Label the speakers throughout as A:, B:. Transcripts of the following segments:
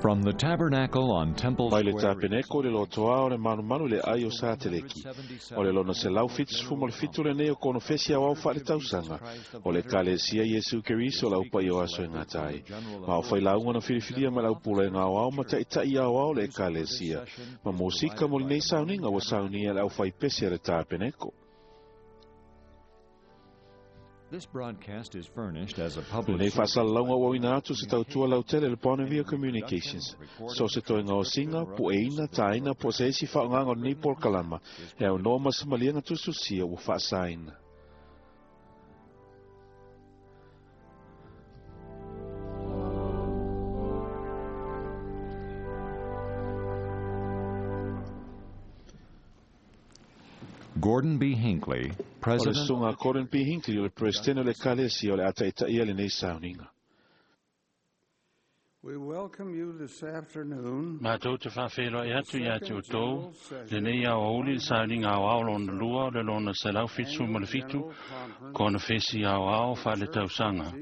A: From the tabernacle on Temple
B: Mai le
A: Square,
B: tapeneko le lotoa o le malumalu le ai o Sateleki. O le lona 177 lenei o konofesi aoao faaletausaga o le Ekalesia Iesu Keriso o le aupaia o aso e gata ai. Ma o failauga na filifilia mai le aupulega aoao ma taʻitaʻi aoao o le Ekalesia. Ma mosika mo lenei sauniga ua saunia e le aufaipese a le tapeneko.
A: This broadcast is furnished as a public
B: Lenei
A: service.
B: faasalalauga ua auina atu se tautua lautele le Bonneville Communications. So se toega o siga, pueina, taina, po o se isi faaaogaga o lenei polokalama, e aunoa ma se maliega tusitusia ua faasaina.
A: Gordon B. Hinckley,
B: O le
A: President
B: susuga a Gordon B. Hinckley o le Peresetene o le Ekalesia o le a taʻitaʻia lenei sauniga.
C: We welcome you this afternoon.
D: Matou te faafeiloai atu ia te outou, lenei aoauli le sauniga aoao lona lua o le lona 177, konofesi aoao faaletausaga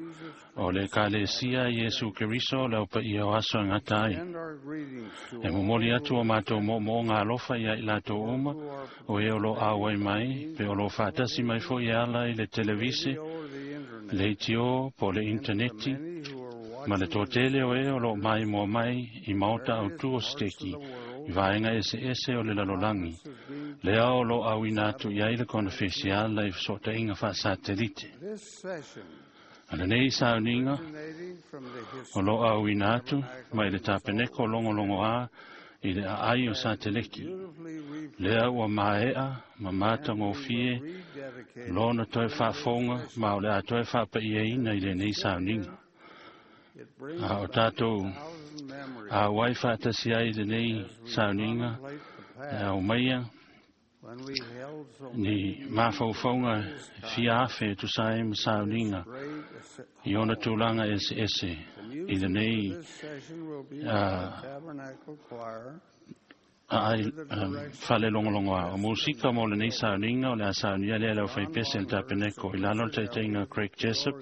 D: o le Ekalesia Iesu Keriso o le aupaia o aso e gata ai.
C: Send our greetings to
D: E momoli atu o matou moomooga alofa ia i latou uma, o e o lo auai mai, pe o lo faatasi mai foi e ala i le televise,
C: or the internet.
D: le itio po o le intaneti,
C: Many who are
D: ma le
C: watching
D: toatele o e o loo mai moa mai i maota autū o seteki, i vaega eseese o le lalolagi, lea o loo auina atu i ai le konofesi ala i fesootaiga faasatelite.
C: this session,
D: A lenei sauniga
C: originating from the
D: o loo auina atu mai le tapeneko logologoā i le aai o Sateleki,
C: beautifully
D: lea ua mae'a ma matagofie
C: rededicated
D: lona toe faafofoga ma o le a toe faapa'iaina i lenei sauniga.
C: It brings
D: A o
C: back
D: tatou
C: 1,000 memories
D: auai faatasi ai lenei sauniga
C: contemplate the
D: e
C: past
D: aumaia
C: when we held so
D: ni mafaufauga fia afe e tusa ai ma sauniga
C: great
D: i ona tulaga eseese i lenei
C: This session will be by the Tabernacle Choir
D: aai falelogologoa. O musika mo lenei sauniga o le a saunia lea le aufaipese le tapeneko i lalo le taitaiga Craig Jessup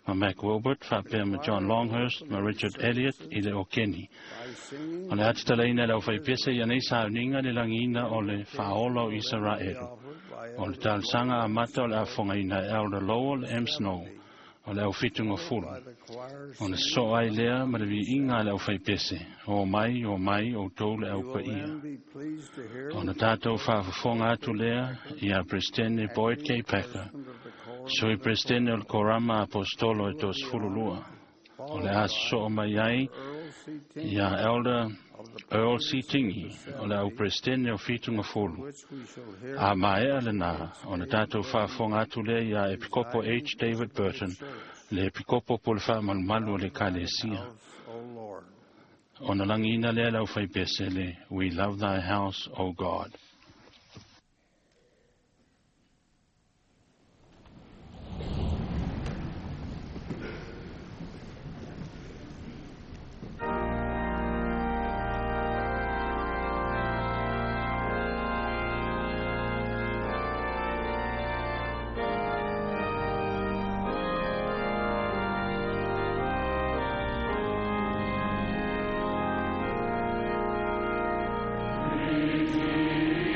D: ma Mac Wilbert faapea ma John Longhurst ma Richard Elliott i le okeni.
C: by singing
D: O le atitalaiina e le aufaipese ia nei sauniga le lagiina o le faaola o Isaraelu.
C: offered by
D: O le talosaga amata o le afogaina e Elder Lowell M. Snow o le aufitugafulu.
C: the choir
D: O le sosoo ai lea ma le viiga a le aufaipese, o mai, o mai, outou le aupaia.
C: Then be pleased to hear
D: O na tatou faafofoga atu lea ia Peresetene Boyd K. Packer, sui Peresetene o le Korama Apostolo e 32. O le a sosoo mai ai
C: Earl C. Ting,
D: ia Elder Earl C. Tingi, o le au Peresetene o Fitugafulu.
C: which we shall hear
D: A maea lenā, o na tatou faafofoga atu lea ia Epikopo H. David Burton, le Epikopo po le faamalumalu o le Ekalesia.
C: O Lord.
D: O na lagiina lea le aufaipese le We Love Thy House, O God.
E: Thank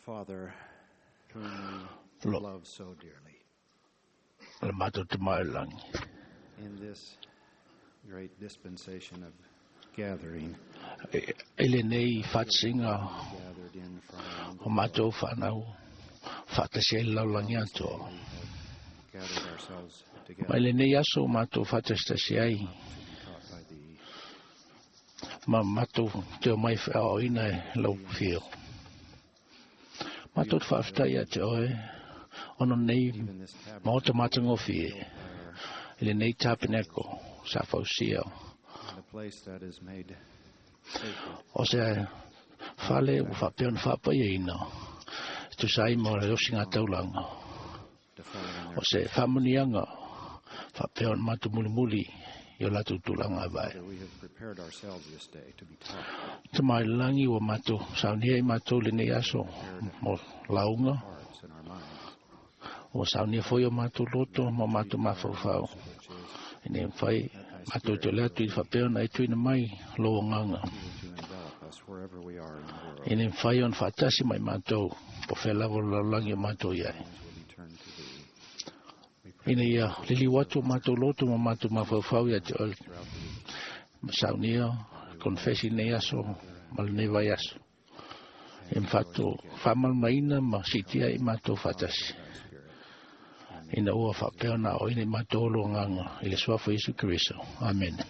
C: Father, whom we
E: Lo.
C: love so dearly.
E: Le matou Tama i le Lagi.
C: In this great dispensation of gathering,
E: I lenei faatasiga
C: gathered in from around the
E: o matou fanau faatasi ai le lalolagi atoa.
C: we have gathered ourselves
E: Ma i
C: together
E: lenei aso o matou faatasitasi ai
C: to be taught by thee.
E: ma matou teo mai feaoaoina e lau fio. Matou te faafetai ia te oe ona nei
C: Even this
E: maota
C: tabernacle
E: matagofie
C: built by our,
E: i lenei tapeneko sa fausia
C: the place that is made sacred
E: o se fale ua faapea ona faapaiaina e tusa ai ma le osiga taulaga
C: to follow in
E: o
C: their
E: se faamuniaga faapea ona matou mulimuli i o latou tulaga e vae.
C: Father, we have prepared ourselves this day to be taught.
E: Tama i le lagi ua matou saunia i matou lenei aso mo lauga
C: Hearts and our minds,
E: ua saunia foi o matou loto ma o matou mafaufau
C: which is
E: ina ia mafai matou te ole atu i faapea ona e tuuina mai lou agaga
C: you to envelop us wherever we are in the world.
E: ina ia mafai ona faatasi mai matou po o fea lava o le lalolagi o matou i ai.
C: Minds will be turned to thee. We pray
E: Ina ia liliu atu o matou loto ma matou mafaufau ia te oe
C: throughout the week
E: ma saunia konfesi i lenei aso ma lenei vaiaso. E mfato faamalamaina ma siitia i matou faatasi.
C: thy Spirit.
E: Ina ua faapea ona aoaoina i matou o lou agaga i le suafa o Iesu Keriso. Amene.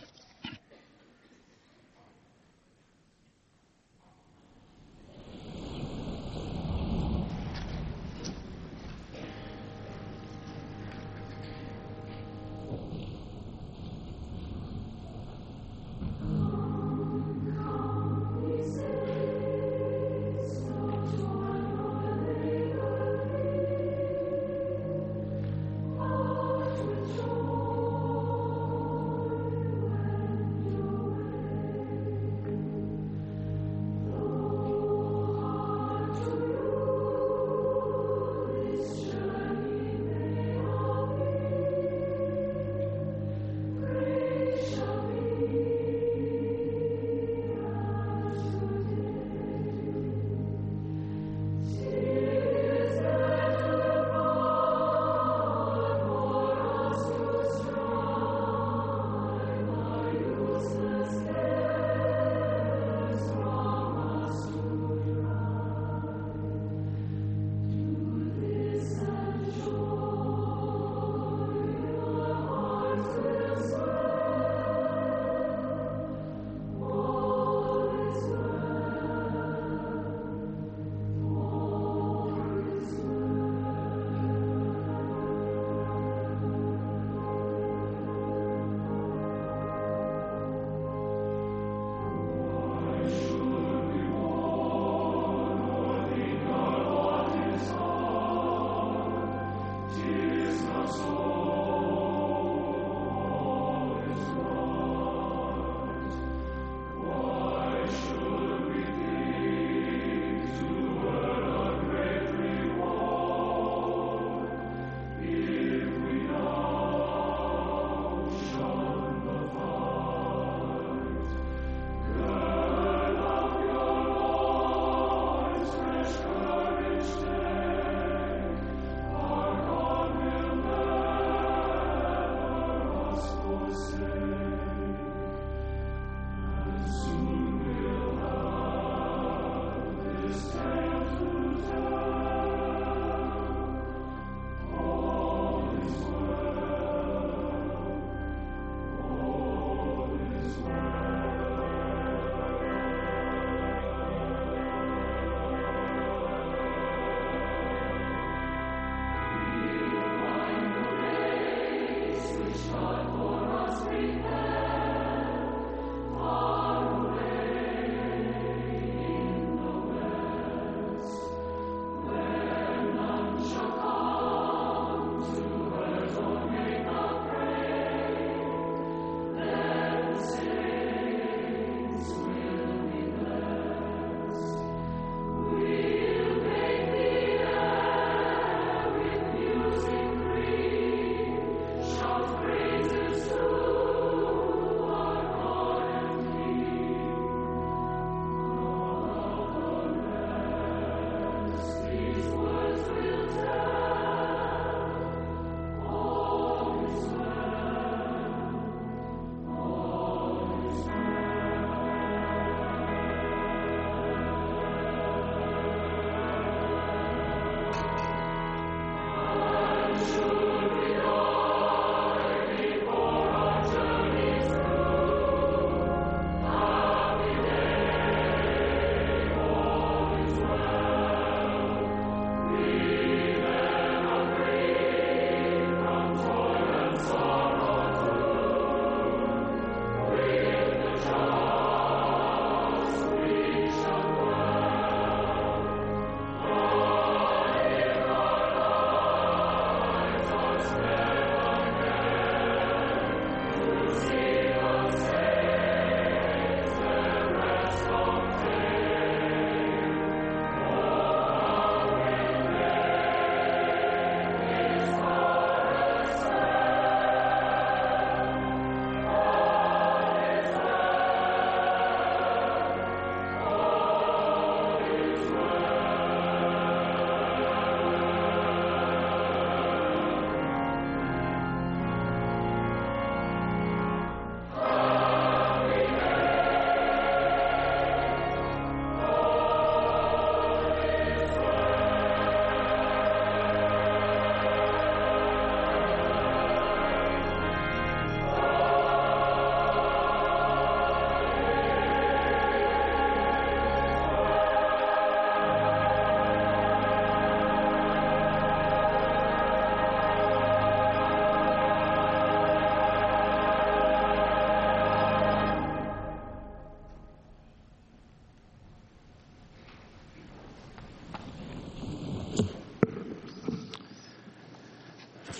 F: Praises to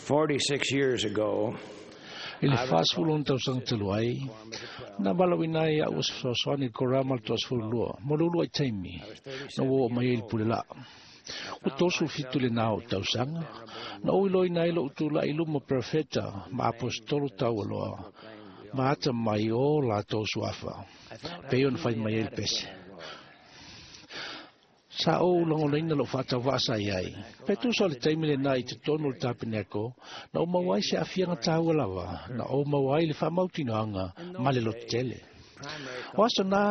C: 46 years ago,
E: I le 46 tausaga talu ai, na valaauina ai a'u o se fesoasoani i le korama o le 22 mo le uluai taimi na ua oo mai ai i le pule laa. Ua 37 lenā o tausaga, na ou iloaina ai lo'u tula'i i luma o perofeta ma aposetolo taualoa ma ata mai o latou suafa, pei ona fai mai ai le pese. Sa ou lagonaina lo'u faatauvaa sa i ai. Pe tusa o le taimi lenā i totonu o le tapeneko, na ou maua ai se aafiaga taua lava, na ou maua ai le faamautinoaga ma le lototele. O aso na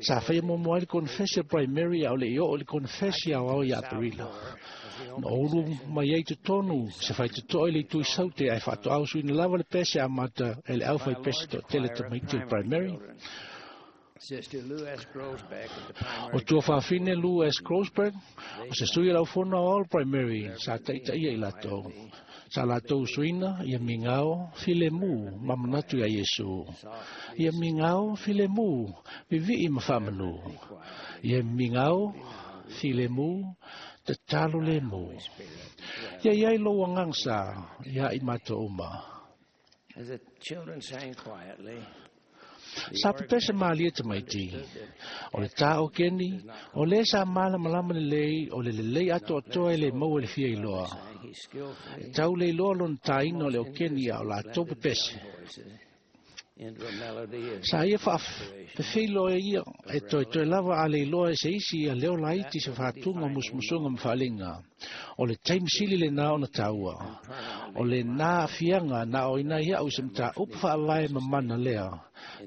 E: sa faia muamua ai le konefesi a primary a o le i oo i le konefesi aoao ia Aperila. Na ou ulu mai ai totonu se faitotoa i le itu i Saute ae faatoa usuina lava le pese amata e le aufaipese toatele tamaiti o le primary.
C: Sister Lou S. Groesbeck of the
E: O
C: primary
E: tua fafine Lou S. Groesbeck, o se sui o le aufono aoao o le primary, sa taitaia i latou. Sa latou usuina ia migao filemu ma manatu iā Iesu. Ia migao filemu vivii ma faamanu. Ia migao filemu tatalo lemu. Ia iai lou agaga sa ia i matou uma.
C: As the children sang quietly,
E: Sa pepese malie tamaiti. O le tā o keni, o le sa malamalama lelei, o le lelei atoatoa e le maua i le fia iloa.
C: sang he skillfully
E: E tau le iloa lona tāina o le o keni a o latou pepese.
C: voices into a melody of
E: Sa ia faafefeiloa ia e toetoe lava a le iloa e se isi ia leo laiti se faatuga o musumusuga ma faaliga. O le taimi sili lenā ona taua. O lenā aafiaga na aoina ai a'u i se mataupu faavae mamana lea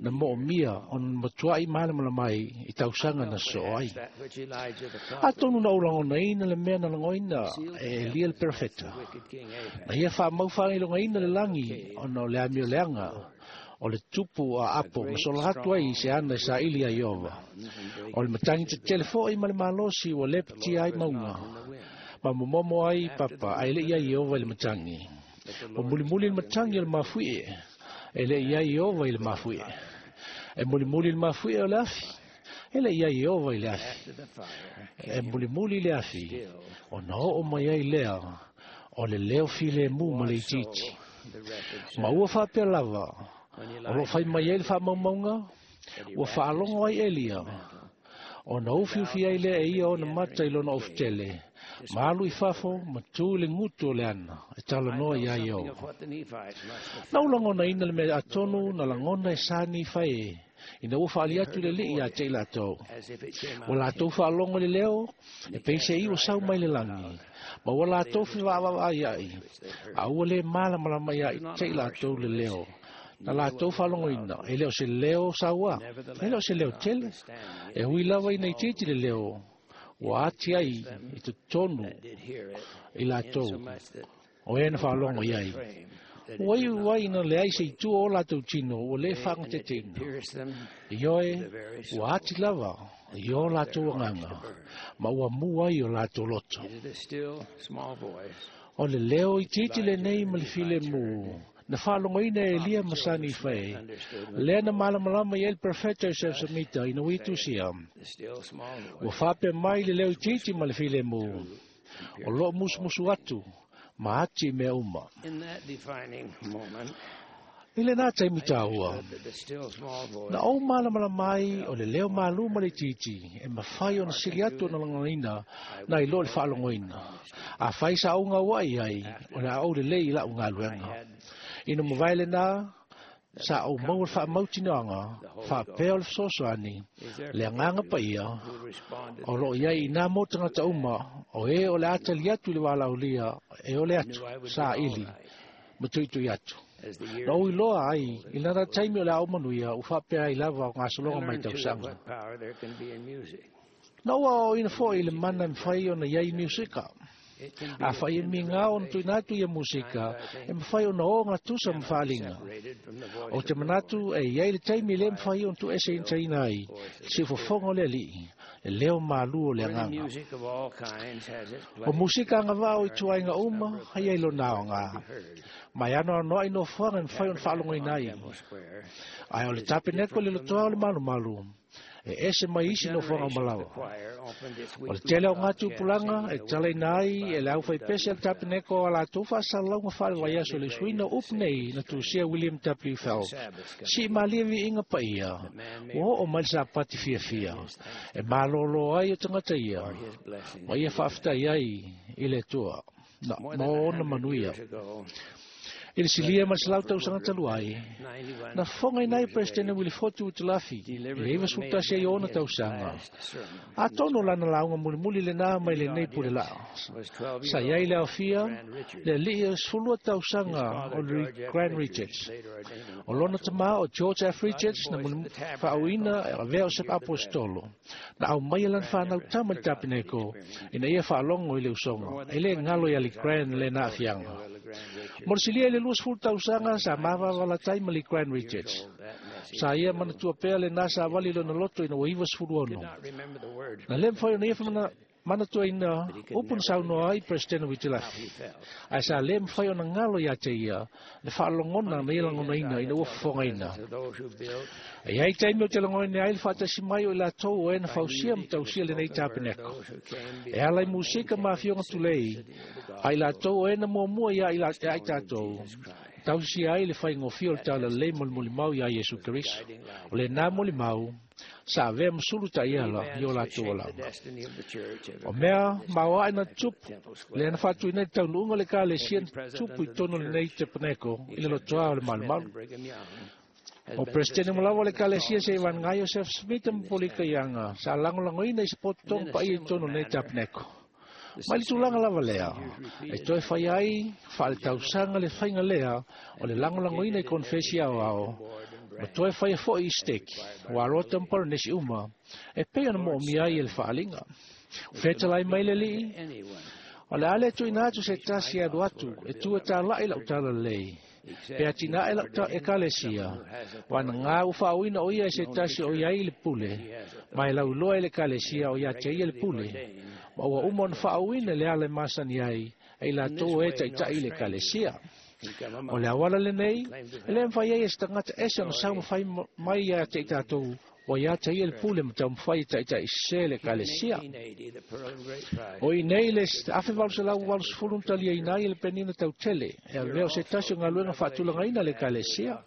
E: na moomia ona matua'i malamalama ai i tausaga na sosoo ai.
C: that which Elijah the prophet,
E: Atonu na ou lagonaina le mea na lagoina e Elia le perofeta.
C: wicked king Ahab,
E: Na ia faamau faailogaina le lagi ona o le amioleaga o le tupu a apo ma sola atu ai i se ana e saili ai Iova. O le matagi tetele fo'i ma le malosi ua lepatia ai mauga. Ma momomo ai papa ae le'i ai Iova i le matagi. O mulimuli le matagi o le mafuie, e le'i ai Iova i le mafuie. E mulimuli le mafuie o le afi, e le'i ai Iova i le afi.
C: after the fire,
E: E mulimuli le afi, ona oo mai ai lea o le leo filemu ma le itiiti.
C: the record
E: Ma ua faapea lava, o loo fai mai ai le faamaumauga, ua faalogo ai Elia, ona ufiufi ai lea e ia ona mata i lona ofutele, ma alu i fafo ma tu i le gutu o le ana, e talanoa iā
C: something
E: Ioova.
C: of what the Nephites must have
E: Na ou lagonaina le mea atonu na lagona e sa Nifae e, ina ua faali atu le alii ia te i latou.
C: as if it came
E: Ua
C: out
E: latou faalogo i le leo, e pei se i ua sau mai le lagi, ma ua latou fevaavavaai ai, a ua lē malamalama ia te i latou le leo. Na latou faalogoina, e le o se leo sauā, e le o se leo tele, e ui lava ina itiiti le leo, ua ati ai i totonu
C: did hear it,
E: i latou,
C: insomuch that
E: o e na faalogo i ai.
C: frame that
E: Ua iu ai ina leai se itu o latou tino, ua lē
C: and it
E: faagateteina.
C: pierced them
E: Ioe, ua ati lava i o latou agaga, ma ua mu ai o latou loto.
C: into the still small voice
E: O le leo itiiti lenei ma le filemu, na faalogoina e Elia ma sa Nifae, lea na malamalama i ai le perfeta Joseph Smith ina ua itusia.
C: the still small
E: Ua
C: voice
E: faapea mai le leo itiiti ma le filemu, o loo musumusu atu, ma ati i mea uma.
C: in that defining moment
E: I lenā taimi tāua,
C: that the still small voice
E: na ou malamalama ai o le leo malū ma le itiiti, e mafai ona sili atu ona lagonaina na i lo le faalogoina. A fai sa ou gaua'i ai, o le a ou lelei i la'u galuega. Ina mavae lenā, sa ou maua le faamautinoaga, faapea o le fesoasoani, le agaga paia,
C: who responded
E: o loo iai i nā mo tagata uma, o e o le a tali atu i le valaaulia, e ole atu, saili, ma tuitui atu.
C: as the years
E: Na ou iloa ai, i lana taimi o le a ou manuia, ua faapea ai lava o gasologa mai
C: learned too of
E: tausaga.
C: what power there can be in music.
E: Na ua aoaoina fo'i le mana e mafai ona iai miusika.
C: It can be
E: A fai e migao ona tuuina atu ia musika, e mafai ona o gatusa ma faaliga.
C: separated from the voice
E: O te manatu e iai le taimi le mafai ona tuueseina ai, le siufofoga o le alii, le leo malū o le
C: Where the
E: agaga.
C: music of all kinds has its
E: O
C: place
E: musika agavaa o ituaiga uma, ai ai lona aoga.
C: heard.
E: Ma e anoanoa'i nofoaga e mafai ona faalogoina ai.
C: Temple Square
E: Ae o le tapeneko le lotoa o le malumalu, E ese mai isi nofoaga o malawa. O le tele o ngā tupulaga e talaina ai e le aufaipese a le tapeneko a latou faasalalauga faale-vaiaso i le suiina o upu nei na tusia William W. Phelps. Sii malie viiga paia, ua oo mai le sapati fiafia, e malōlō ai o tagata ia, ma ia faafetai ai i le Atua, na ma ona manuia. I le silia ma le selau tausaga talu ai, na fofogaina ai Peresetene Wilifotu Witilafi i le 91 ai o ona tausaga. Atonu o lana lauga mulimuli lenā mai lenei pule laa. Sa i ai le aofia le alii o le 12 tausaga o le Grand Richards. O lona tamā o George F. Richards na faaauina e avea o se aposetolo. Na aumaia lana fanau tama i le tapeneko ina ia faalogo i le usoga. E le galo ia le Grand lena aafiaga. Mo le silia i le 20 tausaga sa mavavalatai ma le Grand Richards. Sa ia manatua pea lenā savali lona loto ina ua 96. Na le mafai ona ia manatuaina upu na saunoa ai Peresetene Witilafi. Ae sa le mafai ona galo ia te ia le faalogona na ia lagonaina ina ua fofogaina. E iai taimi o te lagoina ai le faatasi mai o i latou o e na fausia ma tausia lenei tapeneko. E ala i musika ma afioga tulei, a i latou o e na muamua ia i tatou, tausisia ai le faigofie o le talalelei molimoli iā Iesu Keriso. O lenā molimau, sa avea ma sulu taʻiala i o latou alaga. O mea maoaʻe na tupu, lea na faatuina ai le taunuuga o le Ekalesia na tupu i totonu o lenei tapeneko i le lotoā o le malumalu. O Peresetene mo lava o le Ekalesia se i vanaga ai Iosefo Smita ma Polika Ianga sa lagolagoina i se pototoga paia i totonu o lenei tapeneko. Mai le tulaga lava lea, e toe fai ai faaletausaga le faiga lea o le lagolagoina i konefesi aoao, ma toe faia foi i steki, ua aloa ma Polenesi uma, e pei ona moomia ai e le faaliga. Fetalai mai le alii, o le a le tuuina atu se tasi e alu atu e tu e talaʻi lau talalelei, pe atinae lau ekalesia, vanaga ua faauina o ia e se tasi o iai le pule, ma e lauiloa e le ekalesia o ia te ia le pule, ma ua uma ona faauina le ala e masani ai, e i latou e taʻitaʻi i le ekalesia. O le auala lenei, e le mafai ai e se tagata ese ona saumafai mai ia te i tatou, ua ia te ia le pule ma taumafai e taʻitaʻisesē le ekalesia. O i nei le 1880 na taliaina ai e le penina tautele, e avea o se tasi o galuega faatulagaina le ekalesia.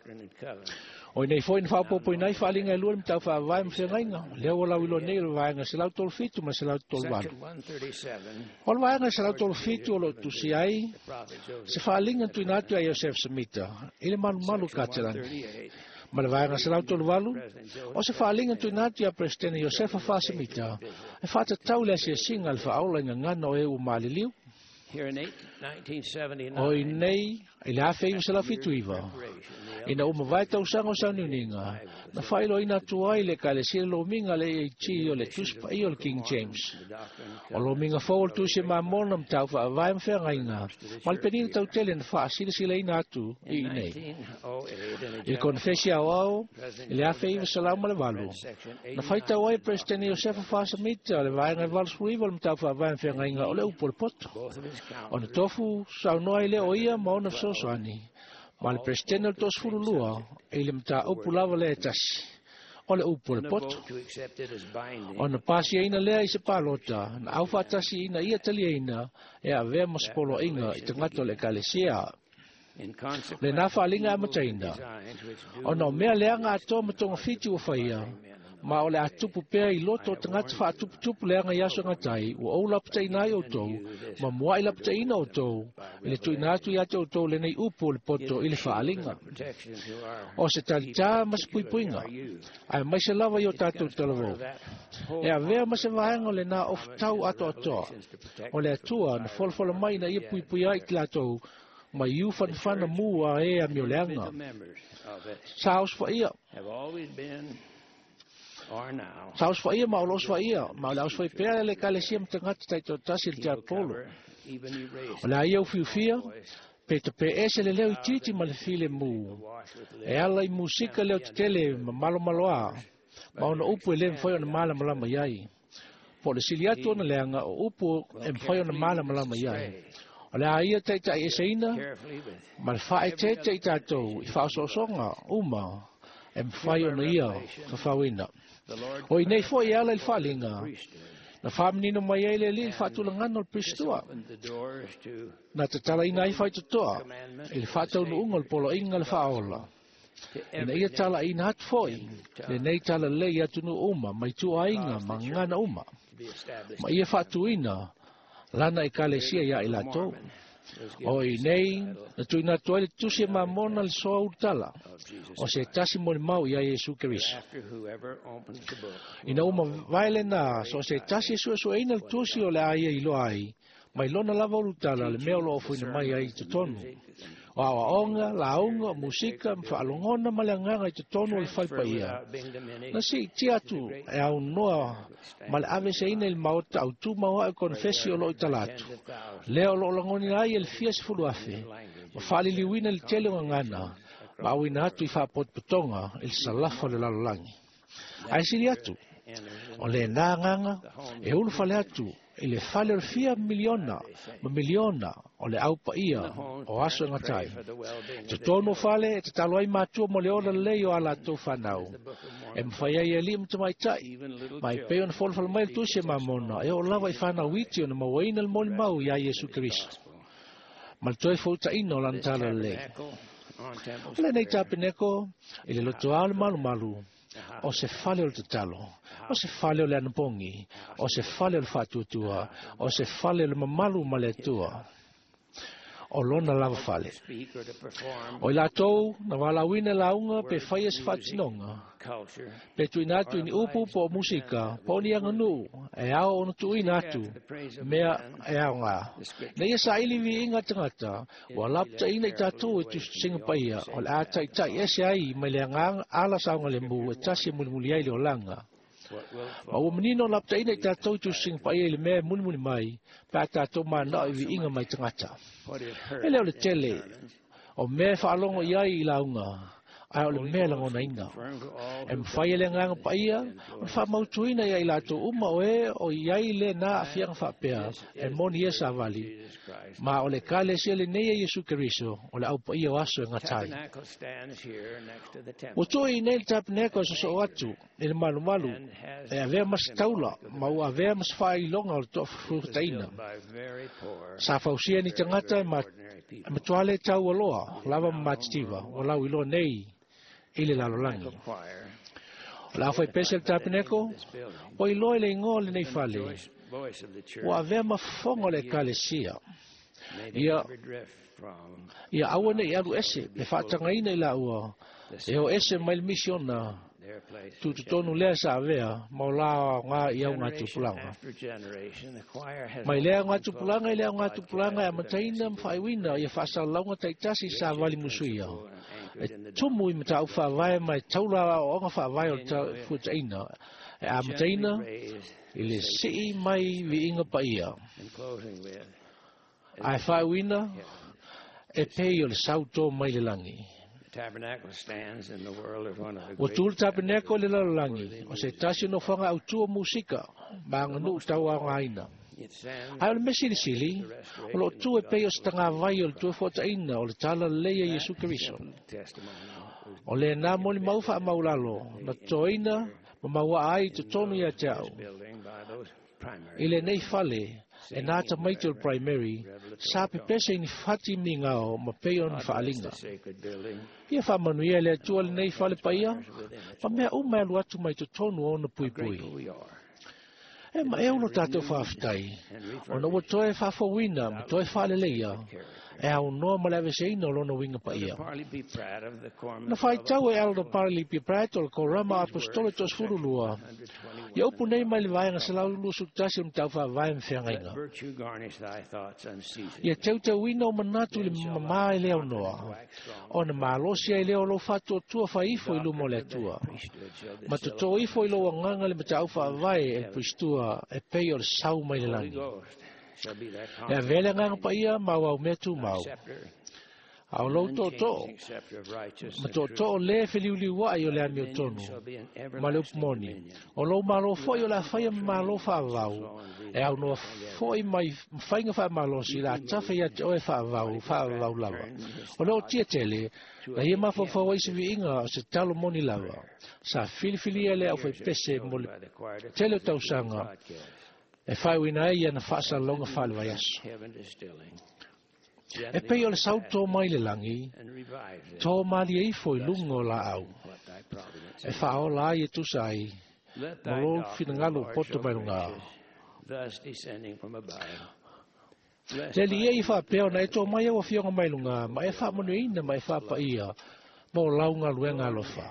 E: O i nei foi na faaopoopoina ai faaliga e lua le matau faavae ma feagaiga, lea ua lauiloa nei o le vaega 137 ma le 138. O le vaega 137 o loo tusia ai se faaliga na tuuina atu ia Iosefo Semita i le malumalu o Katelani. Ma le vaega 138 o se faaliga na tuuina atu ia Peresetene Iosefa Faasemita e faatatau le asiasiga a le faaola i gagana o e ua maliliu. O i nei, i le 1979, ina ua mavae tausaga o sauniuniga, na faailoaina atu ai le Ekalesia le lomiga a le AAG o le Tusi Paia o le King James. O lomiga fou o le Tusi e Mamona ma tau faavae ma feagaiga, ma le penina tautele na faasilasilaina atu i inei. I le konefesi aoao i le 1908, na faitau ai e Peresetene Iosefa Faasamita le vaega e 89 o le matau faavae ma feagaiga o le upu o le poto. Ona tofu saunoa ai lea o ia ma ona fesoasoani, ma le Peresetene o le 32 i le mataupu lava lea e tasi, o le upu o le poto. Ona pasiaina lea i se palota, na aufaatasi ina ia taliaina e avea ma se poloaiga i tagata o le Ekalesia. Lenā faaliga e amataina, ona o mea leaga atoa ma togafiti ua faia, ma o le a tupu pea i loto o tagata faatuputupu leaga i aso e gata ai, ua ou lapataʻina ai outou, ma muaʻi lapataʻina outou, i le tuuina atu ia te outou lenei upu o le poto i le faaliga. O se talitā ma se puipuiga, ae maise lava i o tatou talavou. E avea ma se vaega o lenā ofutau atoatoa, o le Atua na folafola mai ina ia puipuia ai i latou mai iu fanafana mu a e amioleaga. Sa osofaia. Sa osofaia ma o lo osofaia, ma o le a osofai pea le Ekalesia ma tagata taitoatasi i le tiapolo. O le a ia ufiufia, pe tapeʻese le leo itiiti ma le filemu. E ala i musika leo tetele ma malomaloā, ma ona upu e le mafai ona malamalama i ai. Po o le sili atu ona leaga o upu e mafai ona malamalama i ai. O le a ia taʻitaʻieseina ma le faaeteete i tatou i faaosoosoga uma E mawhai ona ia fawhawina. O i nei fo i ala i whalinga. Na whaminino mai ai le li i whaatulangana o le Pristua. Na te tala ina ai whaitotoa i le whaataunu unga o le polo inga le whaola. Ina ia tala ina hatu foi, le nei tala lei atunu uma, mai tuainga ma ngana uma. Ma ia whaatuina, lana i kalesia ia i latou. O i nei, na tuina atu ai le tusi e mamona le soa urutala, o se tasi mo le mau ia Iesu Keriso. Ina uma vaele na, so se tasi e suesueina le tusi o le aia i loa ai, mai lona lava urutala le mea o lo ofuina mai ai i totonu. O aoaoga, lauga, musika, ma faalogona ma le agaga i totonu o le falepaia. Na siitia atu e aunoa ma le aveseina i le maota autū mauaʻe konefesi o loo i tala atu. Lea o loo lagona ai e le fia 10,000, ma faaliliuina le tele o gagana, ma auina atu i faapotopotoga i le salafa o le lalolagi. Ae sili atu, o lenā agaga e ulufale atu i le fale o le fia miliona ma miliona o le aupaia o aso e gatai. Totonu o fale e tatalo ai matua mo le ola lelei o a latou fanau. E mawhai ai e alii ma tamaitai, ma i pei ona folafala mai le tusi e mamona, e oo lava i whanau iti ona mauaina le molimau iā Iesu Keriso. Ma le toe foutaina o lana tala lelei. O lenei tapeneko, i le lotoa o le malumalu, o se fale o le tatalo, o se fale o le anapogi, o se fale o le faatuatua, o se fale o le mamalu ma le Atua. O lona lava fale. O i latou, na walauina lauga pe whaia se whaatinoga, pe tuina atu i ni upu po o musika, po o ni aganuu, e ao ona tuuina atu, mea e ao ngā. Na ia sa ili vi inga tangata, ua laputaina i tātou e tusinga paia, o le a taitai ese ai mai le agaga ala saogalemu e tasi e mulimuli ai le olaga. Ma ua manino laputaina i tātou i tusinga paia i le mea e mulimuli mai, pe a tātou manao i viiga mai tagata. E leo le tele, o mea e faalogo i ai i lauga, ae o le mea lagonaina. E mawhai e le agaga paia, o le faamautuina ia i latou uma o e o i ai lenā aafiaga faapea, e moni ia savali. Ma o le ekalesia lenei a Iesu Keriso, o le aupaia o aso e gata ai.
C: Tabernacle stands here next to the temple.
E: Ua tuu i nei le tapeneko e sosoo atu i le malumalu, e avea ma se taula, ma ua avea ma se faailoga o le toafufutaina.
C: Built by very poor,
E: Sa fausia ni tagata e ma
C: ordinary people.
E: e matua le taualoa, lava ma matitiva, o lau iloa nei i le lalolagi.
C: Choir.
E: O le aufaipese le tapeneko, o iloa i le igoa o lenei fale,
C: Voice of the church.
E: ua avea ma fofoga o le ekalesia.
C: May they
E: Ia
C: never drift from
E: ia aua nei alu ese, pe faatagaina i laua, e o ese mai le misiona,
C: their place.
E: tutotonu lea sa avea, ma o la ngā i au ngā
C: Generation
E: tupulaga.
C: after generation, the choir has
E: Mai lea ngā tupulaga i lea ngā tupulaga e amataina ma whaaiwina ia whaasalalauga taitasi sa vali musuia. E tumu i matau whaavae mai taula o onga whaavae o le fuataina. E amataina
C: raised
E: i le sii mai viiga paia.
C: and closing with
E: Ae whaaiwina e pei o le sauto mai le langi.
C: the tabernacle stands in the world as one of the
E: Ua
C: great
E: tū le tapeneko i le lalolagi, o se tasi o nofoaga autua musika, ma aganuu tauaogaina.
C: It stands
E: Ae o le mea silisili, o loo tu e pei o se tagavai o le tuefuataina o le tala lelei a Iesu Keriso.
C: testimony was
E: O lenā molimau faamaulalo, na totoina ma mauaa ai i totonu ia te au.
C: building by those primary
E: I lenei fale, e nā tamaiti o le primary, sa pepese i ni fati migao ma pei o ni faaaliga.
C: the sacred building
E: Ia faamanuia e le Atua lenei fale paia, ma mea uma e alu atu mai totonu o ona puipui.
C: grateful we are
E: E ma e ulo tātou whaaftai, ona ua toe faafouina ma toe faaleleia, e aunoa ma le aveseina o lona uiga paia.
C: Parley P. Pratt of the Quorum
E: Na whaitau e Elder Parley P. Pratt o le Korama Apostolo 32, ia upu nei mai le vaega 121 o matau faavae ma feagaiga.
C: Virtue garnish thy thoughts unceasingly.
E: Ia teuteuina o manatu i le mamā i le aunoa, ona malosi ai lea o lou faatuatua faaifo i luma o le Atua.
C: Priesthood shall
E: Ma
C: distill
E: totō ifo i lou agaga le matau faavae e le Pristua e pei o le sau mai le
C: Holy
E: lagi.
C: Ghost shall be thy
E: E avea le agaga paia ma au au mea tumau.
C: scepter.
E: A o lou tootoo, ma tootoo le feliuliuai o le amiotonu, ma le upu moni. O lou malo foi o le a faia ma malo faavavau, e aunoa foi mai faiga faamalosi la tafe ia te oe faavavau, faavavau lava. O le ootia tele, na ia mafaufau ai se viiga o se talo moni lava. Sa filifilia le aufaipese mo le tele o tausaga, e faaiuina ai iana faasalalauga faale-vaiaso. E pei o le sau tō mai le lagi, tō malie ifo i luga o laau. E faaola ai e tusa ai, ma lou finagalo poto mai luga. Le alii e i faapea ona e tō mai au afioga mai luga, ma e faamanuiaina ma e faapaia, mo lau galuega alofa.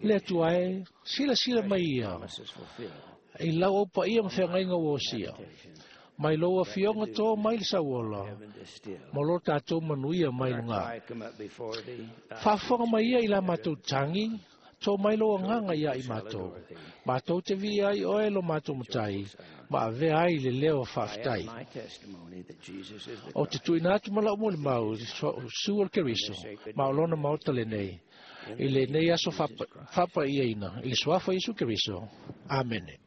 E: Le Atua e, silasila mai ia, i lau au paia ma feagaiga ua osia. Mai lou afioga tō mai le sauola, mo lo tātou manuia mai luga. Faafofoga mai ia i la matou tagi, tō mai lou agaga ia i matou. Matou te viia ai oe lo matou matai, ma avea ai le leo faafetai. O te tuuina atu ma lau molimau, Iesu o le Keriso, ma o lona maota lenei, i lenei aso faapaiaina, i le suafa o Iesu Keriso. Amene.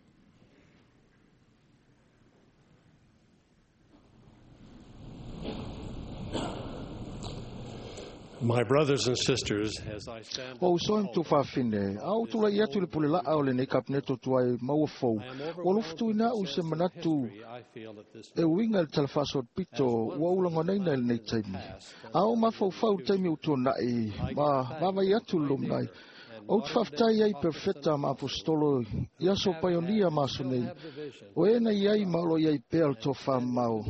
F: My brothers and sisters, as I stand
G: Ua usoa ma tuafafine, a ou tulai atu i le pule laa o lenei kapeneto tuai maua fou, ua alofa au se manatu e uiga i le tala faasoapito ua ou lagonaina i lenei taimi. A ou mafaufau i le taimi ua tuanai ma vaavaai atu i le lumanai, ou te faafetai ai i perofeta ma aposetolo i aso paionia ma aso nei, o e na i ai ma o lo o i ai pea le tofamamao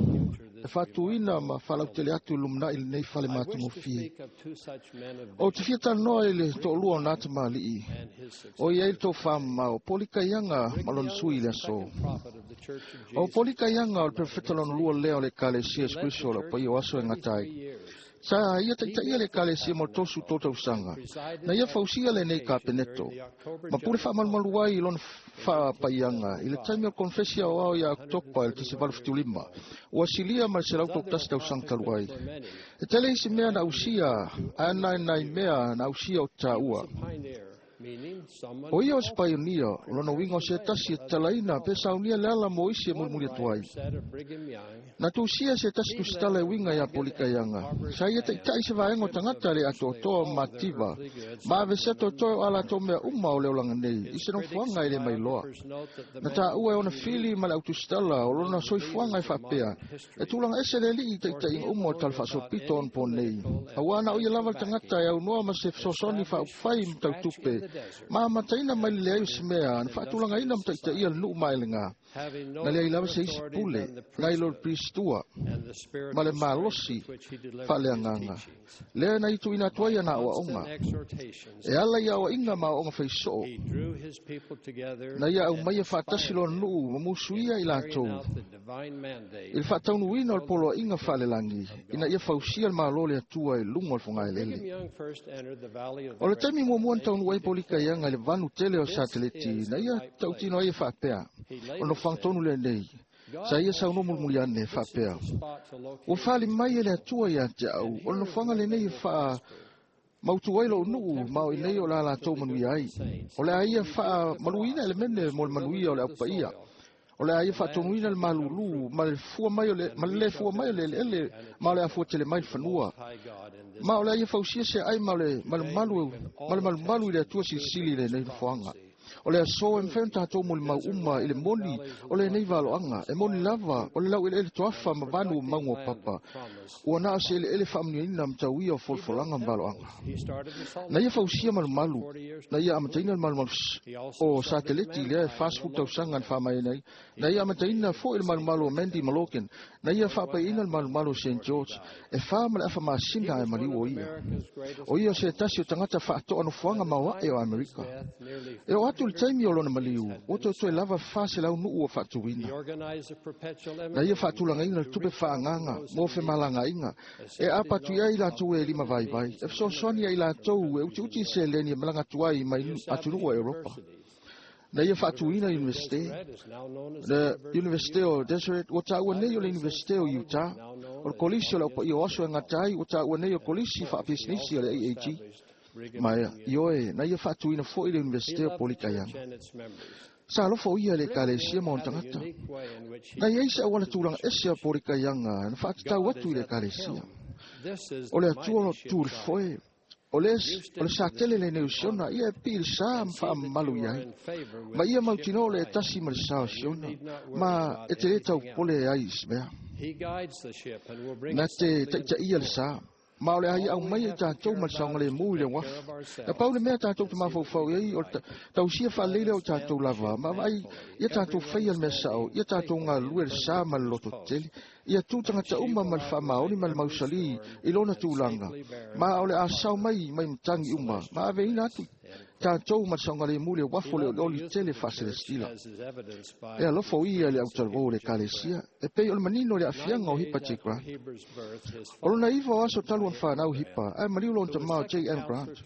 G: e faatuina ma faalautele atu i le lumanai lenei fale matagofie. Ou te fia talanoa i le toalua o na tamalii, o i ai le tofamamao, Polikaiaga ma lona sui i le aso. O Polikaiaga o le perofeta lona lua lea o le Ekalesia Iesu Keriso o le aupaia o aso e gata ai. Sa ia taitaia le Ekalesia mo le 33 tausaga, na ia fausia lenei kapeneto, ma pule faamalumalu ai i lona faapaiaga i le taimi o le konfesi aoao ia Oketopa i le 1975, ua silia ma le 131 tausaga talu ai. E tele isi mea na ausia, ae na nai mea na ausia o taua. O ia o se paionia, o lona uiga o se tasi e tatalaina pe saunia le ala mo isi e mulimuli atu ai. Na tusia se tasi tusitala e uiga ia Polikaiaga, sa ia taitai se vaega o tagata le atoatoa ma mativa, ma avesea toetoe o a latou mea uma o le olaga nei, i se nofoaga e le mailoa. Na taua e ona fili ma le autusitala o lona soifuaga e faapea, e tulaga ese le alii i taitaiga uma o le tala faasoapito onapo nei, auā na o ia lava le tagata e aunoa ma se fesoasoani faaupufai ma tautupe, ma amataina mai le leai o se mea, na faatulagaina ma taitaia le nuu maelega. Na leai lava se isi pule, nai lo le Piristua, ma le malosi faaleagaga. Lea na i tuuina atu ai ana aoaoga. E ala i aoaiga ma aoaoga faisoo. Na ia aumaia faatasi lona nuu ma musuia i latou. I le faataunuuina o le poloaiga faalelagi, ina ia fausia le malo o le Atua i luga o le fogaelele. O le taimi muamua na taunuu ai Polikaiaga i le vanu tele o Sateleti, na ia tautino ai e faapea, o le nofoaga tonu lenei, sa ia saunoa mulimuli ane faapea, ua fali mai e le Atua ia te au, o le nofoaga lenei e faamautu ai lou nuu ma o i nei o le a latou manuia ai. O le a ia faamaluina elemene mo le manuia o le aupaia. O le a ia faatonuina le malulu ma le fua mai o le, ma le le fua mai o le eleele ma o le a fua tele mai le fanua. Ma o le a ia fausia se ai ma le malumalu, ma le malumalu i le Atua silisili i lenei nofoaga. O le aso e mafai ona tatou molimau uma i le moni o lenei valoaga, e moni lava o le laueleele toafa ma vanu o mauga o papa, ua na o se eleele faamanuiaina ma tauia o folafolaga ma valoaga. Na ia fausia malumalu, na ia amataina le malumalu o Sateleti lea e 40 tausaga na faamaeaina ai, na ia amataina foi le malumalu o Mandy ma Logan, na ia faapaiaina le malumalu o St George, e 4 ma le afa masina ae maliu o ia. O ia o se tasi o tagata faatoa nofoaga maoae o Amerika. E oo atu i le taimi o lona maliu, ua toetoe lava 400 nuu ua faatuina. Na ia faatulagaina le tupe faaagaga mo femalagaaiga, e aapa atu i ai latou e lima vaivai, e fesoasoani ai latou e utiuti i seleni e malaga atu ai mai atunuu o Europa. Na ia faatuina Universite. Le Universite o Deseret ua taua nei o le Universite o Utah. O le Kolisi o le Aupaia o Aso e Gata ai ua taua nei o Kolisi Faapisinisi a le AAG. Ma ioe, na ia faatuina foi le Universite o Polikaianga. Sa alofa o ia i le Ekalesia ma ona tagata. Na i ai se auala tulaga ese a Polikaianga na faatatau atu i le Ekalesia. O le Atua o lo o tu i le foe. O le, o le sa tele lenei o Siona, ia e pii i le sa ma faamamalu i ai. Ma ia mautinoa o le e tasi ma le sa o Siona, ma e te le taupole ai i se mea. Na te taitaia le sa, ma o le a ia aumaia i tatou ma le saogalemu i le uafu. Na pau le mea tatou te mafaufau i ai, o le tausia faalelei lea o tatou lava, ma vaai ia tatou faia le mea sao, ia tatou galulue i le sa ma le lototetele, ia tu tagata uma ma le faamaoni ma le mausali i lona tulaga, ma o le a sao mai mai matagi uma, ma aveina atu tatou ma le saogalemu i le uafu o le olioli tele faaselestila. E alofa o ia i le autalavou o le Ekalesia, e pei o le manino i le aafiaga o Hipa J. Grant. O lona 9 o aso talu ona fanau Hipa, ae maliu lona tama o J.M. Grant.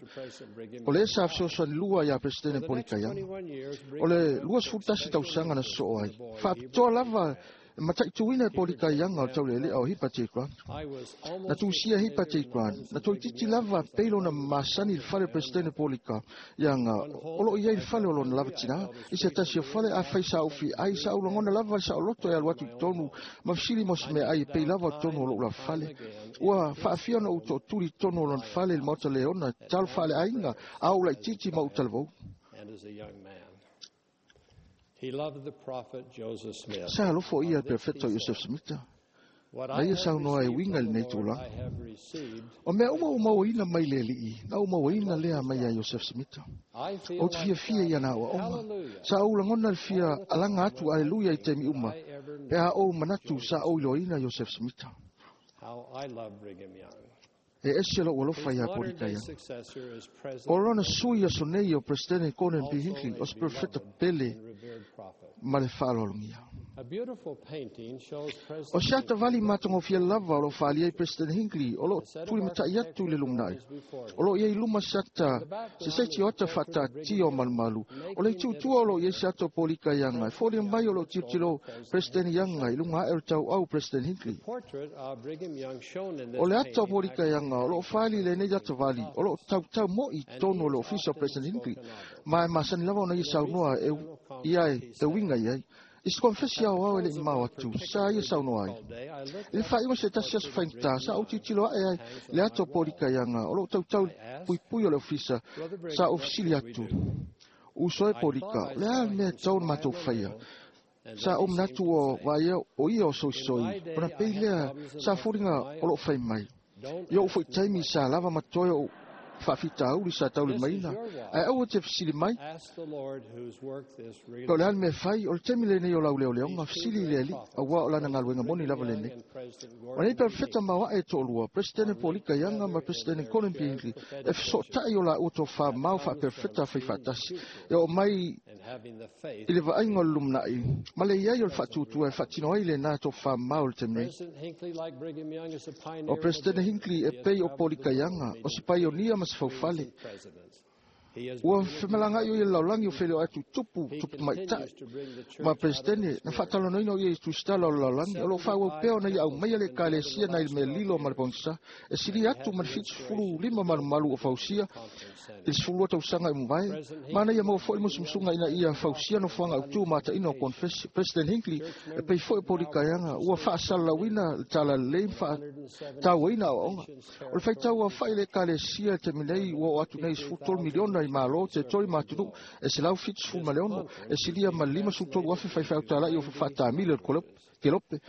G: O lea sa fesoasoani lua iā Peresetene Polikaianga. O le 21 tausaga na sosoo ai, faapitoa lava e mataituina e Polikaianga o le taulealea o Hipa J. Grant. Na tusia Hipa J. Grant, na toeitiiti lava pei lona masani i le fale o Peresetene Polika ianga o lo o i ai i le fale o lona lava tinā. I se tasi o fale, afai sa ou fia ai, sa ou lagona lava le saoloto e alu atu i totonu ma fesili mo se meaai e pei lava o totonu o lou lava fale. Ua faafia ona ou tootuli i totonu o lona fale i le maota leona, tatalo faaleaiga, a ou laitiiti ma ou talavou. Sa alofa o ia i le Perofeta o Iosefo Semita, na ia saunoa e uiga i lenei tulaga. O mea uma ua mauaina mai le Alii, na ou mauaina lea mai ia Iosefo Semita. Ou te fiafia i ana aoaoga. Sa ou lagona le fia alaga atu aleluia i taimi uma, pe a ou manatu sa ou iloaina Iosefo Semita. E ese lou alofa iā Polikaianga. O lona sui aso nei o Peresetene Gordon B. Hinckley, o se perofeta pele ma le faaaloalogia. O se atavali matagofie lava o lo o faaalia ai Peresetene Hinckley o lo o tulimatai atu i le lumanai. O lo o i ai i luma se ata, se seti o ata faataatia o malumalu. O le itu i tua o lo o i ai se ata o Polikaianga e foliga mai o lo o tilotilo Peresetene Young i luga ae o le tauau Peresetene Hinckley. O le ata o Polikaianga o lo o faali i lenei atavali o lo o tautau mo'i i totonu o le ofisa o President Hinckley, ma e masani lava ona ia saunoa e ia e uiga i ai. I se konefesi aoao e le i mamao atu, sa ia saunoa ai. I le faaiuga o se tasi aso faigata, sa ou tilotilo ae ai i le ata o Polikaianga o lo o tautau i le puipui o le ofisa, sa ou fesili atu, Uso e Polika, o le a le mea e tatau ona matou faia? Sa ou manatu ua vaaia o ia o soisoi, ona pei lea sa foliga o lo o fai mai. I oʻu foi taimi sa lava ma totoe oʻu faafitauli sa taulimaina, ae aua te fesili mai, Pe o le a le mea e fai, o le taimi lenei o lau leoleoga, fesili i le Alii, auā o lana galuega moni lava lenei. O nei perofeta maoaʻe e toalua, Peresetene Polika Young ma Peresetene Gordon B. Hinckley, e fesootai o laua tofamamao faaperofeta faifaatasi, e oo mai i le vaaiga o le lumanai ma le i ai o le faatuatua e faatino ai lenā tofamamao i le taimi nei. O Peresetene Hinckley e pei o Polika Young, o se paionia ma se faufale. Ua femalagaai o ia i le lalolagi o feiloai atu i tupu, tupu tamaitai, ma Peresetene, na faatalanoaina o ia i tusitala o le lalolagi, o lo o faaauau pea ona ia aumaia le Ekalesia nai le mea lilo ma le pogisa, e silia atu ma le 75 malumalu ua fausia i le 12 tausaga i mavae, ma na ia maua foi le musumusuga ina ia fausia nofoaga autu ma ataina o konefesi. President Hinckley, e pei foi o Polikaianga, ua faasalalauina le talalelei ma faatauaina aoaoga. O le faitau aofai i le Ekalesia i le taimi nei ua oo atu nei i 13 miliona i Malo, teritori ma atunuu e 176, e silia ma le 53,000 faifeau talai o faatamili o le kelope.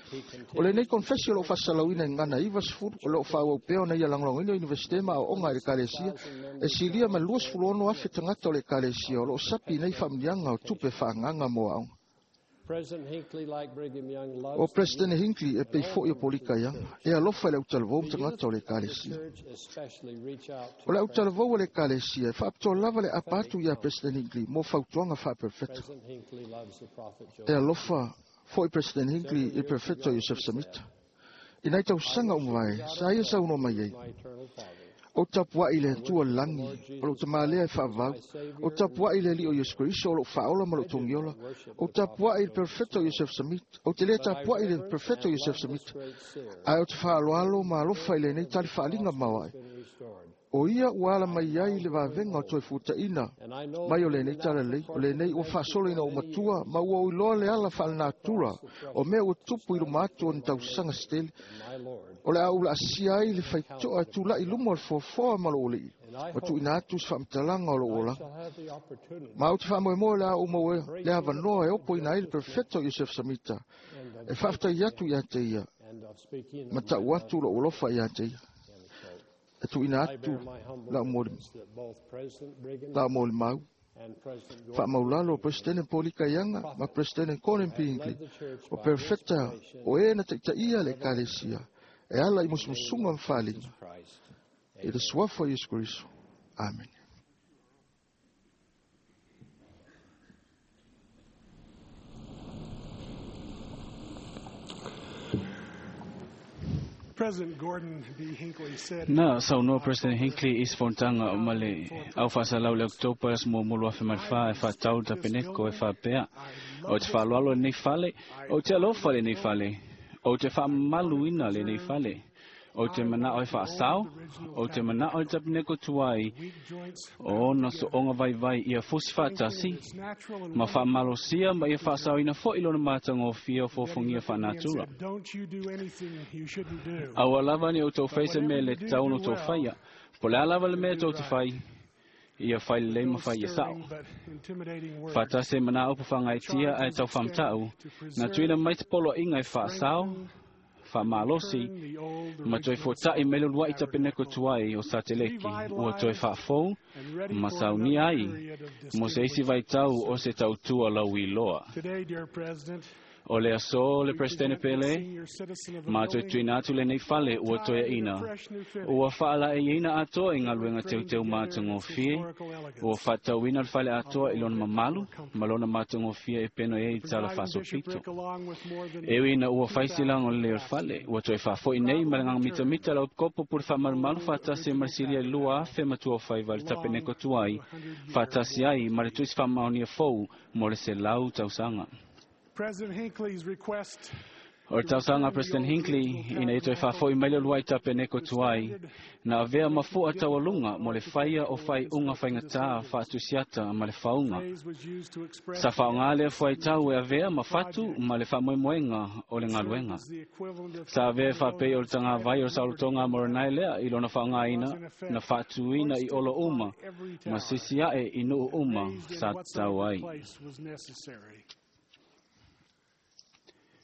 G: O lenei konefesi o lo o faasalalauina i gagana 90, o lo o faaauau pea ona ia lagolagoina o Iunivesite ma aoaoga i le Ekalesia, e silia ma le 26,000 tagata o le Ekalesia o lo o sapi i nei faamanuiaga o tupe faaagaaga mo aoga. O Peresetene Hinckley e pei foi o Polika Young, e alofa i le autalavou ma tagata o le Ekalesia. O le autalavou o le Ekalesia e faapitoa lava le apa atu iā Peresetene Hinckley mo fautuaga faaperofeta. E alofa foi President Hinckley i le Perofeta Iosefo Semita. I nai tausaga ua mavae, sa ia saunoa mai ai, O tapuai le Atua lagi, o lou tamalea e faavavau. O tapuai le Alii o Iesu Keriso, o lou faaola ma lou togiola. O tapuai le Perofeta o Iosefo Samita. Ou te lē tapuai le Perofeta o Iosefo Samita, ae o te faaaloalo ma alofa i lenei tali faaliga maoae. O ia ua ala mai ai le vavega o toe futaʻina mai o lenei talalelei, o lenei ua faasolo ina ou matua ma ua ou iloa le ala faalenatura o mea ua tupu i luma atu o ni tausaga se tele. O le a ou laasia ai le faitoa e tulaʻi luma o le foafoa ma lou alii, ma tuuina atu se faamatalaga o lou olaga. Ma ou te faamoemoe le a ou maua le avanoa e opoina ai le Perofeta o Iosefo Samita, e faafetai atu iā te ia, ma taʻu atu lou alofa iā te ia. E tuuina atu lau molimau faamaulalo o Peresetene Polika Ianga ma Peresetene Gordon P. Hinckley, o perofeta o e na taʻitaʻia le Ekalesia e ala i musumusuga ma faaliga i le suafa o Iesu Keriso. Amene.
D: Na saunoa President Hinckley i se fonotaga ma le au faasalau le Oketopa aso muamua 2004 e faatatau le tapeneko e faapea, o te faaaloalo lenei fale, ou te alofa lenei fale, ou te faamamaluina lenei fale, ou te manao e faasao, ou te manao i le tapeneko tuai o ona sooga vaivai ia fusi faatasi, ma faamalosia ma ia faasaoina foʻi lona matagofie o fofogia faanatura. Aua lava ni outou fai se mea le tatau ona outou faia, po o le a lava le mea tou te fai, ia fai lelei ma fai ia saʻo. Faatasi ai ma nā upu faagaeetia ae taufaamataʻu, na tuuina mai se poloaiga e faasao, faamalosi, ma toe fotaʻi mai le uluaʻi tapeneko tuai o Sateleki ua toe faafou ma saunia ai mo se isi vaitau o se tautua lauiloa. O le aso le Presidente Pele, ma toe tuuina atu lenei fale ua toeaʻina, ua faalaeiina atoa i galuega teuteu matagofie, ua faatatauina le fale atoa i lona mamalu ma lona matagofie e peno ai i tala faasopito. E ui ina ua fai silaga o lelei o le fale, ua toe faafoʻi nei ma le agaga mitamita lau kopo pule faamalumalu faatasi ma le silia i le 2025 i le tapeneko tuai, faatasi ai ma le tusi faamaonia fou mo le 100 tausaga. O le tausaga a President Hinckley ina ia toe faafoʻi mai le uluai tapeneko tuai, na avea ma fuʻa taualuga mo le faia o faaiuga faigatā faatusiata ma le fauga. Sa faaaogā lea fuaitau e avea ma fatu ma le faamoemoega o le galuega. Sa avea e faapei o le tagavai o le saolotoga a Moroni lea i lona faaaogāina na faatuina i olo uma ma sisi aʻe i nuu uma sa tatau ai.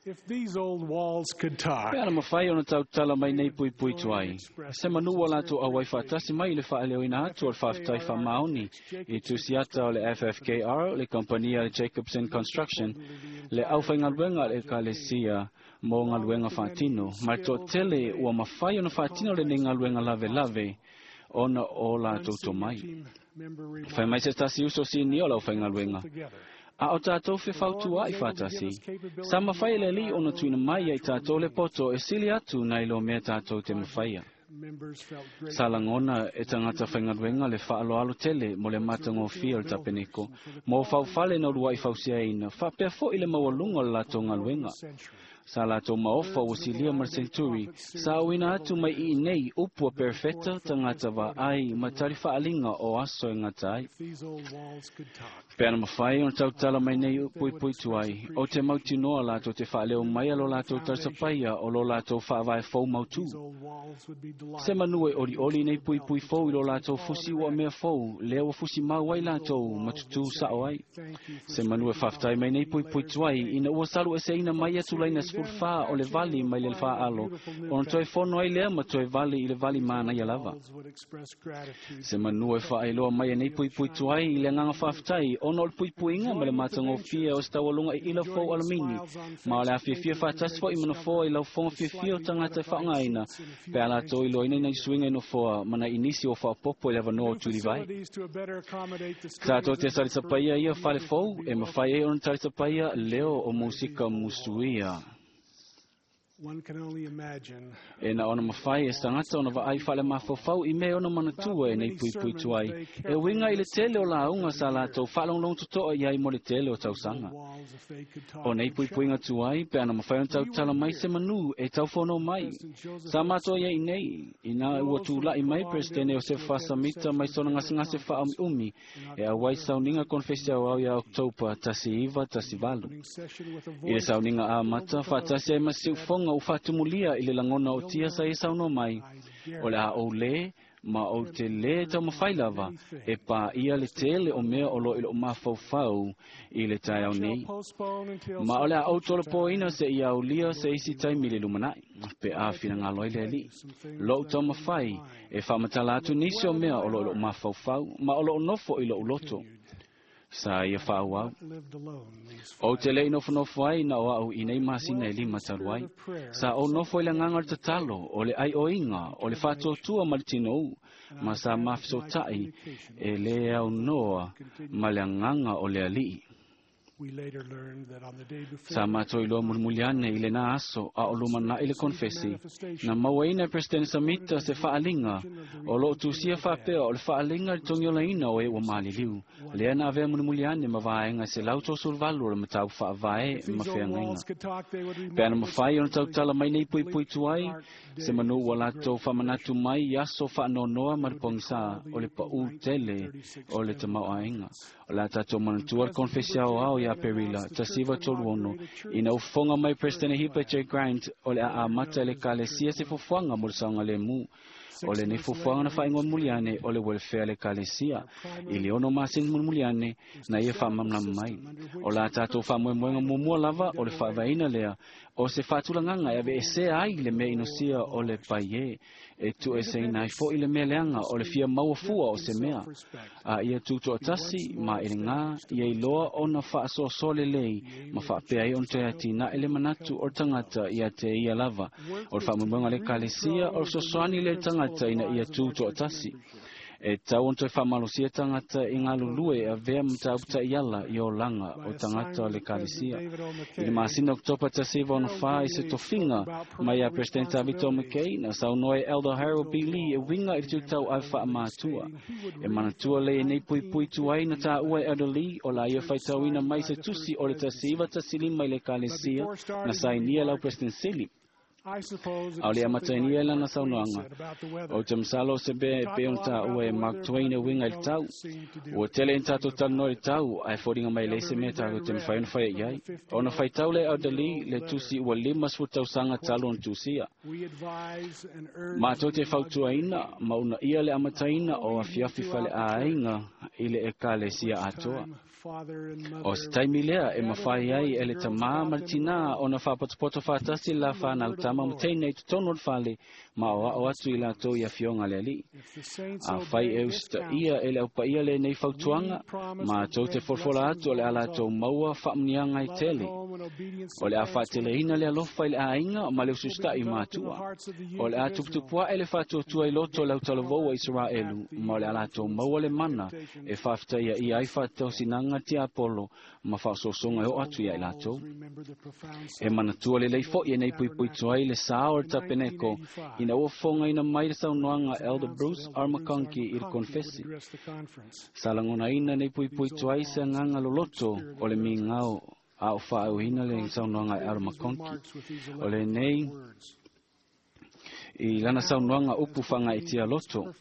D: Pe ana mafai ona tautala mai nei puipui tuai, se manu ua latou auai faatasi mai i le faaleoina atu o le faafetai faamaoni i tusiata o le FFKR, le kamupani a le Jacobson Construction, le aufaigaluega a le Ekalesia mo galuega faatino, ma le toatele ua mafai ona faatino lenei galuega lavelave ona o latou tomai. Fai mai se tasi uso sinia o le aufaigaluega, a o tatou fefautuaʻi faatasi, sa mafai e le Alii ona tuuina mai ia i tatou le poto e sili atu nai lo mea tatou te mafaia. Sa lagona e tagata faigaluega le faaaloalo tele mo le matagofie o le tapeneko, mo faufale na uluaʻi fausiaina, faapea foʻi le maualuga o le latou galuega. Sa latou maofa ua silia ma le senturi, sa auina atu mai i nei upu a perofeta tagata vaai ma tali faaliga o aso e gata ai. Pe ana mafai ona tautala mai nei puipui tuai, o te mautinoa latou te faaleo mai a lo latou tausapaia o lo latou faavae fou mautū. Se manu e olioli nei puipui fou i lo latou fusi ua mea fou, lea ua fusi mau ai latou ma tutū saʻo ai. Se manu e faafetai mai nei puipui tuai, ina ua salu eseina mai ia tulaina 14 o le vali mai le faaalo, ona toe fono ai lea ma toe vali i le vali manaia lava. Se manu e faailoa mai e nei puipui tuai i le agaga faafetai, ona o le puipuiga ma le matagofie o se taualuga i ila fou alamini, ma o le afiafia faatasi foʻi ma nofoa i laufoga fiafia o tagata e faaaogāina, pe a latou iloaina i nai suiga i nofoa ma nai nisi o faaopoopo i le avanoa o tulivai. Tatou te salitapaia ia fale fou e mafai ai ona talitapaia leo o musika musuia.
H: E na ona mawhai e sangata ona vaai whaale mawhawhau i me ona manatua e nei pui pui tuai. E winga i le tele o la unga sa latou whaalonglong tutoa i ai mo le tele o tausanga. O nei pui puinga tuai pe ana mawhai on tau tala mai se manu e tau whono mai. Sa mātoa ia i nei, i nā ua tūlai mai Presidente o se whasamita mai sona ngase ngase wha umi e a wai sauninga konfesi au au ia Oktopa 1918. I le sauninga a mata whaatasi ai masi ufonga u whaatumulia i le langona o tia sa e sauno mai. O le a o le, ma o te le tau mawhai lava, e pā ia le tele o mea o lo i lo mawhauwhau i le tai au nei. Ma o le a o tolo poina se i au lia se isi taimi le lumanai, pe a whina ngā loi le li. Lo tau mawhai, e whamatala atu nisi o mea o lo i lo mawhauwhau, ma o lo nofo i lo uloto. Sa ia whaau. O te lei nofo nofo ai na o au i nei masina e lima talu ai. Sa o nofo i le nganga o le tatalo, o le ai o inga, o le whātuatua ma le tino u, ma sa mawhisotai e le au noa ma le nganga o le alii. Sa mātou iloa mulimuliane i le nā aso a o lumana i le konfesi. Na mauaina e President Samita se whaalinga o loo tūsia whapea o le whaalinga le tongiolaina o e ua maliliu. Lea na avea mulimuliane ma vaenga se lauto sulvalu o le matau whaavae ma wheangainga. Pe ana mawhai o na tautala mai nei pui pui tuai, se manu ua latou whamanatu mai i aso whaanonoa ma le pongisa o le pau tele o le tamau aenga. O la tātou manatua le konfesi au au ia Perila, tasiva toluono, ina ufonga mai President Hipa J. Grant o le a mata le kalesia se fofuanga mo le saunga le mu. O le nei fofuanga na whaingoa muliane o le welfare le kalesia. I le ono masin muliane na ia whaamamlam mai. O la tātou whaamoemoenga mumua lava o le whaavaina lea. O se whaatulanganga e ave e se ai le mea inosia o le pai e tu e se inai fo i le mea leanga o le fia maua fua o se mea. A ia tūtoa tasi ma e ngā ia i loa o na whaasoasole lei ma whaapea i on te ati na ele manatu o tangata ia te ia lava. O le whaamoemoenga le kalesia o le sosoani le tangata ina ia tūtoa tasi. E tau on toe whamalosia tangata i ngā lulue a vea mtauta iala i o langa o tangata o le kalesia. I le masina Oktopa tasiva ona wha i se tofinga mai a President Tavito McKay na saunoa e Elder Harold B. Lee e winga i te tau ai wha mātua. E manatua le e nei pui pui tuai na tā ua e Elder Lee o la ia whaitauina mai se tusi o le tasiva tasilima i le kalesia na sainia lau President Sili. Au le amatainia lana saunoanga. O te msalo se be pe on ta ua e Mark Twain e winga i le tau. Ua tele in tātou talanoa i le tau, ai fōringa mai leise mea tātou te mwhai ona whai i ai. Ona whai tau le Elder Lee le tusi ua 50 tausanga talo ona tusia. Mātou te fautuaina, mauna ia le amataina o afiafi whale āinga i le ekalesia atoa. O se taimi lea e mawhai ai e le tamā ma le tinā o na whapatopoto whātasi la whanau tama ma teinei tonu o le whale ma o ao atu i lātou i a fionga le ali. A whai e usita ia e le aupa ia le nei fautuanga ma tau te forfola atu o le a lātou maua whaamnianga i tele. O le a whaateleina le alofa i le āinga ma le ususta i mātua. O le a tuputupua e le whaatuatua i loto le autalavou a Israelu ma o le a lātou maua le mana e whaafita ia i ai whaatausinanga tia Apollo ma whaasosonga o atu ia i lātou. E manatua le leifo i nei pui pui tuai le sao o le tapeneko ina ua fonga ina mai le saunoanga Elder Bruce R. McConkie i le konfesi. Sa langona ina nei pui pui tuai se nganga loloto o le mingao a o whaauhina le saunoanga Elder McConkie. O le nei i lana saunoanga upu whanga i tia loto.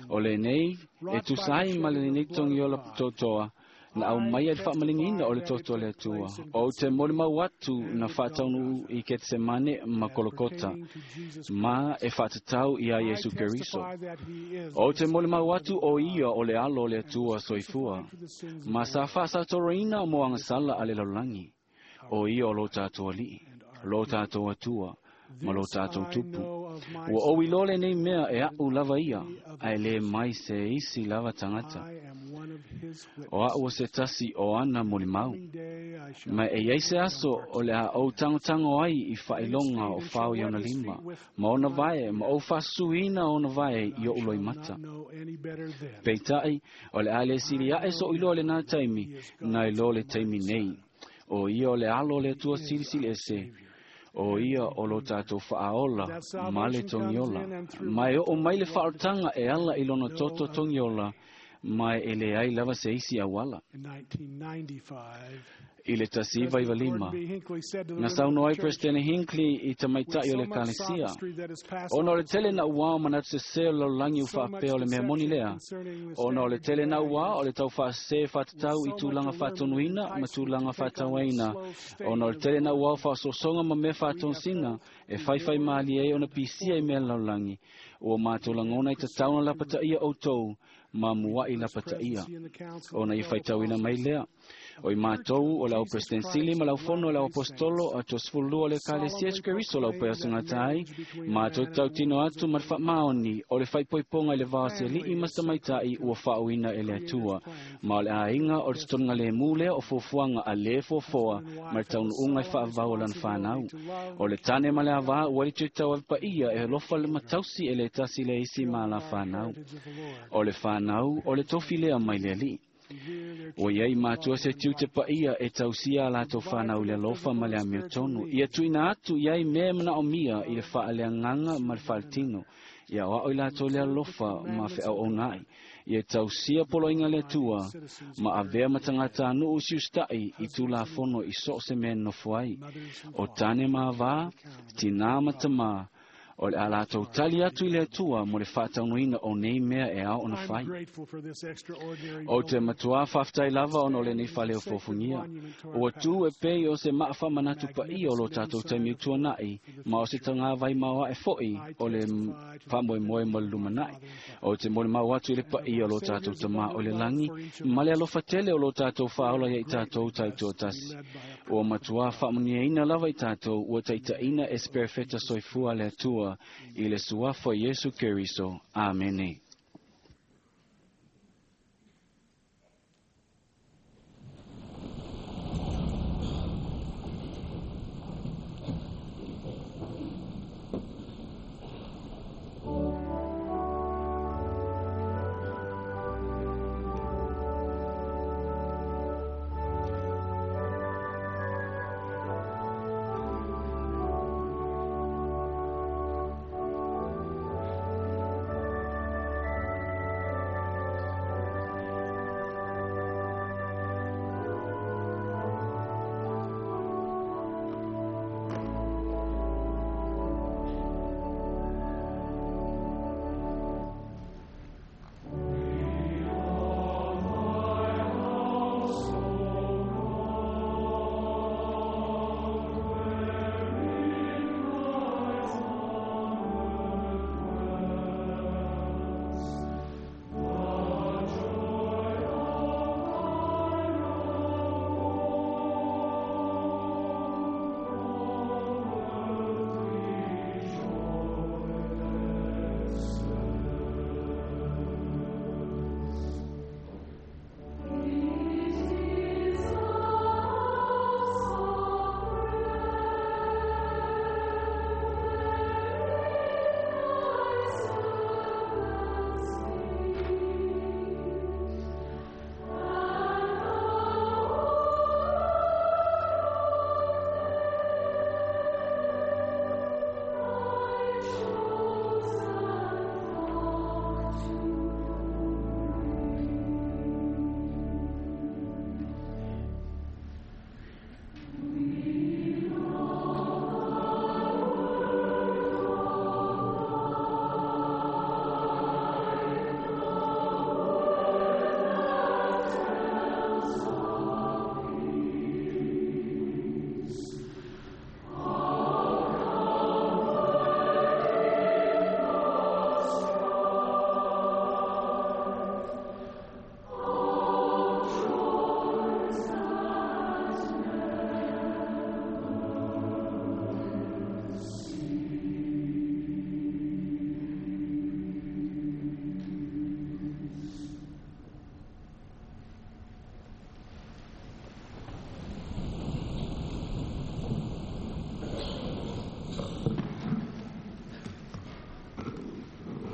H: O le nei e tusai ma le nei tongi o la totoa na au mai e whaamalingina o le toto le atua. O te mori mau atu na whaataunu i Ketsemane ma Kolokota, ma e whaatatau i a Yesu Keriso. O te mori mau atu o ia o le alo o le atua soifua, ma sa whaasatoroina mo angasala a le laulangi. O ia o lo tātou alii, lo tātou atua, ma lo tātou tupu. Ua o ilole nei mea e au lava ia, a e le mai se isi lava tangata. O au o se tasi o ana molimau. Ma e iai se aso o le a ou tangotango ai i whailonga o whao i ona lima, ma ona vae, ma o whasuina ona vae i o uloi mata. Peitai, o le a le sili ae so iloa le nā taimi, nā ilo le taimi nei. O ia o le alo le atua silisili ese, O ia o lo tātou whaaola, ma le togiola. Mai o mai le whaotaga e ala i lona toto togiola, mai e le ai lava se isi auala. I le 1995, na saunoa ai President Hinckley i tamaitai o le Ekalesia. Ona o le tele na uā o manatu sesē o le lalolagi ua faapea o le mea moni lea. Ona o le tele na uā o le taufaasesē faatatau i tulaga faatonuina ma tulaga faatauaina. Ona o le tele na uā o faasoasoga ma mea faatosina e faifai malie ai ona pisia i mea lalolagi. Ua mātou lagona i tatau na lapataia outou ma mua'i lapataia. Ona i faitauina mai lea. O i mātou o le au President Sili ma lau fono o le au apostolo a 32 o le Ekalesia Iesu Keriso lau pea sangata ai, mātou tautino atu ma le faamaoni o le faaipoipoga i le va o se ali'i ma se tamaitai ua faauina e le Atua. Ma o le aiga o le totoga lemu lea o fuafuaga a lē foafoa ma le taunuuga i faavavau o lana fanau. O le tane ma le avā ua le tuitau ave paia e alofa le matausi e le tasi le isi ma la fanau. O le fanau o le tofi lea mai le ali'i. Ua iai matua se tiute paia e tausia a latou fanau i le alofa ma le amiotonu. Ia tuuina atu i ai mea e manaomia i le faaleagaga ma le faaletino. Ia oa'o i latou le alofa ma feauaunaai. Ia tausia poloaiga le Atua ma avea ma tagatanuu siusta'i i tulafono i so o se mea e nonofo ai. O tane ma avā, tinā ma tamā, o le a latou tali atu i le Atua mo le faataunuina o nei mea e ao ona fai. O te matuā faafetai lava ona o lenei faleofofogia. Ua tū e pei o se maafaamanatu paia o lo tātou taimi utuana'i, ma o se tagavai maoaʻe fo'i o le faamoemoe mo le lumana'i. O te molimau atu i le paia o lo tātou tamā o le lagi, ma le alofa tele o lo tātou faaola ia i tātou taitoatasi. Ua matuā faamanuiaina lava i tātou ua taitaʻina e se perofeta soifua a le Atua i le suafa o Iesu Keriso. Amene.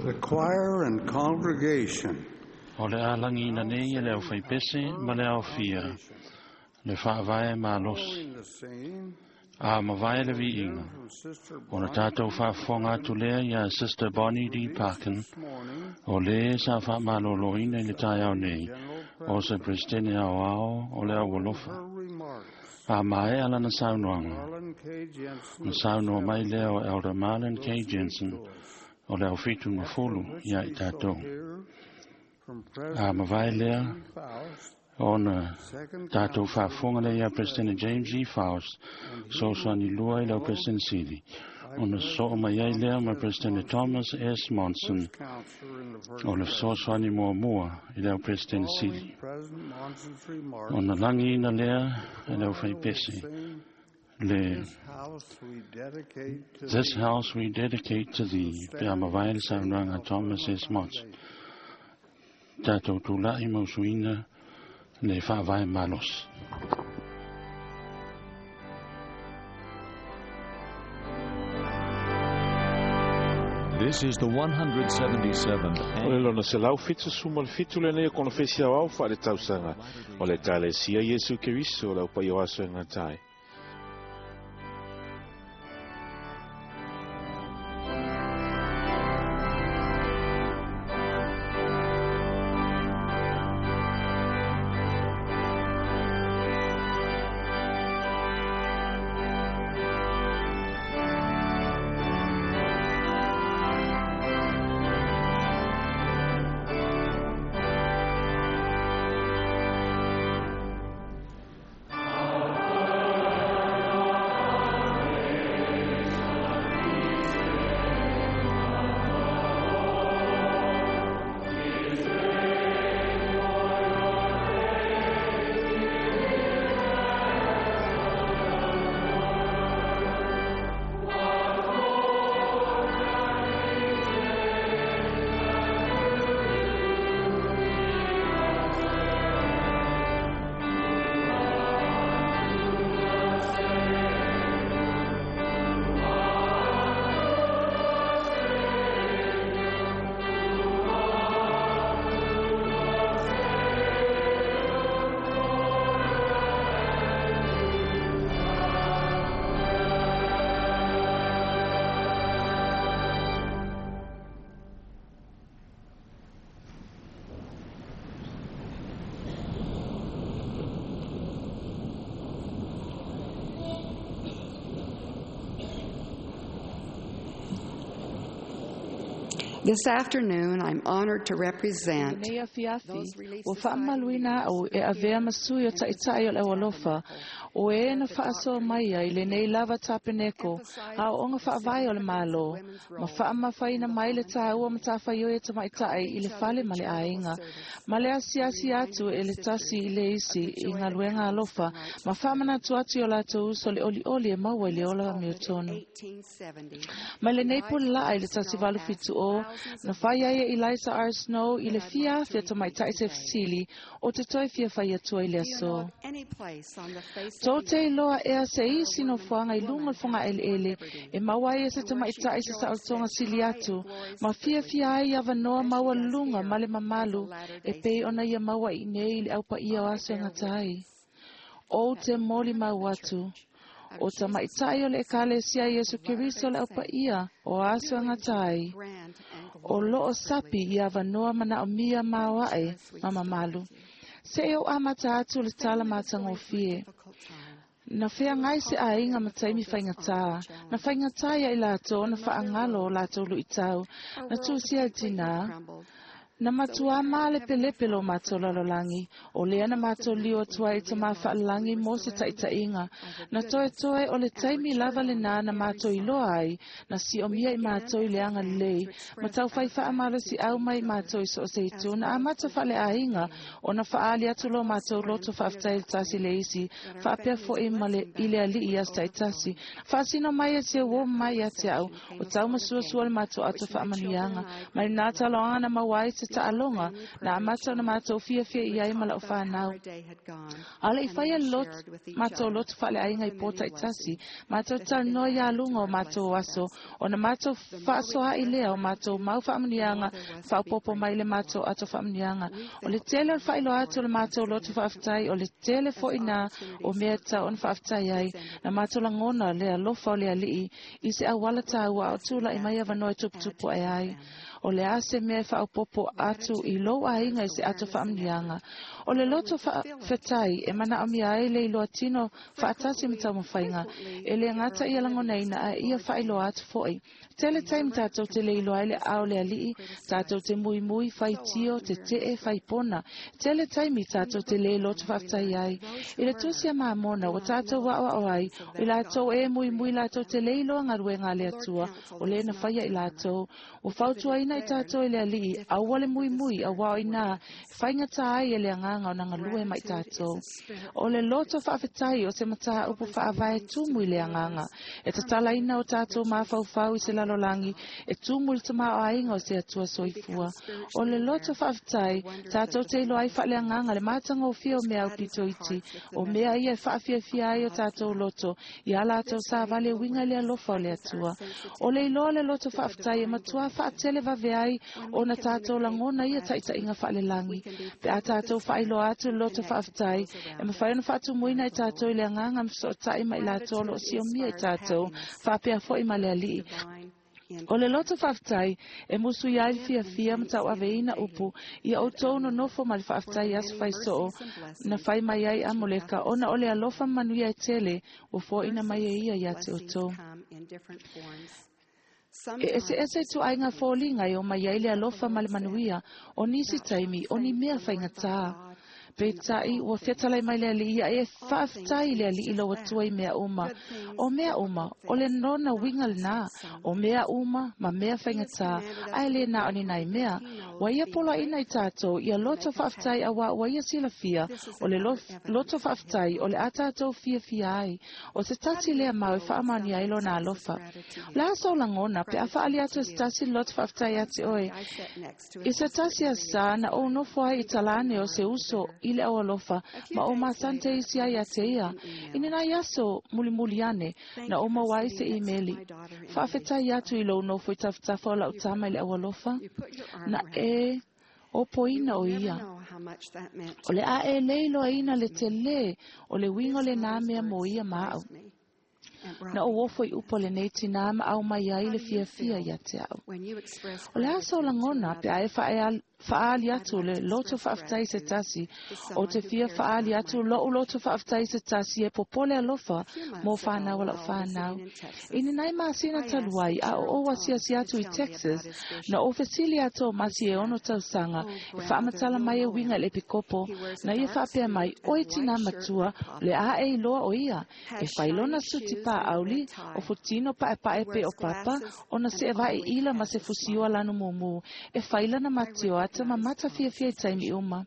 C: The choir and congregation.
D: O le a lagiina nei e le aufaipese ma le aofia, le faavae malosi.
C: Following the singing,
D: A mavae le viiga, ona tātou faafofoga atu lea iā Sister Bonnie D. Parkin, o lē sa faamalōlōina i le taeao nei, o se Peresetene aoao o le aualofa. A maea lana saunoaga, na saunoa mai lea o Elder Marlin K. Jensen, o le aufitu ma fulu iā i tatou. A mavae lea, ona tātou faafofoga lea iā Peresetene James E. Faust, fesoasoani lua i lau Peresetene Sili, ona sosoo mai ai lea ma Peresetene Thomas S. Monson, o le fesoasoani muamua i le au Peresetene Sili. Ona lagiina lea e le aufaipese, le This House We Dedicate to Thee, pe a mavae le saunoaga Thomas S. Monson. Tātou tula'i ma usuina le faavae malosi.
A: This is the 177th
B: O le lona 177 lenei o konofesi aoao faaletausaga o le Ekalesia Iesu Keriso o le aupaia o aso e gata ai.
I: This afternoon, I'm honored to represent
J: Lenei afiafi, ua faamamaluina a'u e avea ma sui o ta'ita'i o le aualofa, o e na faasoa mai ai lenei lava tapeneko, aoaoga faavae o le Mālō, ma faamafaina mai le tāua matafaioi e tamaita'i i le fale ma le aiga, ma le asiasi atu e le tasi i le isi i galuega alofa, ma faamanatu atu i o latou uso le olioli e maua i le ola amiotonu. Mai lenei pulelaa i le 1870, na fai ai e Eliza R. Snow i le fia afe tamaita'i se fesili o te toe fia fai atua i le aso. Tou te iloa ea se isi nofoaga i luga o le fogaeleele e maua ai e se tamaita'i se saolotoga sili atu, ma fiafia ai avanoa maualuluga ma le mamalu e pei ona ia maua i inei i le aupaia o aso e gata ai. Ou te molimau atu, o tamaita'i o le Ekalesia Iesu Keriso le aupaia o aso e gata ai, o loo sapi i avanoa manaomia maoaʻe ma mamalu. Seʻe ou amata atu le tala matagofie. Na feagai se aiga ma taimi faigatā, na faigatā ia i latou ona faagalo o latou luitau, na tusia i tinā. Na matuā malepelepe lo matou lalolagi, o lea na matou liu atu ai i tamā faalelagi mo se taʻitaʻiga. Na toetoe o le taimi lava lenā na matou iloa ai, na siomia i matou i le agalelei, ma taufai faamalosiau mai i matou i so o se itu, na amata faaleaiga ona faaali atu lo matou loto faafetai i le tasi le isi, faapea foʻi ma le i le alii i aso taitasi. Faasino mai e se uō mai ia te a'u, o tau masuasua le matou ato faamanuiaga. Mai lenā taloaga na maua ai se taaloga na amata ona matou fiafia i ai ma la'u fanau. A o le'i faia matou lotu fa'aleaiga i pō ta'itasi, matou talanoa iā luga o matou aso, ona matou fa'asoa'i lea o matou mau fa'amanuiaga fa'aopoopo mai le matou ato fa'amanuiaga. O le tele o le fa'ailoa atu o le matou lotu fa'afetai, o le tele fo'i na o mea e tatau ona fa'afetai ai, na matou lagona le alofa o le Ali'i i se auala tāua a o tula'i mai avanoa e tuputupu ae ai. O le a se mea e faaopoopo atu i lou aiga i se ato faamanuiaga? O le loto faafetai e manaomia ai le iloa tino faatasi ma taumafaiga, e le gata ia lagonaina ae ia faailoa atu fo'i. Tele taimi tatou te le iloa ai le aao o le Alii, tatou te muimui, faitio, tete'e, faipona. Tele taimi tatou te le loto faafetai ai. I le tusi a Mamona ua tatou aoao ai, o i latou e muimui latou te le iloa galuega a le Atua, o lē na faia i latou. Ua fautuaina i tatou e le Alii, aua le muimui, auā o inā e faigata ai e le Agaga ona galue ma i tatou. O le loto faafetai o se mataupu faavae tumu i le Agaga, e tatalaina o tatou mafaufau i se lalolagi e tumu i le tamaoaiga o se Atua soifua. O le loto faafetai, tatou te iloa ai faaleagaga le matagofie o mea aupito iti, o mea ia e faafiafia ai o tatou loto iā latou savali e uiga i le alofa o le Atua. O le iloa o le loto faafetai e matuā faatele vave ai ona tatou lagona ia taʻitaʻiga faalelagi. Pe a tatou faailoa atu le loto faafetai, e mafai ona faatumuina i tatou i le Agaga ma fesootaʻi ma i latou o loo siomia i tatou, faapea foʻi ma le Alii. O le loto faafetai e musuia ai le fiafia ma tauaveina upu ia outou nonofo ma le faafetai i aso faisoo na fai mai ai Amoleka, ona o le alofa ma manuia e tele ua foaina mai e ia iā te outou. E eseese ituaiga foliga e omai ai le alofa ma le manuia, o nisi taimi o ni mea faigata. Peitai, ua fetalai mai le Alii ia e faafetai i le Alii lou Atua i mea uma. O mea uma, o le lona uiga lenā, o mea uma ma mea faigata, ae le na o ni nai mea. Ua ia poloaiina i tatou ia loto faafetai auā ua ia silafia, o le loto faafetai o le a tatou fiafia ai. O se tasi lea mau e faamaonia ai lona alofa. O le a sou lagona pe a faaali atu e se tasi le loto faafetai ia te oe? I se tasi aso na ou nofo ai i talane o se uso i le aualofa ma ou masani te isi ai ia te ia. I ni nai aso mulimuli ane, na ou maua ai se imeli. Faafetai atu i lou nofo i tafatafa o lau tama i le aualofa. Na e opoina o ia. O le a e le iloaina le telē o le uiga o lenā mea mo ia ma aʻu. Na ou ofo i upu a lenei tinā ma aumai ai le fiafia ia te aʻu. O le a sou lagona pe a e faaali atu le loto faafetai i se tasi? Ou te fia faaali atu loʻu loto faafetai i se tasi e popole alofa mo fanau a lau fanau. I ni nai masina talu ai, a o ou asiasi atu i Texas, na ou fesili ia Tomasi e 6 tausaga e faamatala mai e uiga i le epikopo, na ia faapea mai, Oi tinā matua, o le a e iloa o ia? E fai lona suti pāʻauli, o futino paʻepaʻe pei o Papa, ona seʻevaʻi ila ma se fusiua lanu mumu, e fai lana matioata ma mata fiafia i taimi uma.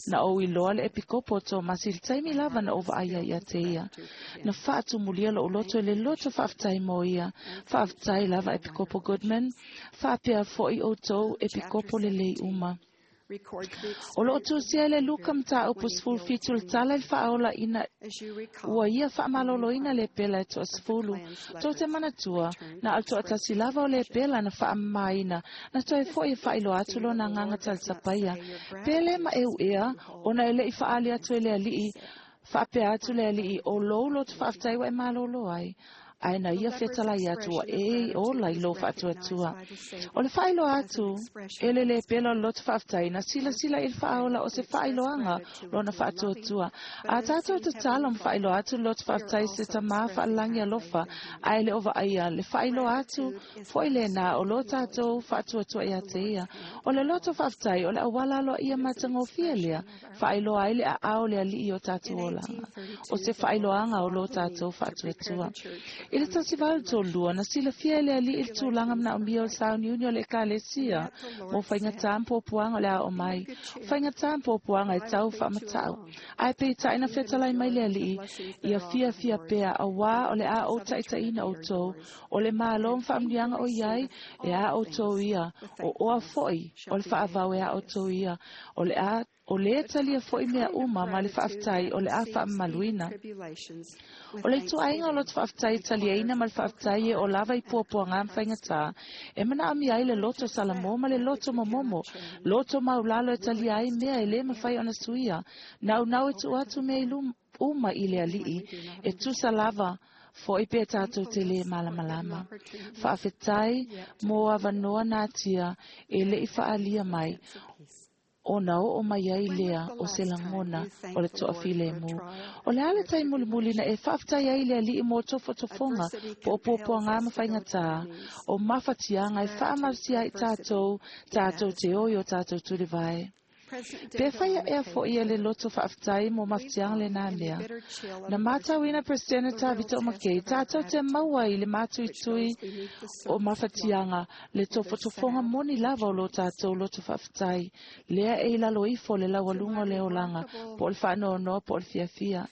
J: Na ou iloa le epikopo o Tomasi i le taimi lava na ou vaai ai ia te ia. Na faatumulia loʻu loto i le loto faafetai mo ia. Faafetai lava Epikopo Goodman. Faapea foʻi outou epikopo lelei uma. O loo tusia e le Luka mataupu 17 le tala i le faaola ina ua ia faamaloloina le pela e toasefulu. Tou te manatua, na o le toatasi lava o le pela na faamamaina, na toe foʻi e faailoa atu lona agaga talisapaia. Pe le maeuea, ona e leʻi faaali atu e le Alii, faapea atu le Alii, o lou loto faafetai ua e malōlō ai. Ae na ia fetalai atu ua e i ola i lou faatuatua. O le faailoa atu e le lepela o le loto faafetai na silasila i le faaola o se faailoaga lona faatuatua. A tatou tatalo ma faailoa atu le loto faafetai se Tamā faalelagi alofa ae le o vaaia le faailoa atu foʻi lenā o lo tatou faatuatua ia te ia. O le loto faafetai o le auala aloaia matagofie lea faailoa ai le aao o le Alii o tatou olaga, o se faailoaga o lo tatou faatuatua. I le 1832 na silafia e le ali'i le tulaga manaomia o le sauniuni o le ekalesia mo faigata ma puapuaga o le a oo mai, o faigata ma puapuaga e tau faamata'u. Ae peita'i na fetalai mai le ali'i, ia fiafia pea auā o le a ou taʻitaʻina ʻoutou, o le mālō ma faamanuiaga o i ai e a ʻoutou ia, o oa foʻi o le faavau e a ʻoutou ia, o le a o lē talia foʻi mea uma ma le faafetai o le a faamamaluina. O le ituaiga o loto faafetai e taliaina ma le faafetai e oo lava i puapuagā ma faigatā, e manaomia ai le loto salamō ma le loto momomo, loto maulalo e talia ai mea e lē mafai ona suia, naunau e tuu atu mea i uma i le ali'i, e tusa lava foʻi pe tatou te lē malamalama. Faafetai mo avanoa natia e leʻi faaalia mai, ona oo mai ai lea o se lagona o le toafilemu. O le a le taimi mulimuli na e faafetai ai i le ali'i mo tofotofoga po o puapuagā ma faigatā, o mafatiaga e faamalosia ai tatou, tatou te o i o tatou tulivae. Pe fai aʻea foʻi e le loto faafetai mo mafatiaga lenā mea. Na matauina Peresetene Tavita o Makei, tatou te maua i le matuitui o mafatiaga le tofotofoga moni lava o lo tatou loto faafetai, lea e i lalo ifo o le laualuga o le olaga, po o le faanoanoa po o le fiafia.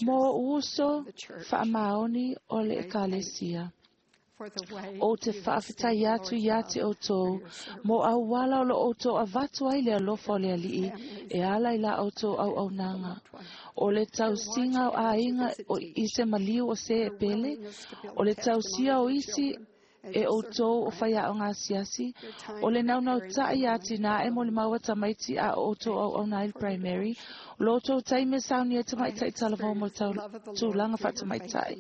J: Mo uso faamaoni o le ekalesia. Ou te faafetai atu iā te ʻoutou mo auala o lo ʻoutou avatu ai le alofa o le ali'i e ala i la ʻoutou auaunaga. O le tausiga o aiga i se maliu o se e pele, o le tausia o isi e ʻoutou o faiaoga asiasi, o le naunautaʻi iā tinā e molimau a tamaiti a o ʻoutou auauna ai le primary, lo outou taimi e saunia ai tamaitaʻi talavou mo le tulaga faatamaitai.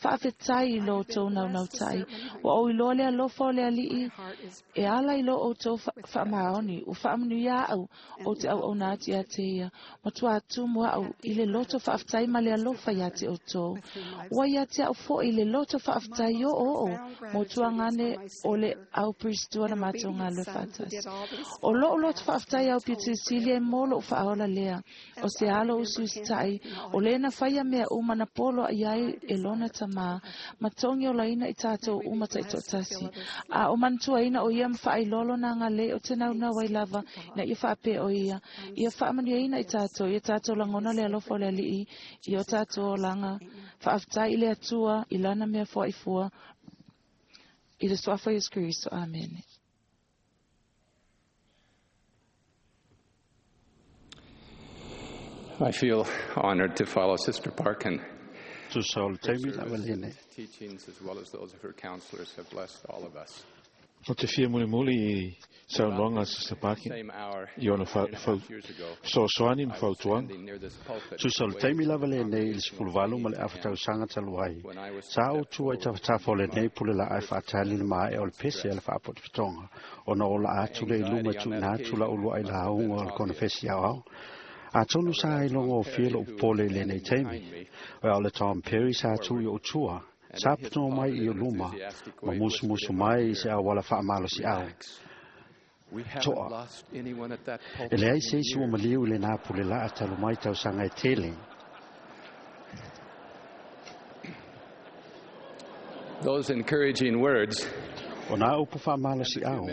J: Faafetai i lo outou naunautaʻi, ua ou iloa le alofa o le ali'i e ala i lo outou faamaoni, ua faamanuia aʻu ou te auauna atu iā te ia, matuā tumu aʻu i le loto faafetai ma le alofa iā te ʻoutou. Ua iā te aʻu foʻi le loto faafetai oooo mo tuagane o le au Priestua na matou galulue faatasi. O loʻu loto faafetai au pito i sili e mo loʻu faaola lea, o se alo usiusitaʻi, o lē na faia mea uma na poloaʻi ai e lona tamā, ma togi olaina i tatou uma taʻitoatasi. A o manatuaina o ia ma faailoa lona agalelei o te naunau ai lava ina ia faapea o ia, ia faamanuiaina i tatou, ia tatou lagona le alofa o le ali'i i o tatou olaga. Faafetai i le Atua i lana mea foaʻi i le suafa Iesu Keriso. Amene.
K: I feel honored to follow Sister Parkin.
D: Tusa o le taimi lava lenei.
K: Teachings as well as those of her counselors have blessed all of us.
B: O te fia mulimuli i saunoaga a Sister Parkin i ona fesoasoani ma fautuaga.
D: Tusa o le taimi lava lenei i le 18.5 tausaga talu ai, sa ou tua i tafatafa o lenei pule la'a e faatali le maea o le pese a le faapotopotoga, ona o laa atu lea i luma e tuuina atu la'u luaʻi lauga o le konefesi aoao. Atonu sa iloga ofie loʻu popole i lenei taimi, o le Tom Perry sa tu i ou tua, sa patoa mai i o luma, ma musumusu mai i se auala faamalosiʻau. Toa. E leai se isi ua maliu i lenā pule la'a talu mai tausaga e tele.
K: Those encouraging words
D: O nā upu faamalosiʻau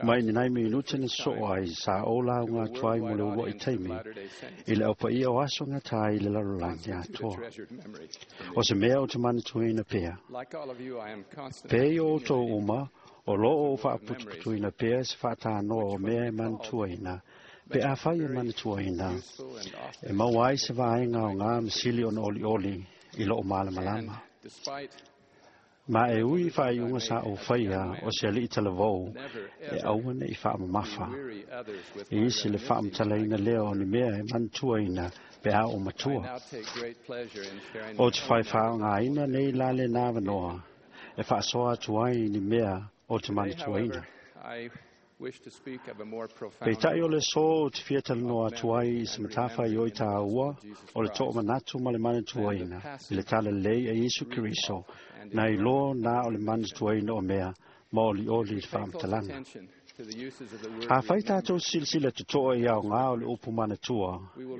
D: mai ni nai minute na sosoo ai sa ou lauga atu ai mo le uluaʻi taimi i le aupaia o aso gatā i le lalolagi atoa. O se mea o te manatuaina pea. Pe i o outou uma, o loo ou faaputuputuina pea se faatanoa o mea e manatuaina, pe afai e manatuaina, e maua ai se vaega o gā masili ona olioli i loo malamalama. Ma e ui i faaiuga sa ou faia o se aliʻi talavou e aua neʻi faamamafa. E isi le faamatalaina lea o ni mea e manatuaina pe a ou matua. O te faifaaogāina nei la lenā avanoa e faasoa atu ai ni mea o te manatuaina. Peitaʻi o le aso ou te fia talanoa atu ai i se matafaioi tāua o le toʻamanatu ma le manatuaina i le talalelei a Iesu Keriso na iloa na o le manatuaina o mea ma olioli i le faamatalaga. Afai tatou silasila totoa i aogā o le upu manatua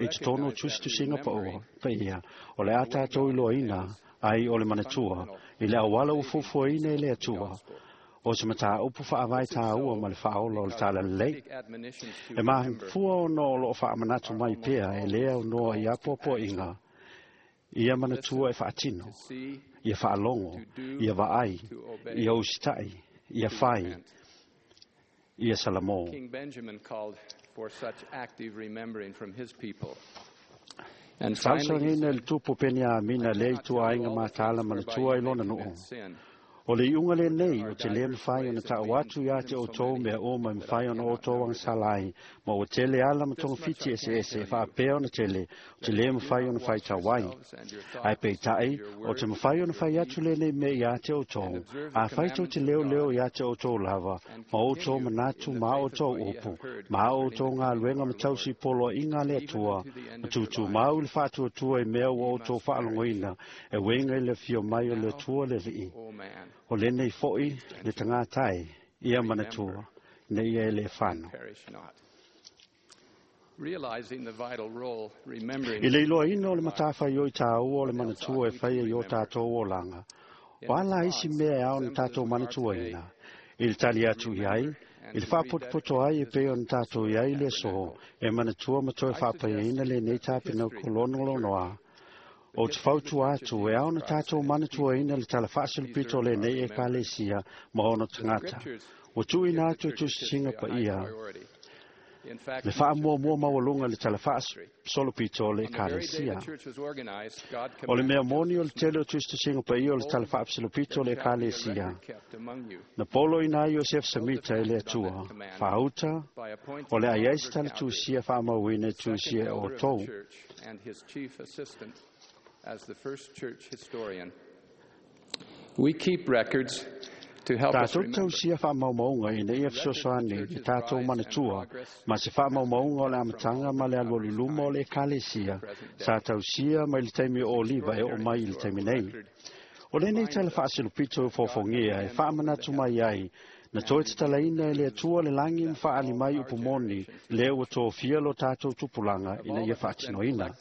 D: i totonu o tusitusiga paia, o le a tatou iloaina ai o le manatua i le auala ua fuafuaina e le Atua, o se mataupu faavae tāua ma le faaola o le talalelei. E mafua ona o loo faamanatu mai pea e lē aunoa i apoapoaiga ia manatua e faatino, ia faalogo, ia vaai, ia usitaʻi, ia fai, ia salamo.
K: King Benjamin called for such active remembering from his people. And finally, he
D: Talosaga i le tupu Peniamina lea i tuaaiga matala manatua i lona nuu. O le iuga lenei o te lē mafai ona taʻu atu iā te outou mea uma e mafai ona outou agasala ai, ma ua tele ala ma togafiti eseese e faapea ona tele o te lē mafai ona faitau ai. Ae peitaʻi o te mafai ona fai atu lenei mea iā te outou, afai tou te leoleo iā te outou lava, ma outou manatu ma a outou upu, ma a outou galuega ma tausi poloaiga a le Atua, ma tutumau i le faatuatua i mea ua outou faalogoina e uiga i le afio mai o le Atua le Alii. O lenei foʻi le tagata e ia manatua ina ia e lē fano.
K: Perish not. Realizing the vital role remembering
D: I le iloaina o le matafaioi tāua o le manatua e faia i o tatou olaga, o a la isi mea e ao ona tatou manatuaina, i le tali atu i ai, i le faapotopoto ai e pei ona tatou i ai i le aso e manatua ma toe faapaiaina lenei tapenako lonolonoa, ou te fautua atu e ao ona tatou manatuaina le tala faasolopito o lenei ekalesia ma ona tagata. Ua tuuina atu e tusitusiga paia
K: In fact,
D: le faamuamua maualuga i le tala faasolopito o le
K: on the very day
D: ekalesia.
K: the church was organized, God
D: O le mea
K: commanded
D: moni o le tele o tusitusiga paia o le tala faasolopito o le
K: there shall be a
D: ekalesia.
K: record kept among you
D: Na polo ina ai Iosef Samita e le Atua, faauta
K: by appointing
D: o le ai ai se
K: Oliver
D: tala
K: Cowdery,
D: tusia faamauina e
K: second
D: tusia e
K: elder of the
D: outou.
K: church, and his chief assistant as the first church historian. We keep records to help us
D: Tatou
K: remember.
D: tausia faamaumauga ina ia fesoasoani i tatou manatua ma se faamaumauga o le amataga ma le alualu i luma o le ekalesia sa tausia mai le taimi o Oliva e oo mai i le taimi nei. O lenei tala faasilopito e fofogia e faamanatu mai ai na toe tatalaina e le Atua le lagi ma faaali mai upu moni lea ua tofia lo tatou tupulaga ina ia faatinoina.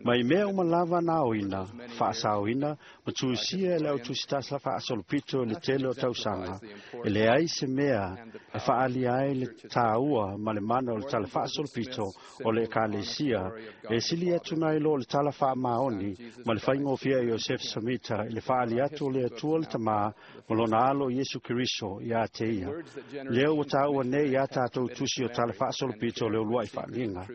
D: Mai mea uma lava na aoina, faasaoina ma tusia e le autusitasa faasolopito i le tele o tausaga, e leai se mea e faaalia ai le tāua ma le mana o le tala faasolopito o le ekalesia e sili atu nai lo le tala faamaoni ma le faigofie a Iosef Samita i le faaali atu o le Atua le Tamā ma lona alo Iesu Keriso iā te ia. Lea ua tāua nei iā tatou tusi o tala faasolopito o le uluai faaliga.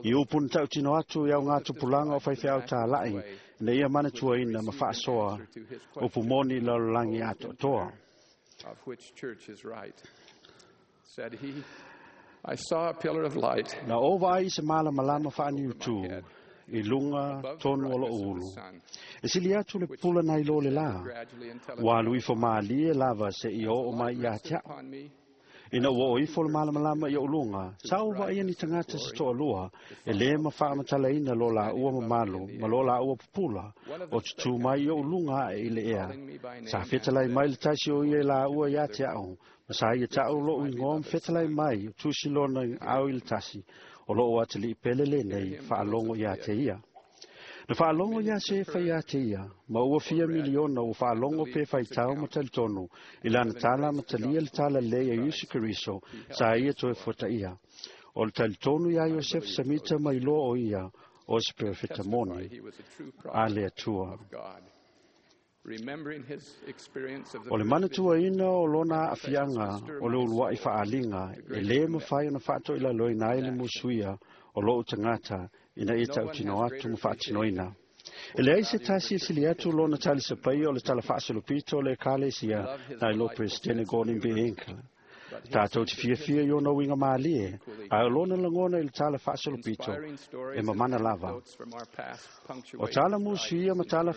D: I upu na tautino atu i au ngā tupulaga o faifeau tālaʻi ina ia manatuaina ma faasoa upu moni i lalolagi atoatoa.
K: Of which church is right. Said he, I saw a pillar of light
D: Na ou vaai i se malamalama faaniutū i luga
K: above the
D: tonu o
K: brightness
D: loo
K: of the
D: ulu.
K: sun,
D: E sili atu le pula nai lo le lā.
K: gradually until it
D: Ua alu ifo mālie lava seia oo mai iā te a'u.
K: upon me
D: Ina ua oo ifo le malamalama i o'u luga, sa ou vaaia ni tagata se toalua e lē mafaamatalaina lo laua mamalu ma lo laua pupula o tutū mai i o'u luga aʻe i le ea. Sa fetalai mai le tasi o ia i laua iā te a'u, ma sa ia taʻu loʻu igoa ma fetalai mai o tusi lona ao i le tasi, o loo atalii pele lenei faalogo iā te ia. Na faalogo iā Sefa iā te ia, ma ua fia miliona ua faalogo pe faitau ma talitonu i lana tala ma talia le tala lelei a Iesu Keriso sa ia toe fuataia. O le talitonu iā Iosef Samita ma iloa o ia o se perofeta moni
K: he was a true
D: a
K: prophet
D: le Atua.
K: of God. Remembering his experience of the
D: O le
K: first
D: manatuaina o lona aafiaga o le uluai faaliga e lē mafai ona faatoilaloina ai le musuia o loo tagata ina ia tautino atu ma faatinoina. E leai se tasi e sili atu lona talisapaia o le tala faasolopito o le ekalesia nai lo Peresetene Gordon B. Hinckley. Tatou te fiafia i ona uiga mālie, ae o lona lagona i le tala faasolopito
K: inspiring
D: e
K: stories and
D: mamana lava.
K: anecdotes from our past
D: O
K: punctuate
D: tala musuia ma tala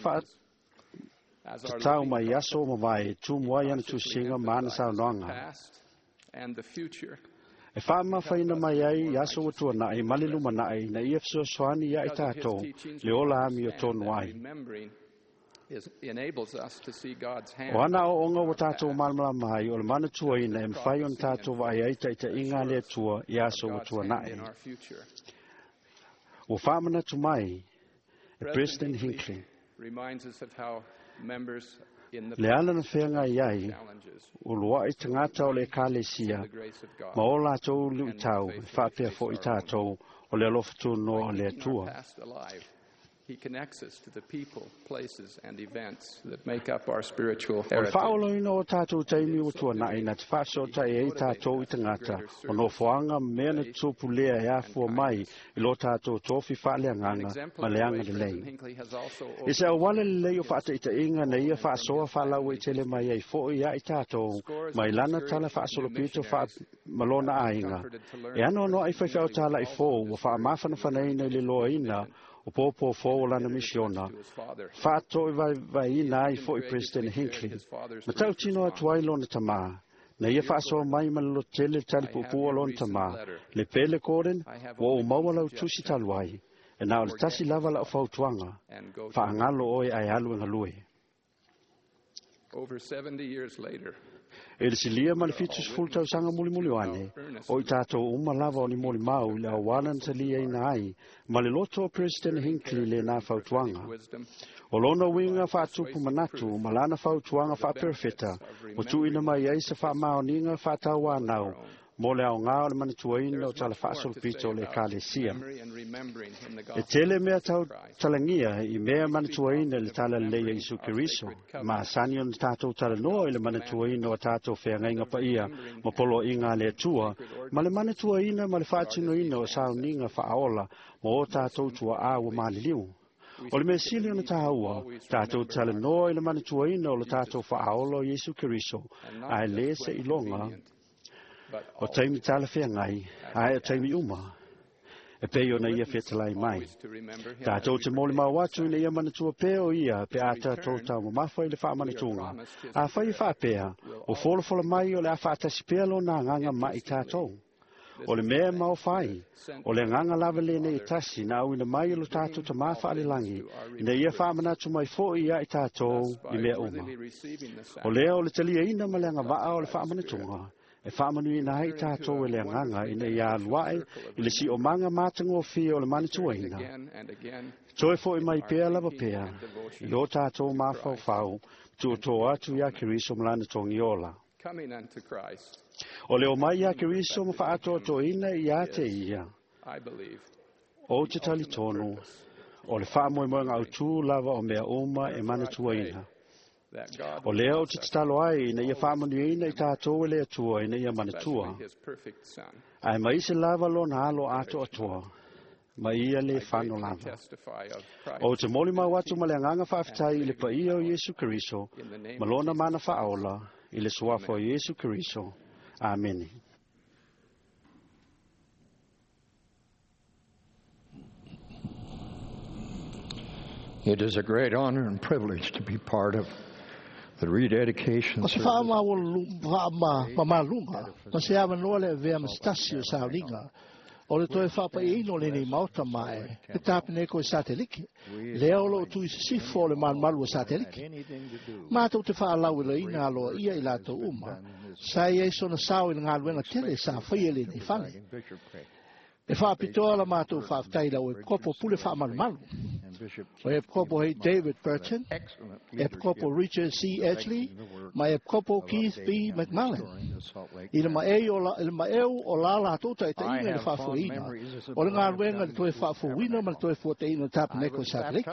K: as our
D: faatatau
K: living
D: mai aso o mavae e tumu ai ana tusiga ma ana saunoaga.
K: past and the future.
D: E faamafaina mai ai i aso ua tuanaʻi ma le lumanaʻi ina ia fesoasoani ia i
K: Because of his
D: tatou
K: teachings,
D: le
K: we
D: ola ami o
K: understand
D: tonu
K: that
D: ai.
K: remembering enables us to see God's hand.
D: O ana aoaoga ua tatou malamalama ai o le manatuaina e mafai ona tatou vaai ai taʻitaʻiga a le Atua i aso ua
K: God's hand
D: tuanaʻi.
K: in our future.
D: Ua faamanatu mai e President Hinckley
K: reminds us of how members in the
D: le ala na feagai ai
K: challenges
D: uluaʻi tagata o le Ekalesia
K: the grace of God
D: ma o latou luʻitau e faapea foʻi tatou o le alofa tunoa o le
K: keeping our
D: Atua.
K: past alive. He connects us to the people, places, and events that make up our spiritual
D: O le
K: heritage.
D: faaoloina o tatou taimi ua tuanaʻi na te faasoataʻi ai tatou i tagata o nofoaga ma mea na tupu lea e afua mai i lo tatou tofi
K: An
D: faaleagaga ma
K: exemplary
D: le
K: way
D: aga
K: President
D: lelei.
K: Hinckley has also
D: I se auala lelei o faataʻitaʻiga na ia faasoa faalauaitele mai ai foʻi ia i tatou mai lana tala faasolopito faamalona aiga. E anoanoaʻi faifeau talaʻi fou ua faamafanafanaina i le loaina o pōpō fou o lana misiona faatoʻi vaivaiina ai foʻi President Hinckley. Ma tautino atu ai lona tamā. Na ia faasoa mai ma le lototele le talipuupuu o lona tamā. Le pele Gordon, ua ou maua lau tusi talu ai. E na o le tasi lava lau fautuaga.
K: and go to
D: Faagalo oe ae alu e galue.
K: Over 70 years later,
D: E le silia ma le 70 tausaga mulimuli o ane, o i tatou uma lava o ni molimau i le auala na taliaina ai ma le loto o President Hinckley lenā fautuaga.
K: wisdom
D: O lona uiga faatupu manatu ma lana fautuaga faaperefeta ua tuuina mai ai se faamaoniga faatauanau mo le aogā o le manatuaina o tala faasolopito o le Ekalesia.
K: memory and remembering in the
D: E
K: gospel
D: tele mea tau talagia i mea manatuaina i le tala lelei a Iesu Keriso, ma asani ona tatou talanoa i le manatuaina o tatou feagaiga paia ma poloaiga a le Atua, ma le manatuaina ma le faatinoina o sauniga faaola ma o tatou tuaā ua maliliu. O le mea sili ona taua, tatou talanoa i le manatuaina o le tatou faaola o Iesu Keriso, ae lē se iloga o taimi talafeagai, ae o taimi uma. E pei ona ia fetalai mai.
K: to remember him
D: Tatou te molimau atu ina ia manatua pea o ia pe a tatou taumamafa i le faamanatuga. Afai e faapea, o folafola mai o le a faatasi pea lona agaga ma i tatou. O le mea e maofa ai, o le agaga lava lenei e tasi na auina mai e lo tatou tamā faalelagi, ina ia faamanatu mai foʻi ia i tatou i mea uma.
K: worthily receiving the
D: O lea o le taliaina ma le agavaa o le faamanatuga, e faamanuiina ai tatou e le agaga ina ia aluaʻe i le siomaga matagofie o le manatuaina.
K: again and again
D: Toe foʻi mai pea lava pea, i o tatou mafaufau, tuutoa atu iā Keriso ma lana togiola.
K: coming unto Christ,
D: O le omai iā Keriso ma faatoatoina iā te ia,
K: I believe,
D: o te talitonu, o le faamoemoega autū lava o mea uma e manatuaina.
K: that God
D: O lea o te tatalo ai ina ia faamanuiaina i tatou e le Atua ina ia manatua,
K: especially his perfect Son,
D: ae maise lava lona alo atoatoa, ma ia le fano lava.
K: testify of Christ
D: O te molimau atu ma le agaga faafetai i le paia o Iesu Keriso, ma lona mana faaola i le suafa o Iesu Keriso. Amene.
L: It is a great honor and privilege to be part of the rededication
E: O se
L: service
E: faamamaluga ma se avanoa le avea ma se tasi o sauliga o le toe faapaiaina o lenei maota mae le tapeneko e Satelike lea o loo tui sisifo o le malumalu o Satelike. Matou te faalauiloaina aloaia i latou uma sa i ai sona sao i le galuega tele sa faia lenei fale. E faapitoa la matou faafetai lau Epikopo pule faamalumalu o Epikopo hei David Burton, Epikopo Richard C. Edgley, ma Epikopo Keith B. McMullen. I le maeu o la latou taʻitaʻiga i le faafoeina o le galuega i le toe faafouina ma le toe fuataʻina o le tapeneko o Satelike.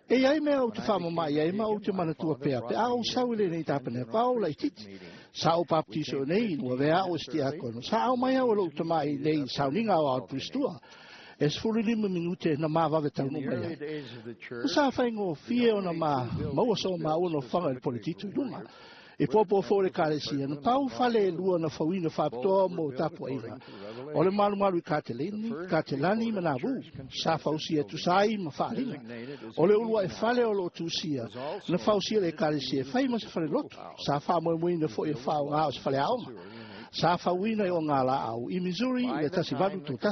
E: E iai mea ou te faamamaʻi ai ma ou te manatua pea pe a ou sau i lenei tapeneko a ou laititi. Sa ou baptiso nei ua vea au e setiakono. Sa au mai au e lou tamaʻi nei sauniga o ao pulistua. E 15 minute na mavave taunu mai ai. O sa faigofie ona ma maua so maua nofoaga i le poletito i luga. I popo fou le Ekalesia, na pau fale e lua na fauina faapitoa mo tapuaiga. O le malumalu i Katelani ma Navu, sa fausia tusa ai ma faaliga. O le uluaʻi fale o loo tusia, na fausia le Ekalesia e fai ma se fale lotu, sa faamoemoeina foʻi e faaaogā o se fale aoga. Sa fauina i o ngā laau i Missouri i le 1831.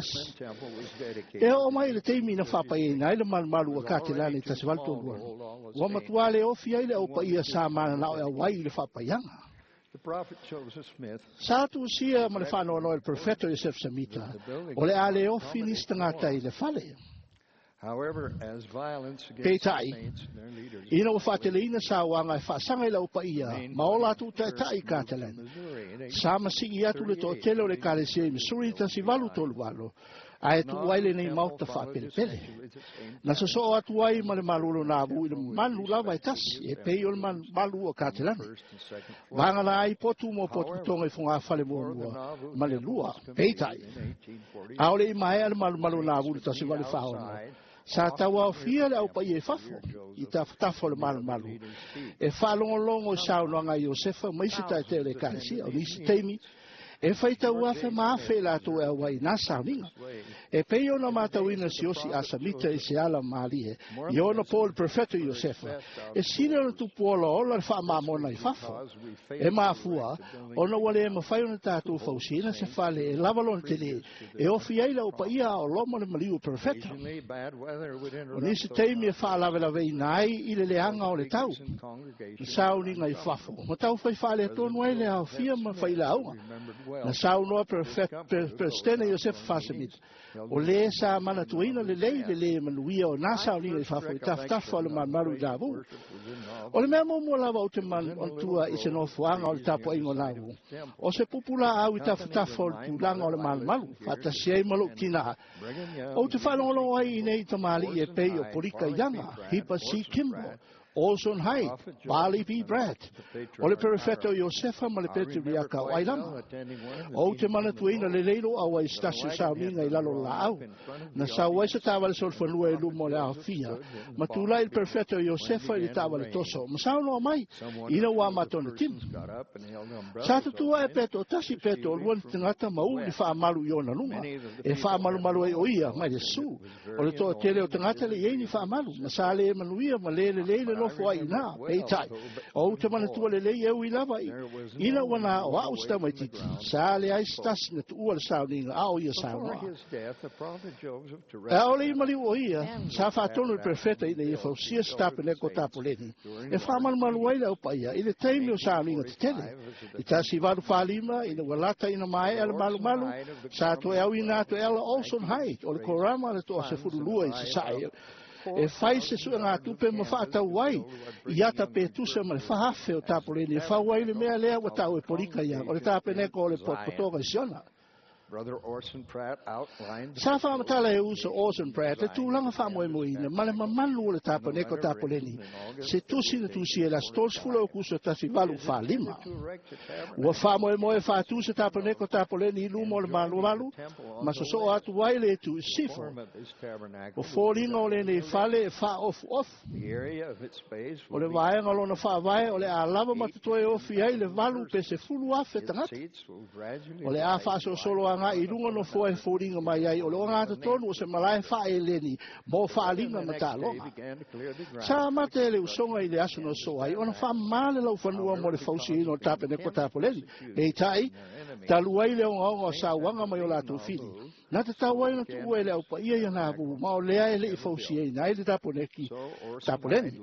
E: E oo mai i le taimi na faapaiaina ai le malumalu a Katelani i 1832. Ua matuā le ofi ai le aupaia sa mananao e auai i le faapaiaga. Sa tusia ma le faanoanoa e le Perofeta o Iosefa Semita, o le a le ofi nisi tagata i le fale. Peitai, ina ua faateleina sauaga e faasaga i le aupaia ma o latou taitai i Katelan, sa masii atu le toatele o le Ekalesia i Missouri 1838, ae tuu ai lenei maota faapelepele. Na sosoo atu ai ma le malu o Nauvoo i le malu lava e tasi, e pei o le malu o Katelani. Vagana ai potu mo potopotoga i fogafale muamua ma le lua. Peitai, ʻaʻole i maea le malumalu o Nauvoo i le 1846, sa tauaofia le aupaia i fafo, i tafatafa o le malumalu, e faalogologo i saunoaga a Iosefa ma isi taitai o le Ekalesia. O nisi taimi, e faitau afe ma afe i latou e auai i nā sauniga. E pei ona matauina siōsi a Samita i se ala mālie, i ona po le Perofeta Iosefa, e sili ona tupu olaola le faamamona i fafo. E mafua, ona ua le mafai ona tatou fausiaina se fale e lava lona tele, e ofi ai le aupaia a o loma le maliu o Perofeta. O nisi taimi e faalavelaveina ai i le leaga o le tau, na sauniga i fafo, ma taufai faaletonu ai le aofia ma failauga. Na saunoa Peresetene Iosefa Faasemita, o lē sa manatuaina lelei le lē manuia o nā sauniga i fafo i tafatafa o le malumalu i Nauvoo. O le mea muamua lava ou te manatua i se nofoaga o le tapuaiga o Nauvoo, o se pupulaau i tafatafa o le tulaga o le malumalu, faatasi ai ma lou tinā. Ou te faalogologo ai i nei tamalii e pei o Polika Iaga, Heber C. Kimball, Orson Hyde, Parley P. Pratt, o le Perofeta o Iosefa ma le Peteriaka o Ailama. Ou te manatuaina lelei lou auai i se tasi o sauniga i lalo o le laau. Na sau ai se taavale solofanua i luma o le aofia, ma tulai le Perofeta o Iosefa i le taavale toso, ma saunoa mai, ina ua amata ona timu. Sa tutū ae pe toatasi pe toalua ni tagata ma uu ni faamalu i ona luga, e faamalumalu ai o ia mai le su. O le toatele o tagata e le i ai ni faamalu, ma sa le manuia ma le lelei le nofo ai i ina. Peitai, ou te manatua lelei e ui lava i ina ua na o au se tamaitiiti, sa leai se tasi na tuua le sauniga a o ia saunoa. ʻAʻole i maliu o ia, sa faatonu le Perofeta ina ia fausia se tapeneko tapoleni e faamalumalu ai le aupaia i le taimi o sauniga tetele. I 1845, ina ua lata ina maea le malumalu, sa toe auina atu e Ella Olson Hyde o le Korama le toa 12 i Sasae e fai se suegatupe ma faatau ai i ata pe tusa ma le 4,000 o tapoleni e fau ai le mea lea ua ta'u e Polika ia, o le tapeneko o le potopotoga i Siona. Sa faamatala e uso Orson Pratt le tulaga faamoemoeina ma le mamalu o le tapeneko tapoleni, se tusi na tusia i le aso 30 Aokuso 1845. Ua faamoemoe faatū se tapeneko tapoleni i luma o le malumalu, ma sosoo atu ai le itu i sisifo. O foliga o lenei fale e faaofuofu. O le vaega o lona faavae o le a lava ma totoe ofi ai le 8 pe 10,000 tagata. O le a faasolosolo agai i luga nofoa e foliga mai ai o le ogatotonu o se malae faaeleni mo faaaliga ma taaloga. Sa amata e le usoga i le aso na sosoo ai ona faamama le laufanua mo le fausiaina o le tapeneko tapoleni. Peitai, talu ai le ogaoga o sauaga mai o latou fili, na tatau ai ona tuua e le aupaia ia Nauvoo, ma o lea e le i fausiaina ai le taponeki tapoleni.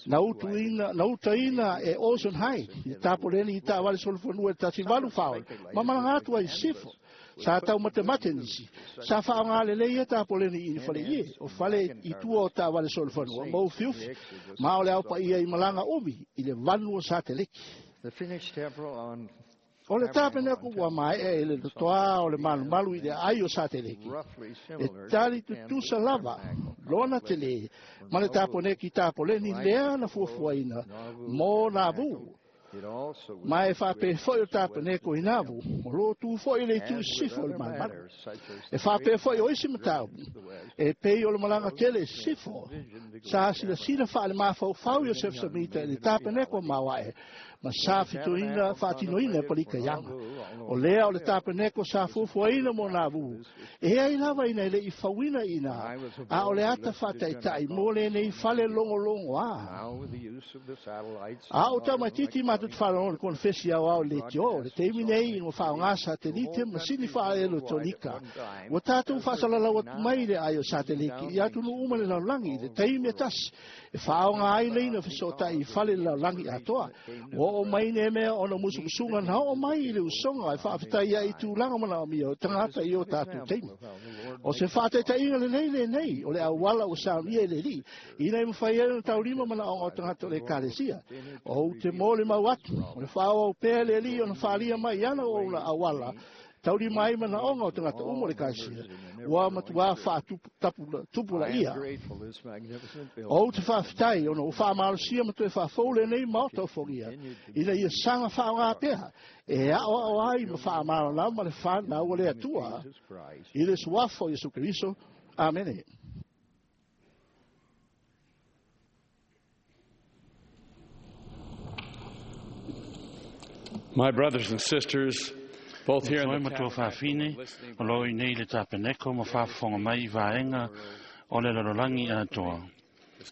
E: Na utuina, na utaina e Orson Hyde le tapoleni i taavale solofanua i le 1846, ma malaga atu ai i sisifo. Sa taumatemate nisi. Sa faaaoga lelei ia tapoleni i faleie, o fale i tua o taavale solofanua, ma ufiufi, ma o le aupaia i malaga umi i le vanu o Sateleki. O le tapeneko ua maea e le totoā o le malumalu i le aai o Sateleki, e tali tutusa lava lona telē ma le taponeki tapoleni lea na fuafuaina mo Nauvoo. Ma e faapea foi o le tapeneko i Nauvoo, o lo o tu foi i le itu i sisifo o le malumalu. E faapea foi o isi mataupu, e pei o le malaga tele i sisifo. Sa silasila faalemafaufau Iosefa Semita i le tapeneko maoae, ma sa fitoina faatinoina e Palika Iaga. O lea o le tapeneko sa fuafuaina mo Nauvoo, e ai lava ina e le i fauina i ina, a o le ata faataitai mo lenei fale logologoa. A o tamaitiiti matou te faalogologo i le konofesi aoao i le leitio, le taimi nei ina ua faaaogā satelite ma masini faaeletonika, ua tatou faasalalau atu mai le aai o satelite i atunuu uma i le lalolagi i le taimi e tasi e faaaoga ai laina fesootai i fale i le lalolagi atoa. Ua oo mai nei mea ona o musumusuga na oo mai i le usoga e faafetai ai i tulaga manaomia o tagata i o tatou taimi. O se faataitaiga lelei lenei o le auala ua saunia e le Alii, ina ia mafai ai ona taulima manaoga o tagata o le Ekalesia. Ou te molimau atu, o le faaauau pea e le Alii ona faalia mai i ana auauna auala taulima ai manaoga o tagata uma o le Ekalesia, ua matuā faatupulaia. Ou te faafetai ona ua faamalosia ma toe faafou lenei Maota o Fogia, ina ia saga faaaoga pea e aoao ai ma faamalamalama le fanau a le Atua i le suafa o Iesu Keriso. Amene.
F: My brothers and sisters, both here
D: E
F: in
D: toe
F: the
D: matua
F: tabernacle
D: faafine
F: and listening
D: o lo o i nei i le tapeneko ma faafofoga mai i vaega o le lalolagi atoa.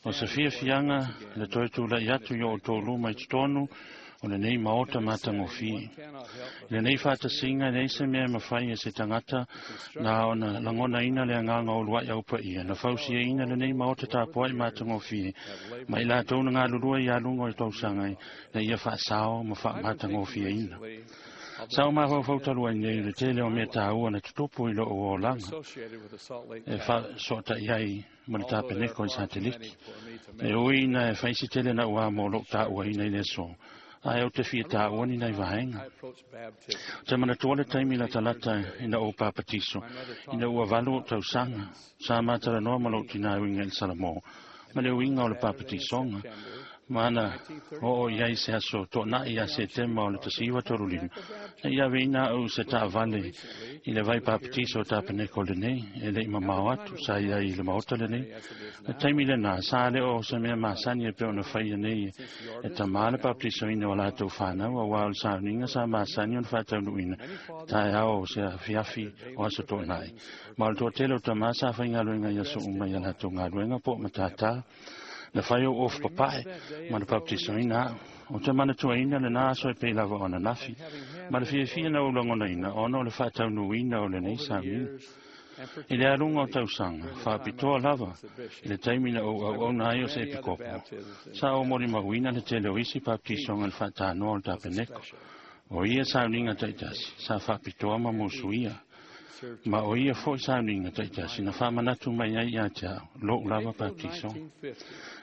D: O se fiafiaga le toe tula'i atu i o outou luma i totonu o lenei maota matagofie. I lenei faatasiga e leai se mea e mafai e se tagata na ona lagonaina le agaga o ulua'i aupaia na fausiaina lenei maota tapua'i matagofie ma i latou na galulue i aluga o le tausaga ina ia faasao ma faamatagofieina. Sa ou mafaufau talu ai nei i le tele o mea taua na tutupu i lou olaga
K: associated with the Salt Lake
D: e faasoota'i ai ma le tapeneko i sateliki. E ui ina e fai se tele na'u a mo lou ta'uaina i le aso, ae ou te fia taua ni nai vaega. Ou te manatua le taimi latalata ina ou papatiso, ina ua 8 o'u tausaga, sa matalanoa ma lou tinā e uiga i le Salamo, ma le uiga o le papatisoga, ma na oo i ai se aso to'ana'i ia Setema o le 1935, na i aveina a'u i se taavale i le vai papatiso o tapeneko lenei, e le'i mamao atu, sa i ai i le maota lenei. Le taimi lenā, sa le o se mea masani e pei ona faia nei e tamā le papatisoina o latou fanau, auā o le sauniga sa masani ona faataunuuina taeao o se afiafi o aso to'ana'i. Ma o le toatele o tamā sa faigaluega i aso uma i a latou galuega po o matatā. Na fai ou ofu papae ma na papatisoina a'u. Ou te manatuaina lenā aso e pei lava o ananafi, ma le fiafia na ou lagonaina ona o le faataunuuina o lenei sauniga. I le aluga o tausaga, faapitoa lava i le taimi na ou auauna ai o se epikopo, sa ou molimauina le tele o isi papatisoga i le faatanoa o le tapeneko. O ia sauniga ta'itasi sa faapitoa ma musuia, ma o ia fo'i sauniga ta'itasi na faamanatu mai ai iā te a'u lo'u lava papatisoga.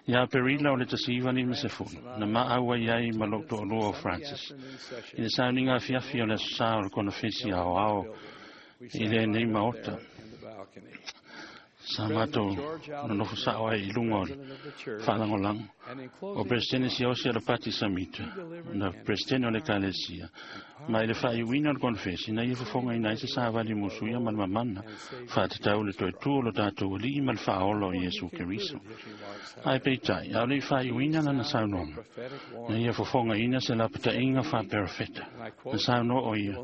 D: Iā Aperila o le 1950, na maau ai ai ma lo'u to'alua o Francis i le sauniga afiafi o le aso sā o le konofesi aoao i lenei maota. Sa matou nonofo sa'o ai i luga o le faalagolago. O Peresetene Siaosi Alapati Samita, na Peresetene o le Ekalesia, ma i le faaiuina o le konofesi, na ia fofogaina ai se savali musuia ma le mamana, faatatau i le toe tū o lo tatou Alii ma le Faaola o Iesu Keriso. Ae peitai, a o le'i faaiuina lana saunoaga, na ia fofogaina se lapata'iga faaperofeta. Na saunoa o ia,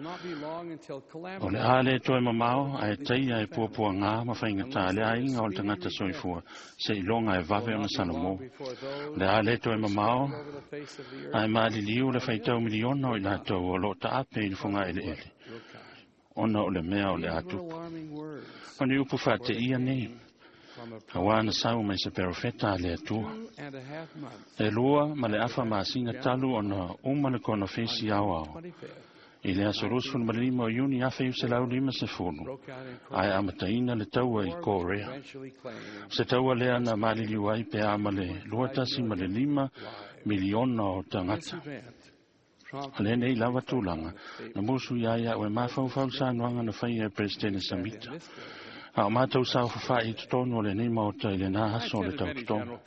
D: o le a lē toe mamao ae taia e puapuagā ma faigatā le aiga o le tagata soifua seiloga e vave ona salomō. O le a lē toe mamao ae maliliu le faitau miliona o i latou o loo taape i le fogaeleele ona o le mea o le a tupu. O ni upu faateia nei, auā na sau mai se perofeta a le Atua. E 2 ma le afa masina talu ona uma le konofesi aoao i le aso 25 o Iuni 1950, ae amataina le taua i Korea. O se taua lea na maliliu ai pe a ma le 2.5 miliona o tagata. O lenei lava tulaga na musu ia ai a'u e mafaufau i saunoaga na faia e Peresetene Samita, a o matou saofafa'i i totonu o lenei maota i lenā aso o le tautotoga.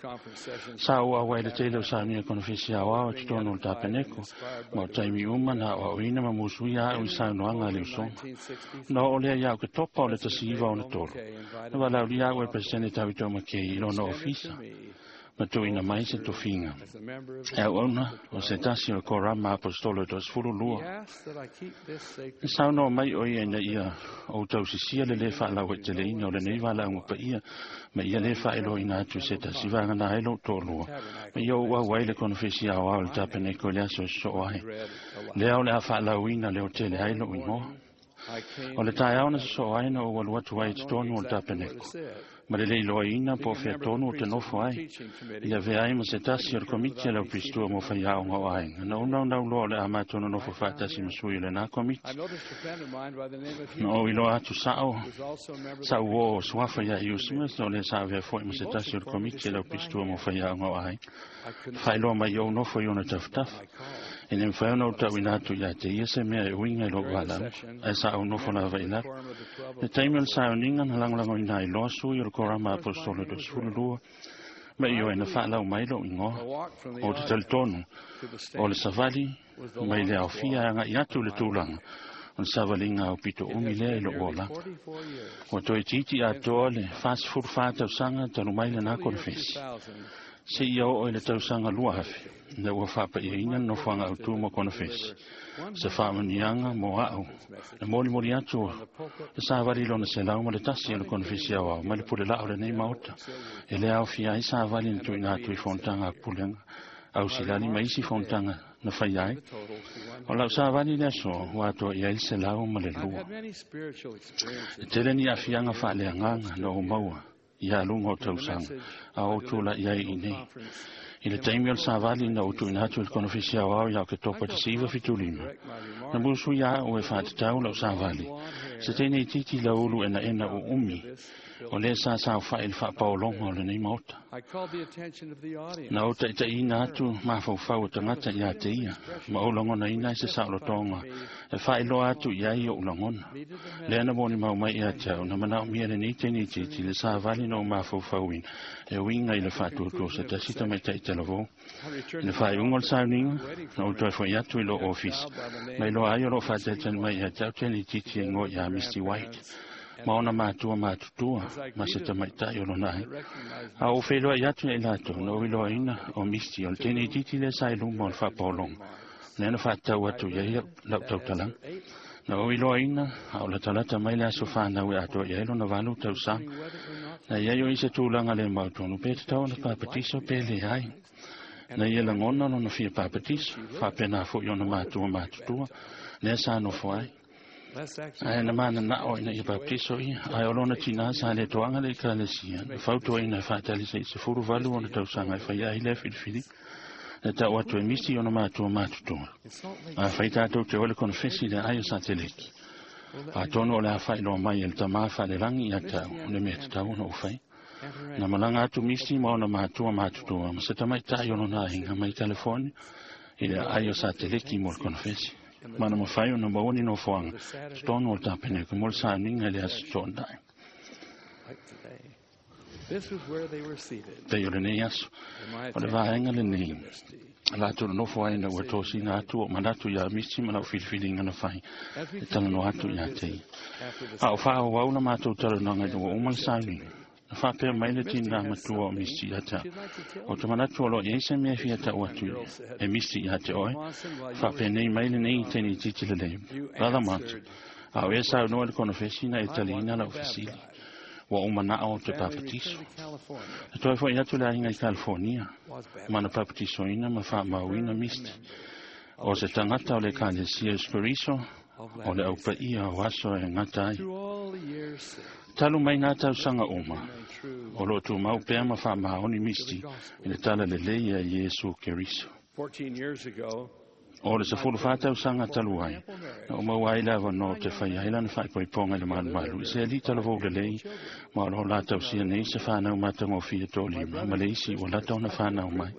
D: Sa ou auai i le tele o saunia konofesi aoao i totonu o le tapeneko, ma o taimi uma na aoaoina ma musuia a'u i saunoaga a le usoga. Ona oo lea iā Oketopa o le 1963, na valaaulia a'u e Peresetene Tauito Makei i lona ofisa. Ma tuuina mai se tofiga e auauna o se tasi o le korama aposetolo e 12. E saunoa mai o ia ina ia ou tausisia le lē faalauaiteleina o lenei valaauga paia ma ia lē faailoaina atu i se tasi vagana ai lou toalua ma ia ou auai le konofesi aoao i le tapeneko i le aso e sosoo ai lea o le a faalauina leotele ai lou igoa. O le taeao na sosoo ai na ou alu atu ai i totonu o le tapeneko ma le lē iloaina po o fea tonu o te nofo ai i avea ai ma se tasi o le komiti a le aupistua mo faiaoga o aiga. Na ou naunau loa o le a matou nonofo faatasi ma sui o lenā komiti. Na ou iloa atu sa'o sa'u uō o suafa iā Hugh Smith o lē sa avea fo'i ma se tasi o le komiti a le aupistua mo faiaoga o aiga. Faailoa mai ou nofo i ona tafatafa. E le mafai ona ou tauina atu iā te ia se mea e uiga i lou valaauga, ae sa ou nofo lava i lalo. Le taimi o le sauniga na lagolagoina ai loa sui o le korama aposetolo e 22, ma ioe na faalau mai lou igoa. Ou te talitonu o le savali mai le aofia e aga'i atu i le tulaga o le savaliga aupito umi lea i lou olaga. Ua toe itiiti atoa le 44 tausaga talu mai lenā konofesi seia oo i le tausaga 2000 ina ua faapaiaina le nofoaga autū mo konofesi. Se faamanuiaga mo a'u le molimoli atu o le savali lona 101 o le konofesi aoao mai le pule la'o lenei maota e lē aofia ai savali na tuuina atu i fonotaga a pulega ausilali ma isi fonotaga na faia ai. O lau savali i le aso ua atoa i ai le 102. E tele ni aafiaga faaleagaga na ou maua ia luga o tausaga a ou tula'i ai i nei. I le taimi o le savali na ou tuuina atu i le konofesi aoao ia Oketopa 1975, na musuia a'u e faatatau lau savali se teine itiiti laulu enaena uumi o lē sa saofa'i i le faapaologa o lenei maota. Na ou taʻitaʻiina atu mafaufau o tagata iā te ia ma ou lagonaina ai se saolotoga e faailoa atu i ai oʻu lagona. Lea na molimau mai ia te au na manaomia lenei teine itiiti le savali na ou mafaufauina e uiga i le faatuatua o se tasi tamaitaʻi talavou. I le faaiuga o le sauniga na ou toe fo'i atu i lou ofisa ma iloa ai o loo faatalitali mai ia te au teine itiiti e igoa iā Misty White ma ona matua matutua ma se tamaitaʻi o lona ai. A ou feiloaʻi atu ia i latou na ou iloaina o Misty o le teine itiiti lea sa i luma o le faapaologa lea na faatatau atu i ai lau tautalaga. Na ou iloaina a o latalata mai le aso fanau e atoa i ai lona 8 tausaga. Na iai o i se tulaga le mautonu pe tatau ona papatiso pe leai. Na ia lagona lona fia papatiso, faapena fo'i ona matua matutua lea sa nofo ai. Ae na manana'o ina ia baptiso ia, ae o lona tinā sa le toaga le ekalesia, na fautuaina e faatali se'i 18 ona tausaga e faia ai lea filifiliga. E ta'u atu e misi ona matua matutua. Afai tatou te oe le konofesi i le aai o Sateleki, atonu o le a faailoa mai e le Tamā faalelagi ia te au o le mea tatau ona ou faia. Na malaga atu Misi ma ona matua matutua ma se tamaitaʻi o lona aiga mai California i le aai o Sateleki mo le konofesi. Ma na mafai ona maua ni nofoaga totonu o le tapeneko mo le sauniga i le aso toonai. Pei o lenei aso, o le vaega lenei latou nonofo ai ina ua tosina atu o manatu iā Misi ma lau filifiliga na fai e talanoa atu iā te ia. A o faaauau la matou talanoaga ina ua uma le sauniga, na faapea mai le tinā matua o Misi ia te a'u, Ou te manatu o loo i ai se mea e fia ta'u atu e Misi ia te oe. Faapenei mai lenei teine itiiti lelei, Brother Martin, a o ea saunoa i le konofesi na e taliina lau fesili. Ua ou mana'o ou te papatiso. Na toe fo'i atu le aiga i California ma na papatisoina ma faamauina Misty o se tagata o le Ekalesia Iesu Keriso o le aupaia o aso e gata ai. Talu mai nā tausaga uma, o loo tumau pea ma faamaoni Misty i le tala lelei a Iesu Keriso. O le 14 tausaga talu ai, na ou maua ai le avanoa ou te faia ai lana faaipoipoga i le malumalu i se alii talavou lelei ma o loo la tausia nei se fanau matagofie toalima ma le isi ua lata ona fanau mai.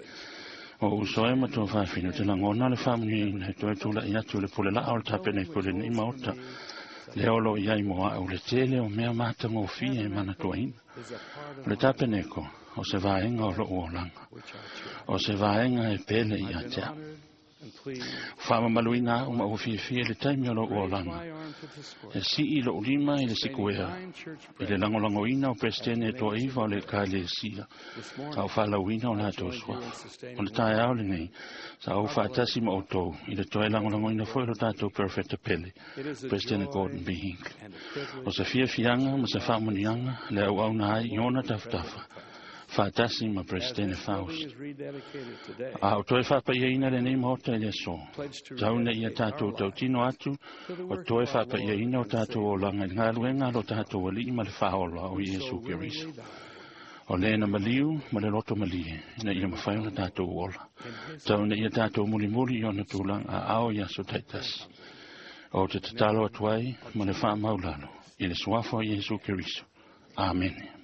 D: O uso e ma tuafafine, te lagona le faamanuiaina e toe tula'i atu i le pule la'a o le tapeneko i lenei maota. Lea o loo i ai mo a'u le tele o mea matagofie e manatuaina. O le tapeneko o se vaega o lo'u olaga. O se vaega e pele ia te a'u. Faamamaluina a'u ma ua fiafia i le taimi o lo'u olaga. E si'i lo'u lima i le sikuea i le lagolagoina o Peresetene e toa'iva o le Ekalesia a o fa'alauina o latou suafa. O le taeao lenei sa ou fa'atasi ma outou i le toe lagolagoina foi o lo tatou perofeta pele, Peresetene Gordon B. Hinckley. O se fiafiaga ma se fa'amanuiaga le au'auna ai i ona tafatafa fa'atasi ma Peresetene Faust. A o toe fa'apa'iaina lenei maota i le aso, tau ina ia tatou tautino atu o toe fa'apa'iaina o tatou olaga i le galuega a lo tatou Ali'i ma le Fa'aola o Iesu Keriso, o lē na maliu ma le loto malie ina ia mafai ona tatou ola. Tau ina ia tatou mulimuli i ona tulaga a'ao i aso ta'itasi. O te tatalo atu ai ma le fa'amaulalo i le suafa o Iesu Keriso. Amene.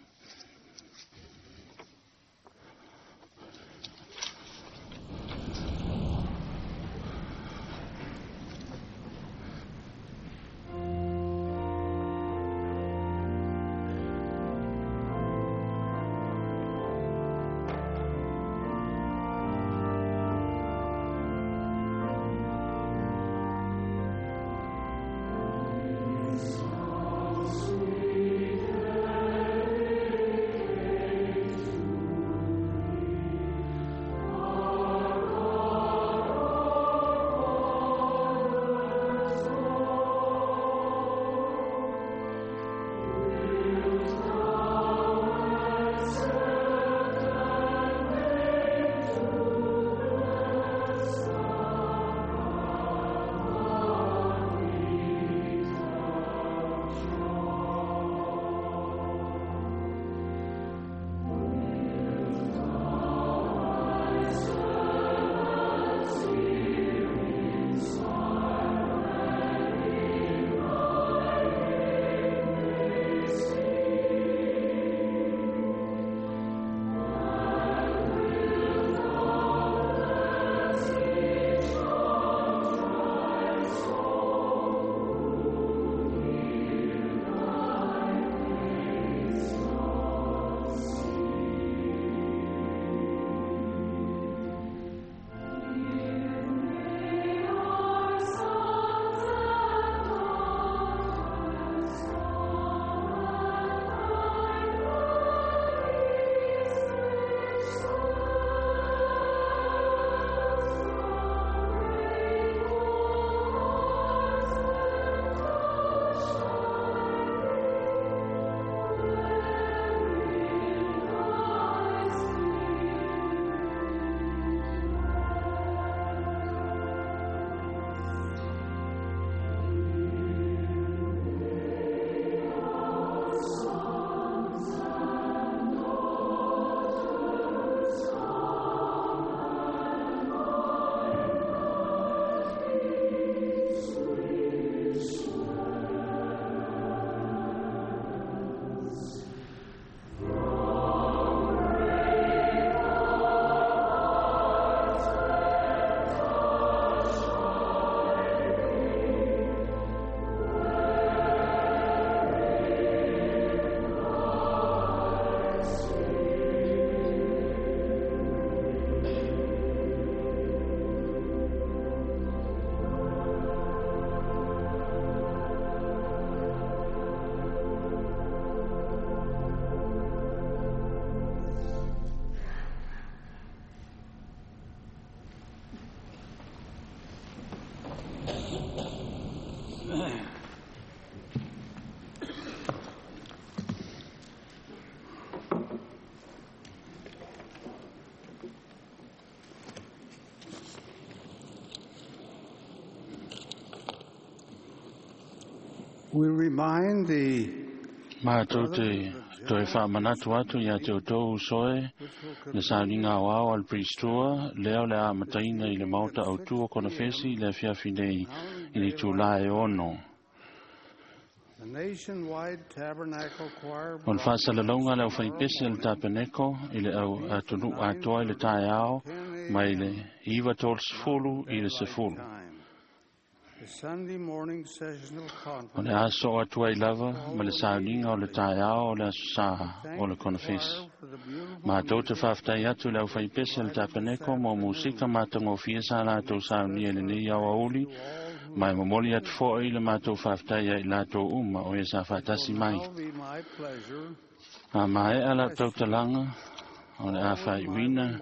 C: We remind the
D: Matou te toe fa'amanatu atu iā te outou uso e le sauniga aoao a le Priest Tour lea o le a amataina i le maota autū o konofesi i le afiafi nei i le itulā e 6.
C: The nationwide Tabernacle Choir
D: O le fa'asalalauga a le aufaipese a le tapeneko i le au atunu'u atoa i le taeao mai le 9:30 i le 10. O le aso o atu ai lava ma le sauniga o le taeao o le aso sā o le konofesi. Matou te faafetai atu i le aufaipese o le tapeneko mo musika matagofie sa latou saunia i lenei aoauli, ma e momoli atu fo'i le matou faafetai ia i latou uma o e sa faatasi mai. A maea lau tautalaga, o le a faaiuina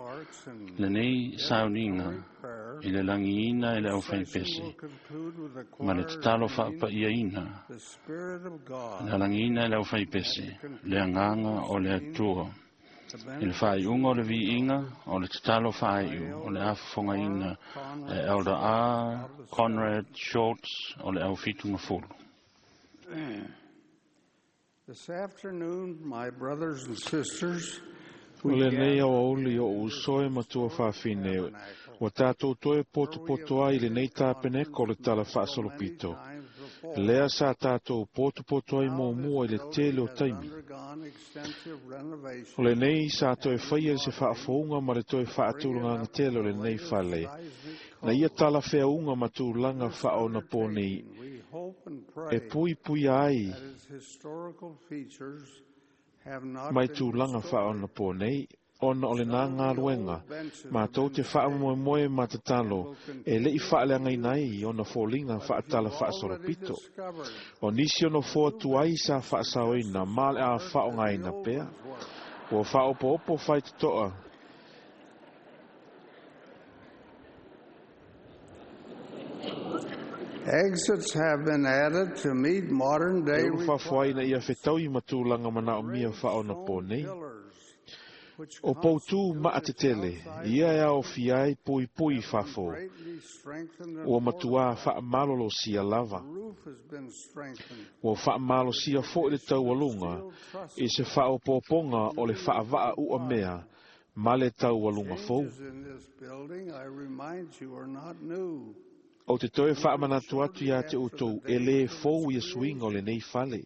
D: lenei sauniga i le lagiina e le aufaipese ma le tatalo faapaiaina. Na lagiina e le aufaipese le agaga o le Atua. I le faaiuga o le viiga o le tatalo faaiu o le a fofogaina e Elder R. Conrad Shorts o le au 70.
C: This afternoon, my brothers and sisters,
B: O lenei aoauli o uso e matua faafine, ua tatou toe potopoto ai i lenei tapeneko o le tala faasolopito. Lea sa tatou potopoto ai muamua i le tele o taimi. O lenei sa toe faia se faafouga ma le toe faatulagaga tele o lenei fale, na ia tala feauga ma tulaga faaonapō nei e puipuia ai mai tulaga faaonapō nei, ona o le nā galuega matou te faamoemoe ma tatalo e le'i faaleagaina ai ona foliga faatala faasolopito. O nisi o nofoa tuai sa faasaoina ma le a faaaogaina pea. Ua faaopoopo faitotoa
C: Exits have been added to meet modern day
B: e ulufafoaina ia fetaui ma tulaga manaomia faaonapō nei. O poutū maatetele, ia e aofia ai puipui fafo, ua matuā faamalolosia lava. Ua faamalosia fo'i le taualuga i se faaopoopoga o le faavaa uamea ma le taualuga fou.
C: Changes in this building, I remind you, are not new.
B: O te toe faamanatu atu iā te outou e lē fou ia suiga o lenei fale.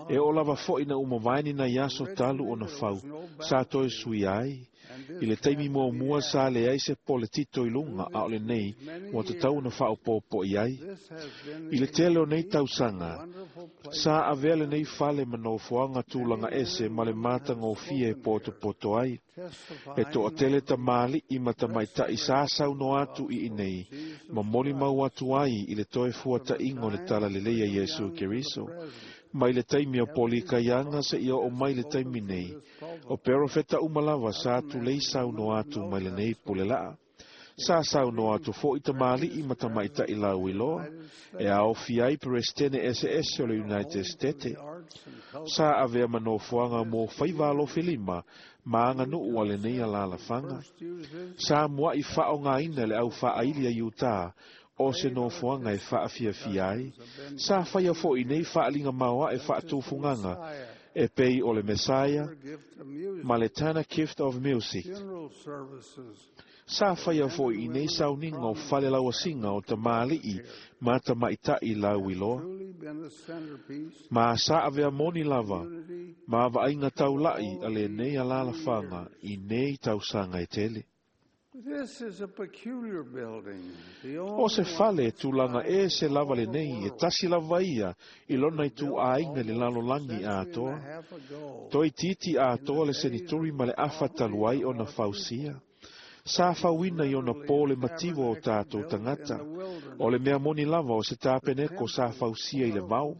B: E oo lava fo'i na umavaeni nai aso talu ona fau, sa toe suia ai. I le taimi muamua sa leai se pole tito i luga a o lenei ua tatau ona faaopoopo i ai. I le tele o nei tausaga, sa avea lenei fale ma nofoaga tulaga ese ma le matagofie e potopoto ai. E toatele tamāli'i ma tamaita'i sa saunoa atu i inei, ma molimau atu ai i le toe fuata'iga o le talalelei a Iesu Keriso. Mai le taimi o polikaiaga seia oo mai le taimi nei, o perofeta uma lava sa tulei saunoa atu mai lenei pulelaa. Sa saunoa atu fo'i tamāli'i ma tamaita'i lauiloa, e aofia ai peresetene eseese o le United States. Sa avea ma nofoaga mo faiva alofilima ma aganuu a lenei alalafaga. Sa mua'i faaogaina le au faaaili a Iutā o se nofoaga e faafiafia ai. Sa faia fo'i nei faaliga maoaʻe faatufugaga e pei o le Messiah ma le Tana Gift of Music.
C: Funeral services,
B: Sa faia fo'i i nei sauniga o fale lauasiga o tamāli'i ma tamaita'i lauiloa.
C: truly been a centerpiece
B: Ma sa avea moni lava ma vaaiga taula'i a lenei alalafaga i nei tausaga e tele.
C: This is a peculiar building. The
B: O se fale e tulaga ese lava lenei e tasi lava ia i lona ituāiga i le lalolagi atoa. Toeitiiti atoa le senituri ma le afa talu ai ona fausia. Sa fauina i ona pō le mativa o tatou tagata. O le mea moni lava o se tapeneko sa fausia i le vao.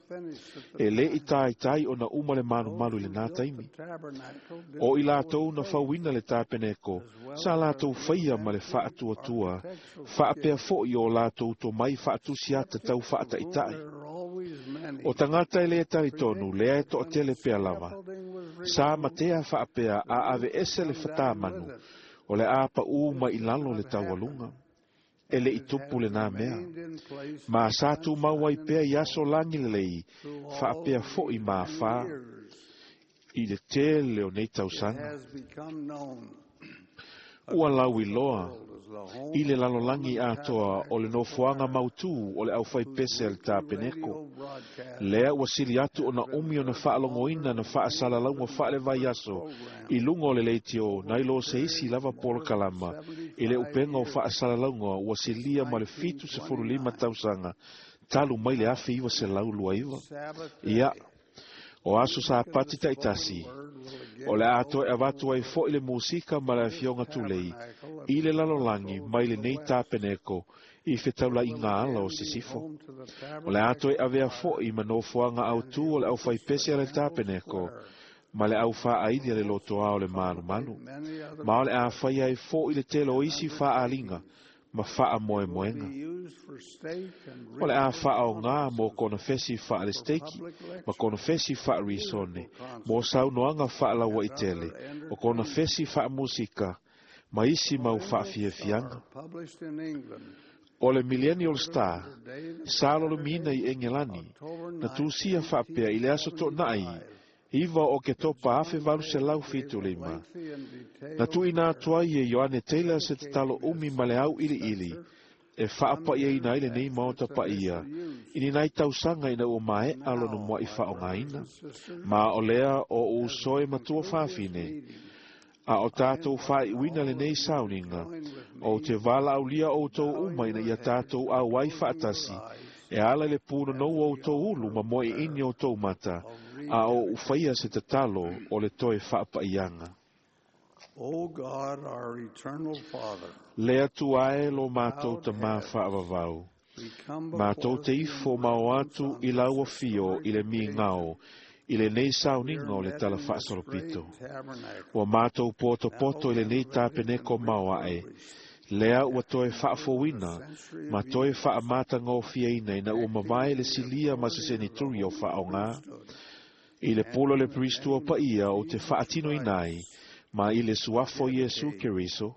B: E lē i taitai ona uma le malumalu i lenā taimi. O i latou na fauina le tapeneko, sa latou faia ma le faatuatua, faapea fo'i o latou tomai faatusiata tau faataʻitaʻi. O tagata e lē talitonu, lea e toatele pea lava. Sa matea faapea a aveese le fatāmanu, o le a paʻū mai i lalo le taualuga. E leʻi tupu lenā mea. Ma sa tumau ai pea i aso lagi lelei, faapea fo'i ma afā i le tele o nei tausaga.
C: has become known.
B: Ua lauiloa I le lalolagi atoa o le nofoaga mautū o le aufaipese a le tapeneko. Lea ua sili atu ona umi ona faalogoina na faasalalauga faalevaiaso i luga o le leitio nai lo se isi lava polokalama i le upega o faasalalauga ua silia ma le 75 tausaga talu mai le 1929. Ia, o aso Sapati taitasi, o le a toe avatu ai fo'i le musika ma le afioga tulei i le lalolagi mai lenei tapeneko i fetaulaiga ala o sisifo. O le a toe avea fo'i ma nofoaga autū o le aufaipese a le tapeneko ma le aufaaaili a le lotoa o le malumalu. Ma o le a faia ai fo'i le tele o isi faaaliga ma faamoemoega. O le a faaogā mo konofesi faalesteiki ma konofesi faarisone mo saunoaga faalauaitele o konofesi faamusika ma isi mau faafiafiaga. O le Millennial Star sa lolomiina i Egelani na tusia faapea i le aso toonai 9 o Oketopa 1875. Na tuuina atu ai e Ioane Taylor se tatalo umi ma le auiliili e faapaiaina ai lenei maota paia i ni nai tausaga ina ua maea lona mua'i faaaogaina. Ma o lea o uso e matua fafine, a o tatou faaiuina lenei sauniga, ou te valaaulia outou uma ina ia tatou auai faatasi e ala i le punonou o outou ulu ma moeeini o outou mata, a o ufaia se tatalo o le toe faapaiaga.
C: O God, our eternal Father,
B: Le Atua e lo matou tamā faavavau.
C: we come
B: Matou
C: before
B: te
C: thee
B: ifo
C: in
B: ma o
C: reverence
B: atu
C: on
B: i
C: this
B: lau afio i le
C: historic day.
B: migao i lenei sauniga o
C: We
B: le
C: are
B: tala
C: met in this
B: faasolopito.
C: great tabernacle,
B: Ua matou potopoto
C: now
B: i lenei
C: renovated
B: tapeneko
C: and
B: maoae.
C: refurbished
B: Lea ua toe
C: after nearly a
B: faafouina
C: century
B: ma
C: of
B: toe
C: use,
B: faamatagofieina ina ua
C: acting
B: mavae
C: in
B: le
C: the
B: silia ma se
C: authority of the
B: senituri o
C: holy
B: faaogā.
C: priesthood
B: I le
C: and
B: pule o
C: in
B: le
C: the
B: Priestua
C: name of
B: paia o te
C: Jesus
B: faatinoina ai
C: Christ,
B: ma i le suafo Iesu
C: dedicate,
B: Keriso,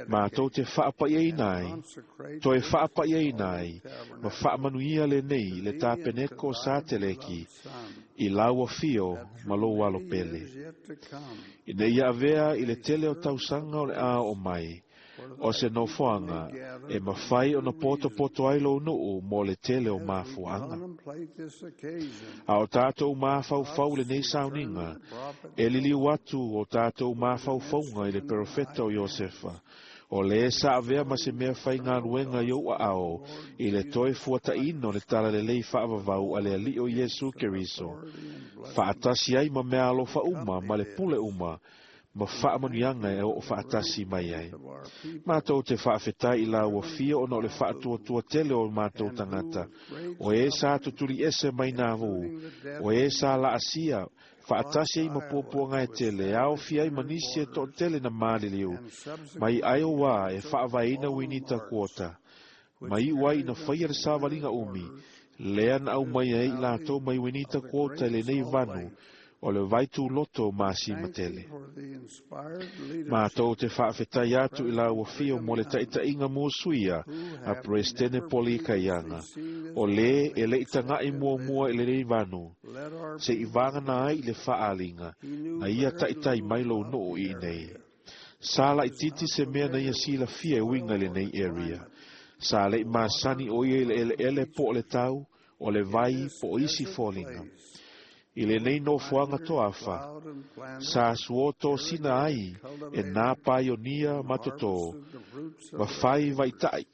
B: matou
C: rededicate,
B: te faapaiaina
C: and
B: ai,
C: consecrate
B: toe
C: this
B: faapaiaina
C: holy
B: ai, ma
C: tabernacle
B: faamanuia lenei
C: to
B: le
C: thee and to
B: tapeneko
C: thy
B: sa teleki
C: beloved Son,
B: i lau afio
C: that
B: ma
C: through
B: lou alo
C: many
B: pele.
C: years yet to come
B: Ina ia avea i le
C: may
B: tele o
C: serve as a
B: tausaga o le a o
C: place
B: mai,
C: where
B: o
C: thy
B: se
C: people may
B: nofoaga
C: gather
B: e
C: for
B: mafai ona
C: many
B: potopoto
C: reasons
B: ai lou nuu mo le tele o
C: as we
B: mafuaaga.
C: contemplate this occasion.
B: A o tatou mafaufau
C: God's
B: lenei
C: return of
B: sauniga,
C: the prophet
B: e liliu
C: Joseph
B: atu o tatou
C: to the
B: mafaufauga i le
C: mention in thy
B: perofeta o
C: hands
B: Iosefa, o le sa avea ma se mea
C: the eternal
B: faigaluega i ou
C: gospel of
B: aao
C: the Lord
B: i le toe
C: Jesus
B: fuataina o le
C: Christ,
B: talalelei faavavau a le alii o
C: with
B: Iesu
C: gifts of
B: Keriso,
C: authority and blessings
B: faatasi ai ma mea alofa uma ma le
C: accompany
B: pule
C: this.
B: uma ma
C: We thank
B: faamanuiaga
C: thee
B: e
C: for
B: oo
C: the great
B: faatasi mai ai.
C: faith of our people,
B: Matou te faafetai i lau
C: driven
B: afio
C: from
B: ona o le
C: Nauvoo,
B: faatuatua tele o matou
C: and who
B: tagata,
C: with great
B: o e sa
C: suffering,
B: tutuli ese mai nā vu,
C: including the death
B: o e
C: of
B: sa
C: many,
B: laasia,
C: crossed
B: faatasi ai ma
C: Iowa
B: puapuaga e
C: to
B: tele, e aofia ai
C: establish
B: ma
C: their
B: nisi e
C: borders
B: toatele na maliliu,
C: and
B: mai
C: subsequently
B: Iowa e
C: took
B: faavaeina
C: all the
B: Winita
C: marks
B: Kuota,
C: which
B: ma iu ai
C: carried
B: na
C: them
B: faia le
C: to winter
B: savaliga umi,
C: quarters
B: lea na
C: in
B: au
C: this
B: mai ai i
C: valley
B: latou mai Winita
C: of the
B: Kuota i
C: Great
B: lenei
C: Salt
B: vanu,
C: Lake.
B: o le vaituloto o
C: We
B: masima
C: thank thee
B: tele.
C: for the inspired leadership
B: Matou te faafetai
C: of
B: atu i lau
C: President
B: afio
C: Brigham
B: mo le
C: Young,
B: taitaiga musuia
C: who
B: a
C: have
B: Presidene
C: never
B: Poli
C: previously
B: Kaianga,
C: seen this
B: o le e
C: building
B: lei taga'i
C: except in
B: muamua i
C: vision.
B: lenei vanu,
C: Let our
B: se i
C: people
B: vagana ai i le
C: witness.
B: faaliga,
C: He knew
B: na ia
C: very
B: taitai
C: little
B: mai lou
C: about
B: nuu
C: the
B: i inei.
C: area.
B: Sa
C: He was
B: laititi
C: not
B: se mea na ia
C: familiar with the
B: silafia e uiga i
C: soil or
B: lenei
C: the
B: area.
C: climate,
B: Sa lei
C: the
B: masani
C: water
B: o ia i
C: or
B: le
C: other
B: eleele po o le
C: features.
B: tau, o le
C: In
B: vai
C: this
B: po o isi
C: desert
B: foliga.
C: place,
B: I lenei
C: were
B: nofoaga
C: pioneers
B: toafa,
C: plowed and planted,
B: sa suotosina ai
C: irrigated,
B: e nā
C: cultivated,
B: paionia
C: and
B: matotō,
C: harvested the fruits
B: ma
C: of their
B: fai
C: labors.
B: vaitai,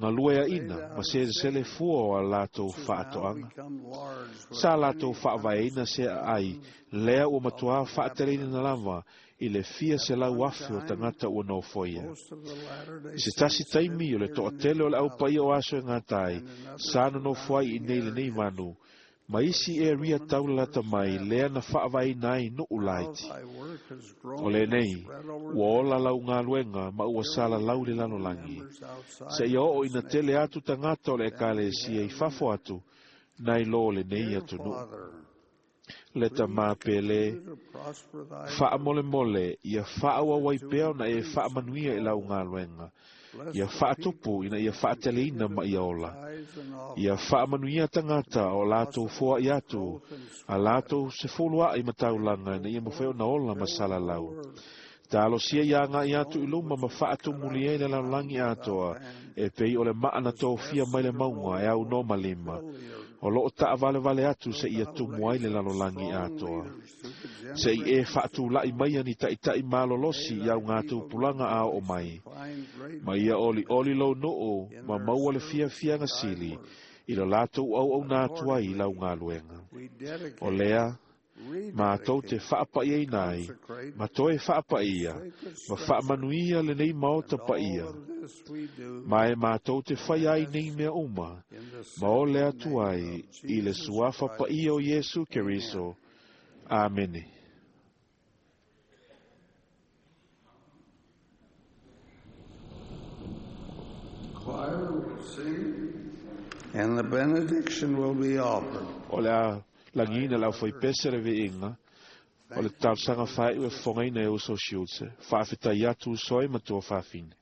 B: galue
C: They
B: aina
C: thou
B: ma selesele
C: hast
B: fua o a latou
C: which has now
B: faatoaga.
C: become large with
B: Sa latou
C: many
B: faavaeina
C: hundreds of
B: se aai,
C: thousands
B: lea ua
C: of
B: matuā faateleina
C: inhabitants.
B: lava i le fia
C: At
B: se lau
C: one
B: afe o
C: time,
B: tagata ua nofoia.
C: most of the Latter-day
B: I se tasi
C: Saints
B: taimi
C: lived
B: o le
C: here in
B: toatele
C: this
B: o le
C: valley
B: aupaia o aso e gata ai,
C: and in other
B: sa nonofo ai i nei
C: surrounding
B: lenei
C: areas
B: vanu, ma
C: where
B: isi area
C: settlements were
B: taulalata mai lea na
C: established.
B: faavaeina ai nuu
C: Now
B: laiti.
C: thy work has
B: O
C: grown and
B: lenei,
C: spread over
B: ua
C: the
B: ola lau galuega ma ua
C: bringing
B: salalau le
C: in new
B: lalolagi.
C: members outside
B: Seia
C: of
B: oo
C: this
B: ina tele
C: nation
B: atu tagata o le
C: than we
B: ekalesia i
C: have in
B: fafo
C: it.
B: atu, nai lo lenei
C: Dear
B: atunuu.
C: Father,
B: Le
C: please
B: tamā pele,
C: continue to prosper thy work
B: faamolemole, ia faaauau ai
C: and to
B: pea ona e
C: increase and
B: faamanuia i lau
C: call.
B: galuega.
C: Bless
B: Ia
C: the people
B: faatupu ina
C: who
B: ia faateleina
C: continue
B: ma
C: to
B: ia
C: pay
B: ola.
C: tithes and
B: Ia
C: offerings
B: faamanuia
C: to
B: tagata
C: make
B: o latou
C: possible
B: foai
C: its
B: atu,
C: growth and
B: a
C: spread.
B: latou sefulu ai ma
C: May
B: taulaga ina
C: go
B: ia mafai
C: forth
B: ona
C: to
B: ola ma
C: fill the
B: salalau.
C: whole earth
B: Talosia ia agai atu i luma ma faatumuli ai le lalolagi atoa e pei o le maa na tofia mai le mauga e aunoa ma lima. O loo taavalevale atu seia tumu ai le lalolagi atoa. Se'i e faatula'i mai ani taʻitaʻi malolosi i augatupulaga a oo mai. Ma ia olioli lou nuu ma maua le fiafiaga sili i lo latou auauna atu ai i lau galuega. O lea, matou te faapaʻiaina ai, ma toe faapaia, ma faamanuia lenei maota paia. Ma e matou te faia ai nei mea uma, ma ole atu ai i le suafa paia o Iesu Keriso. Amene.
C: Choir will sing, and the benediction will be offered.
B: O le a lagiina le aufaipese le viiga o le talosaga faaiu e fofogaina e uso Shields. Faafetai atu uso ai ma tua fafine.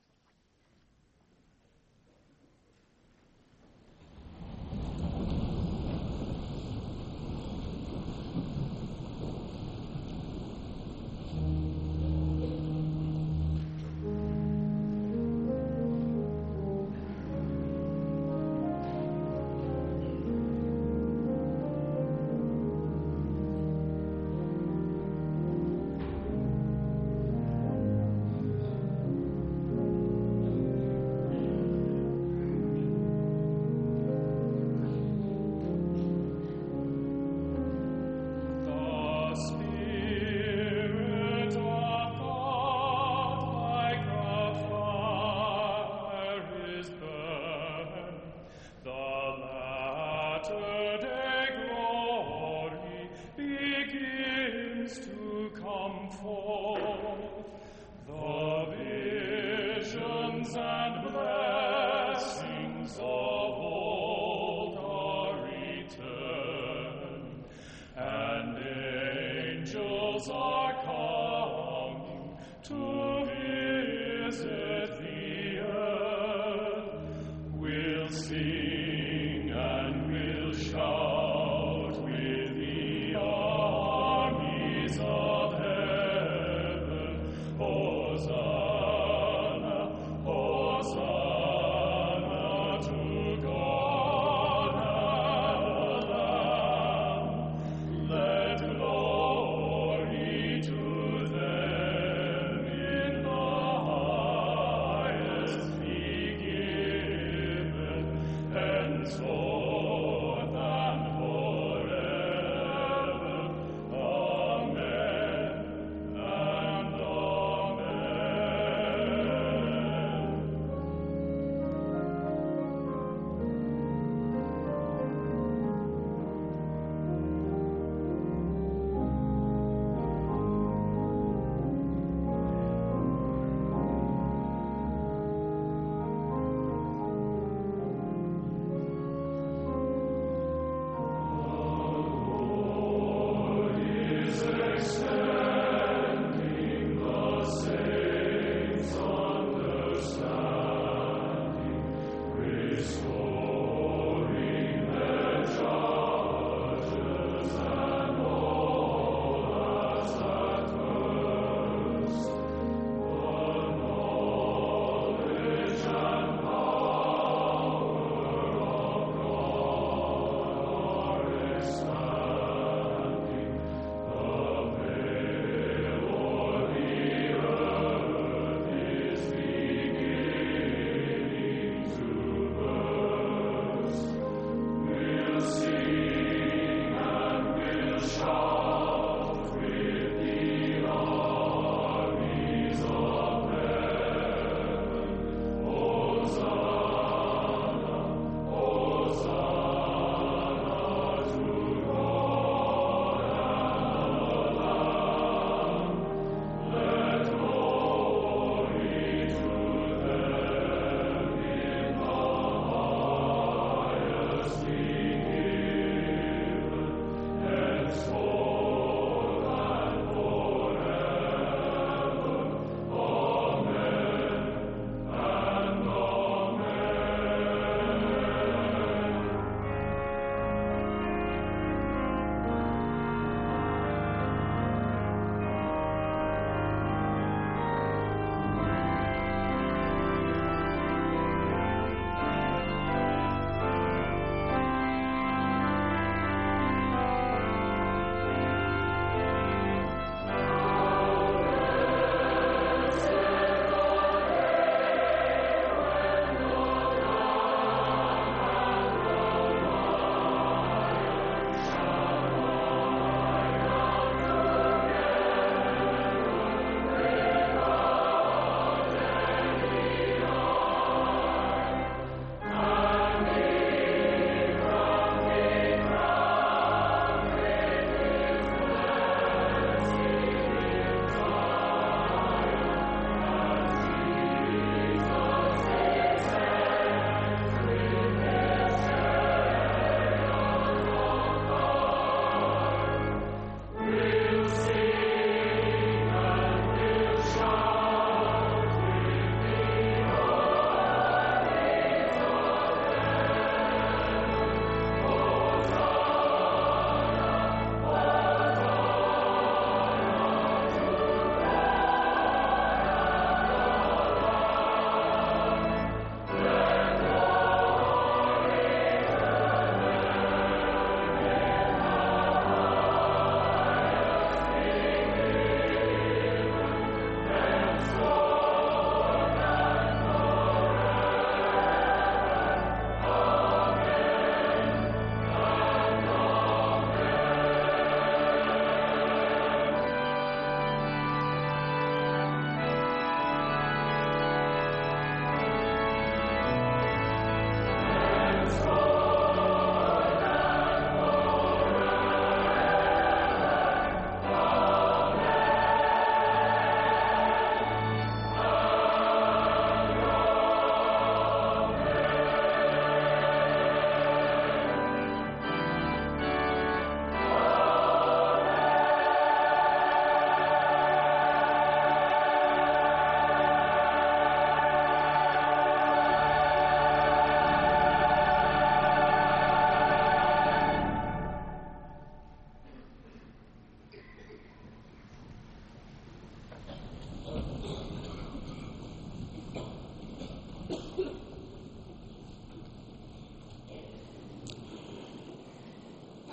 M: The Spirit of God like a fire is burning. The latter-day glory begins to come forth. The visions and blessings of old are returning, and angels are coming to visit the earth. We'll sing and we'll shout with the armies of heaven. Hosanna, Hosanna to God and the Lamb. Let glory to them in the highest be given, henceforth and forever. Amen and amen.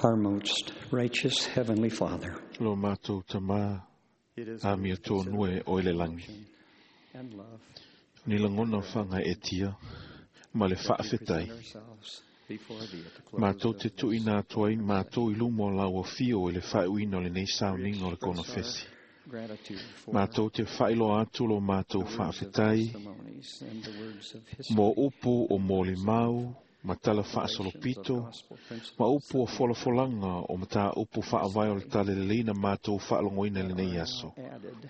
L: Our most righteous Heavenly Father,
B: Lo matou tamā amiotonu e o i le lagi.
L: and love,
B: Ni lagona faagaeetia ma le
L: we
B: faafetai.
L: present ourselves before Thee at the close
B: Matou
L: of
B: te tuuina atu ai matou i luma o lau afio i le faaiuina o lenei sauniga o le konofesi.
L: gratitude for
B: Matou te faailoa atu lo matou faafetai
L: testimonies and the words of history
B: mo upu o molimau ma tala faasolopito ma upu o folafolaga o mataupu faavae o le talalelei na matou faalogoina i lenei aso.
L: added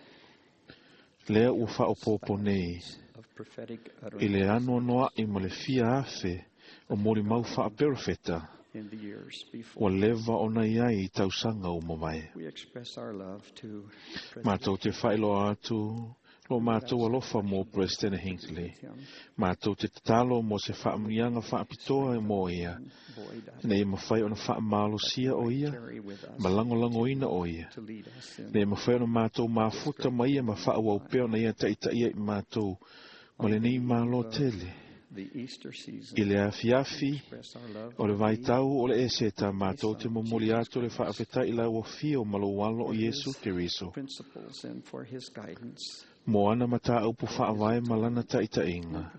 B: Lea ua faaopoopo nei
L: of prophetic
B: i le
L: utterance
B: anoanoa'i ma le fia afe o molimau faaperofeta
L: in the years before.
B: ua leva ona iai i tausaga ua mavae.
L: We express our love to
B: Matou te faailoa atu lo matou alofa mo President Hinckley. Matou te tatalo mo se faamanuiaga faapitoa mo ia, ina ia mafai ona faamalosia o ia ma lagolagoina o ia.
L: to lead us in
B: Ina ia mafai ona matou mafuta ma ia ma faaauau pea ona ia taitaia i matou ma lenei malo tele.
L: the Easter season.
B: I le afiafi
L: Express our love
B: o le vaitau o le eseta matou te momoli atu le faafetai i lau afio ma lou alo o Iesu Keriso.
L: principles and for His guidance,
B: Mo ana mataupu faavae ma lana taitaiga,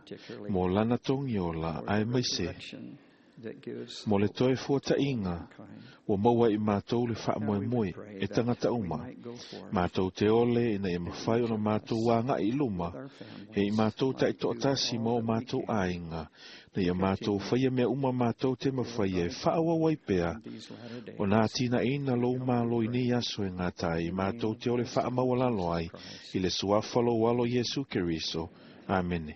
B: mo lana togiola ae maise,
L: direction that gives
B: mo le toe fuataʻiga ua maua i matou le faamoemoe e tagata uma. Matou te ole ina ia mafai ona matou agaʻi i luma, e i matou taitoatasi ma o matou aiga, na ia matou faia mea uma matou te mafaia e faaauau ai pea, ona atinaeina lou malo i nei aso e gata ai, matou te ole faamaualalo ai, i le suafa lou alo Iesu Keriso. Amene.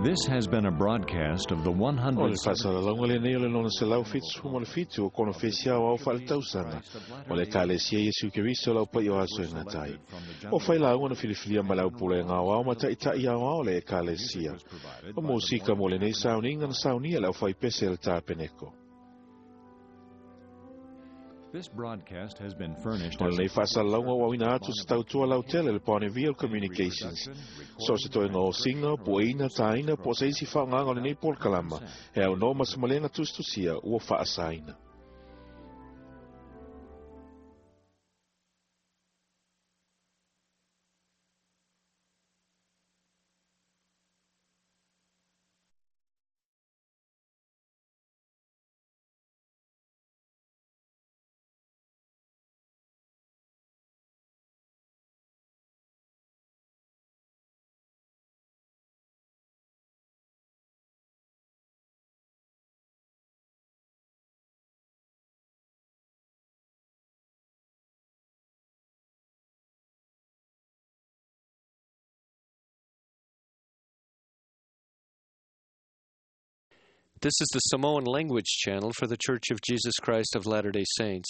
A: This has been a broadcast of the
B: O le
A: 100.
B: faasalalauga lenei o le lona 177 o konofesi aoao faaletausaga o le Ekalesia Iesu Keriso lau paia o aso e gata ai. O failauga na filifilia ma le aupulega aoao ma taʻitaʻi aoao o le Ekalesia. O musika mo lenei sauniga na saunia le aufaipese le tapeneko.
A: This broadcast has been furnished
B: O
A: as
B: lenei faasalalauga ua auina atu se tautua lautele le Bonneville Communications. So se toega o siga, pueina, tāina, po o se isi faaaogaga o lenei polokalama, e aunoa ma se malega tusitusia ua faasaina.
N: This is the Samoan language channel for The Church of Jesus Christ of Latter day Saints.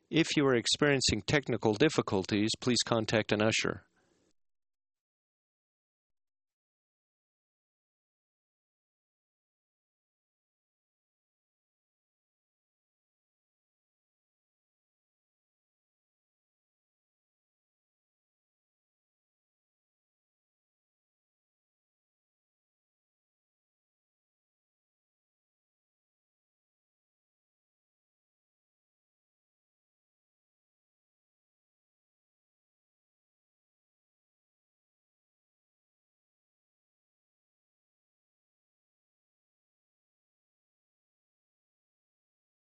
N: If you are experiencing technical difficulties, please contact an usher.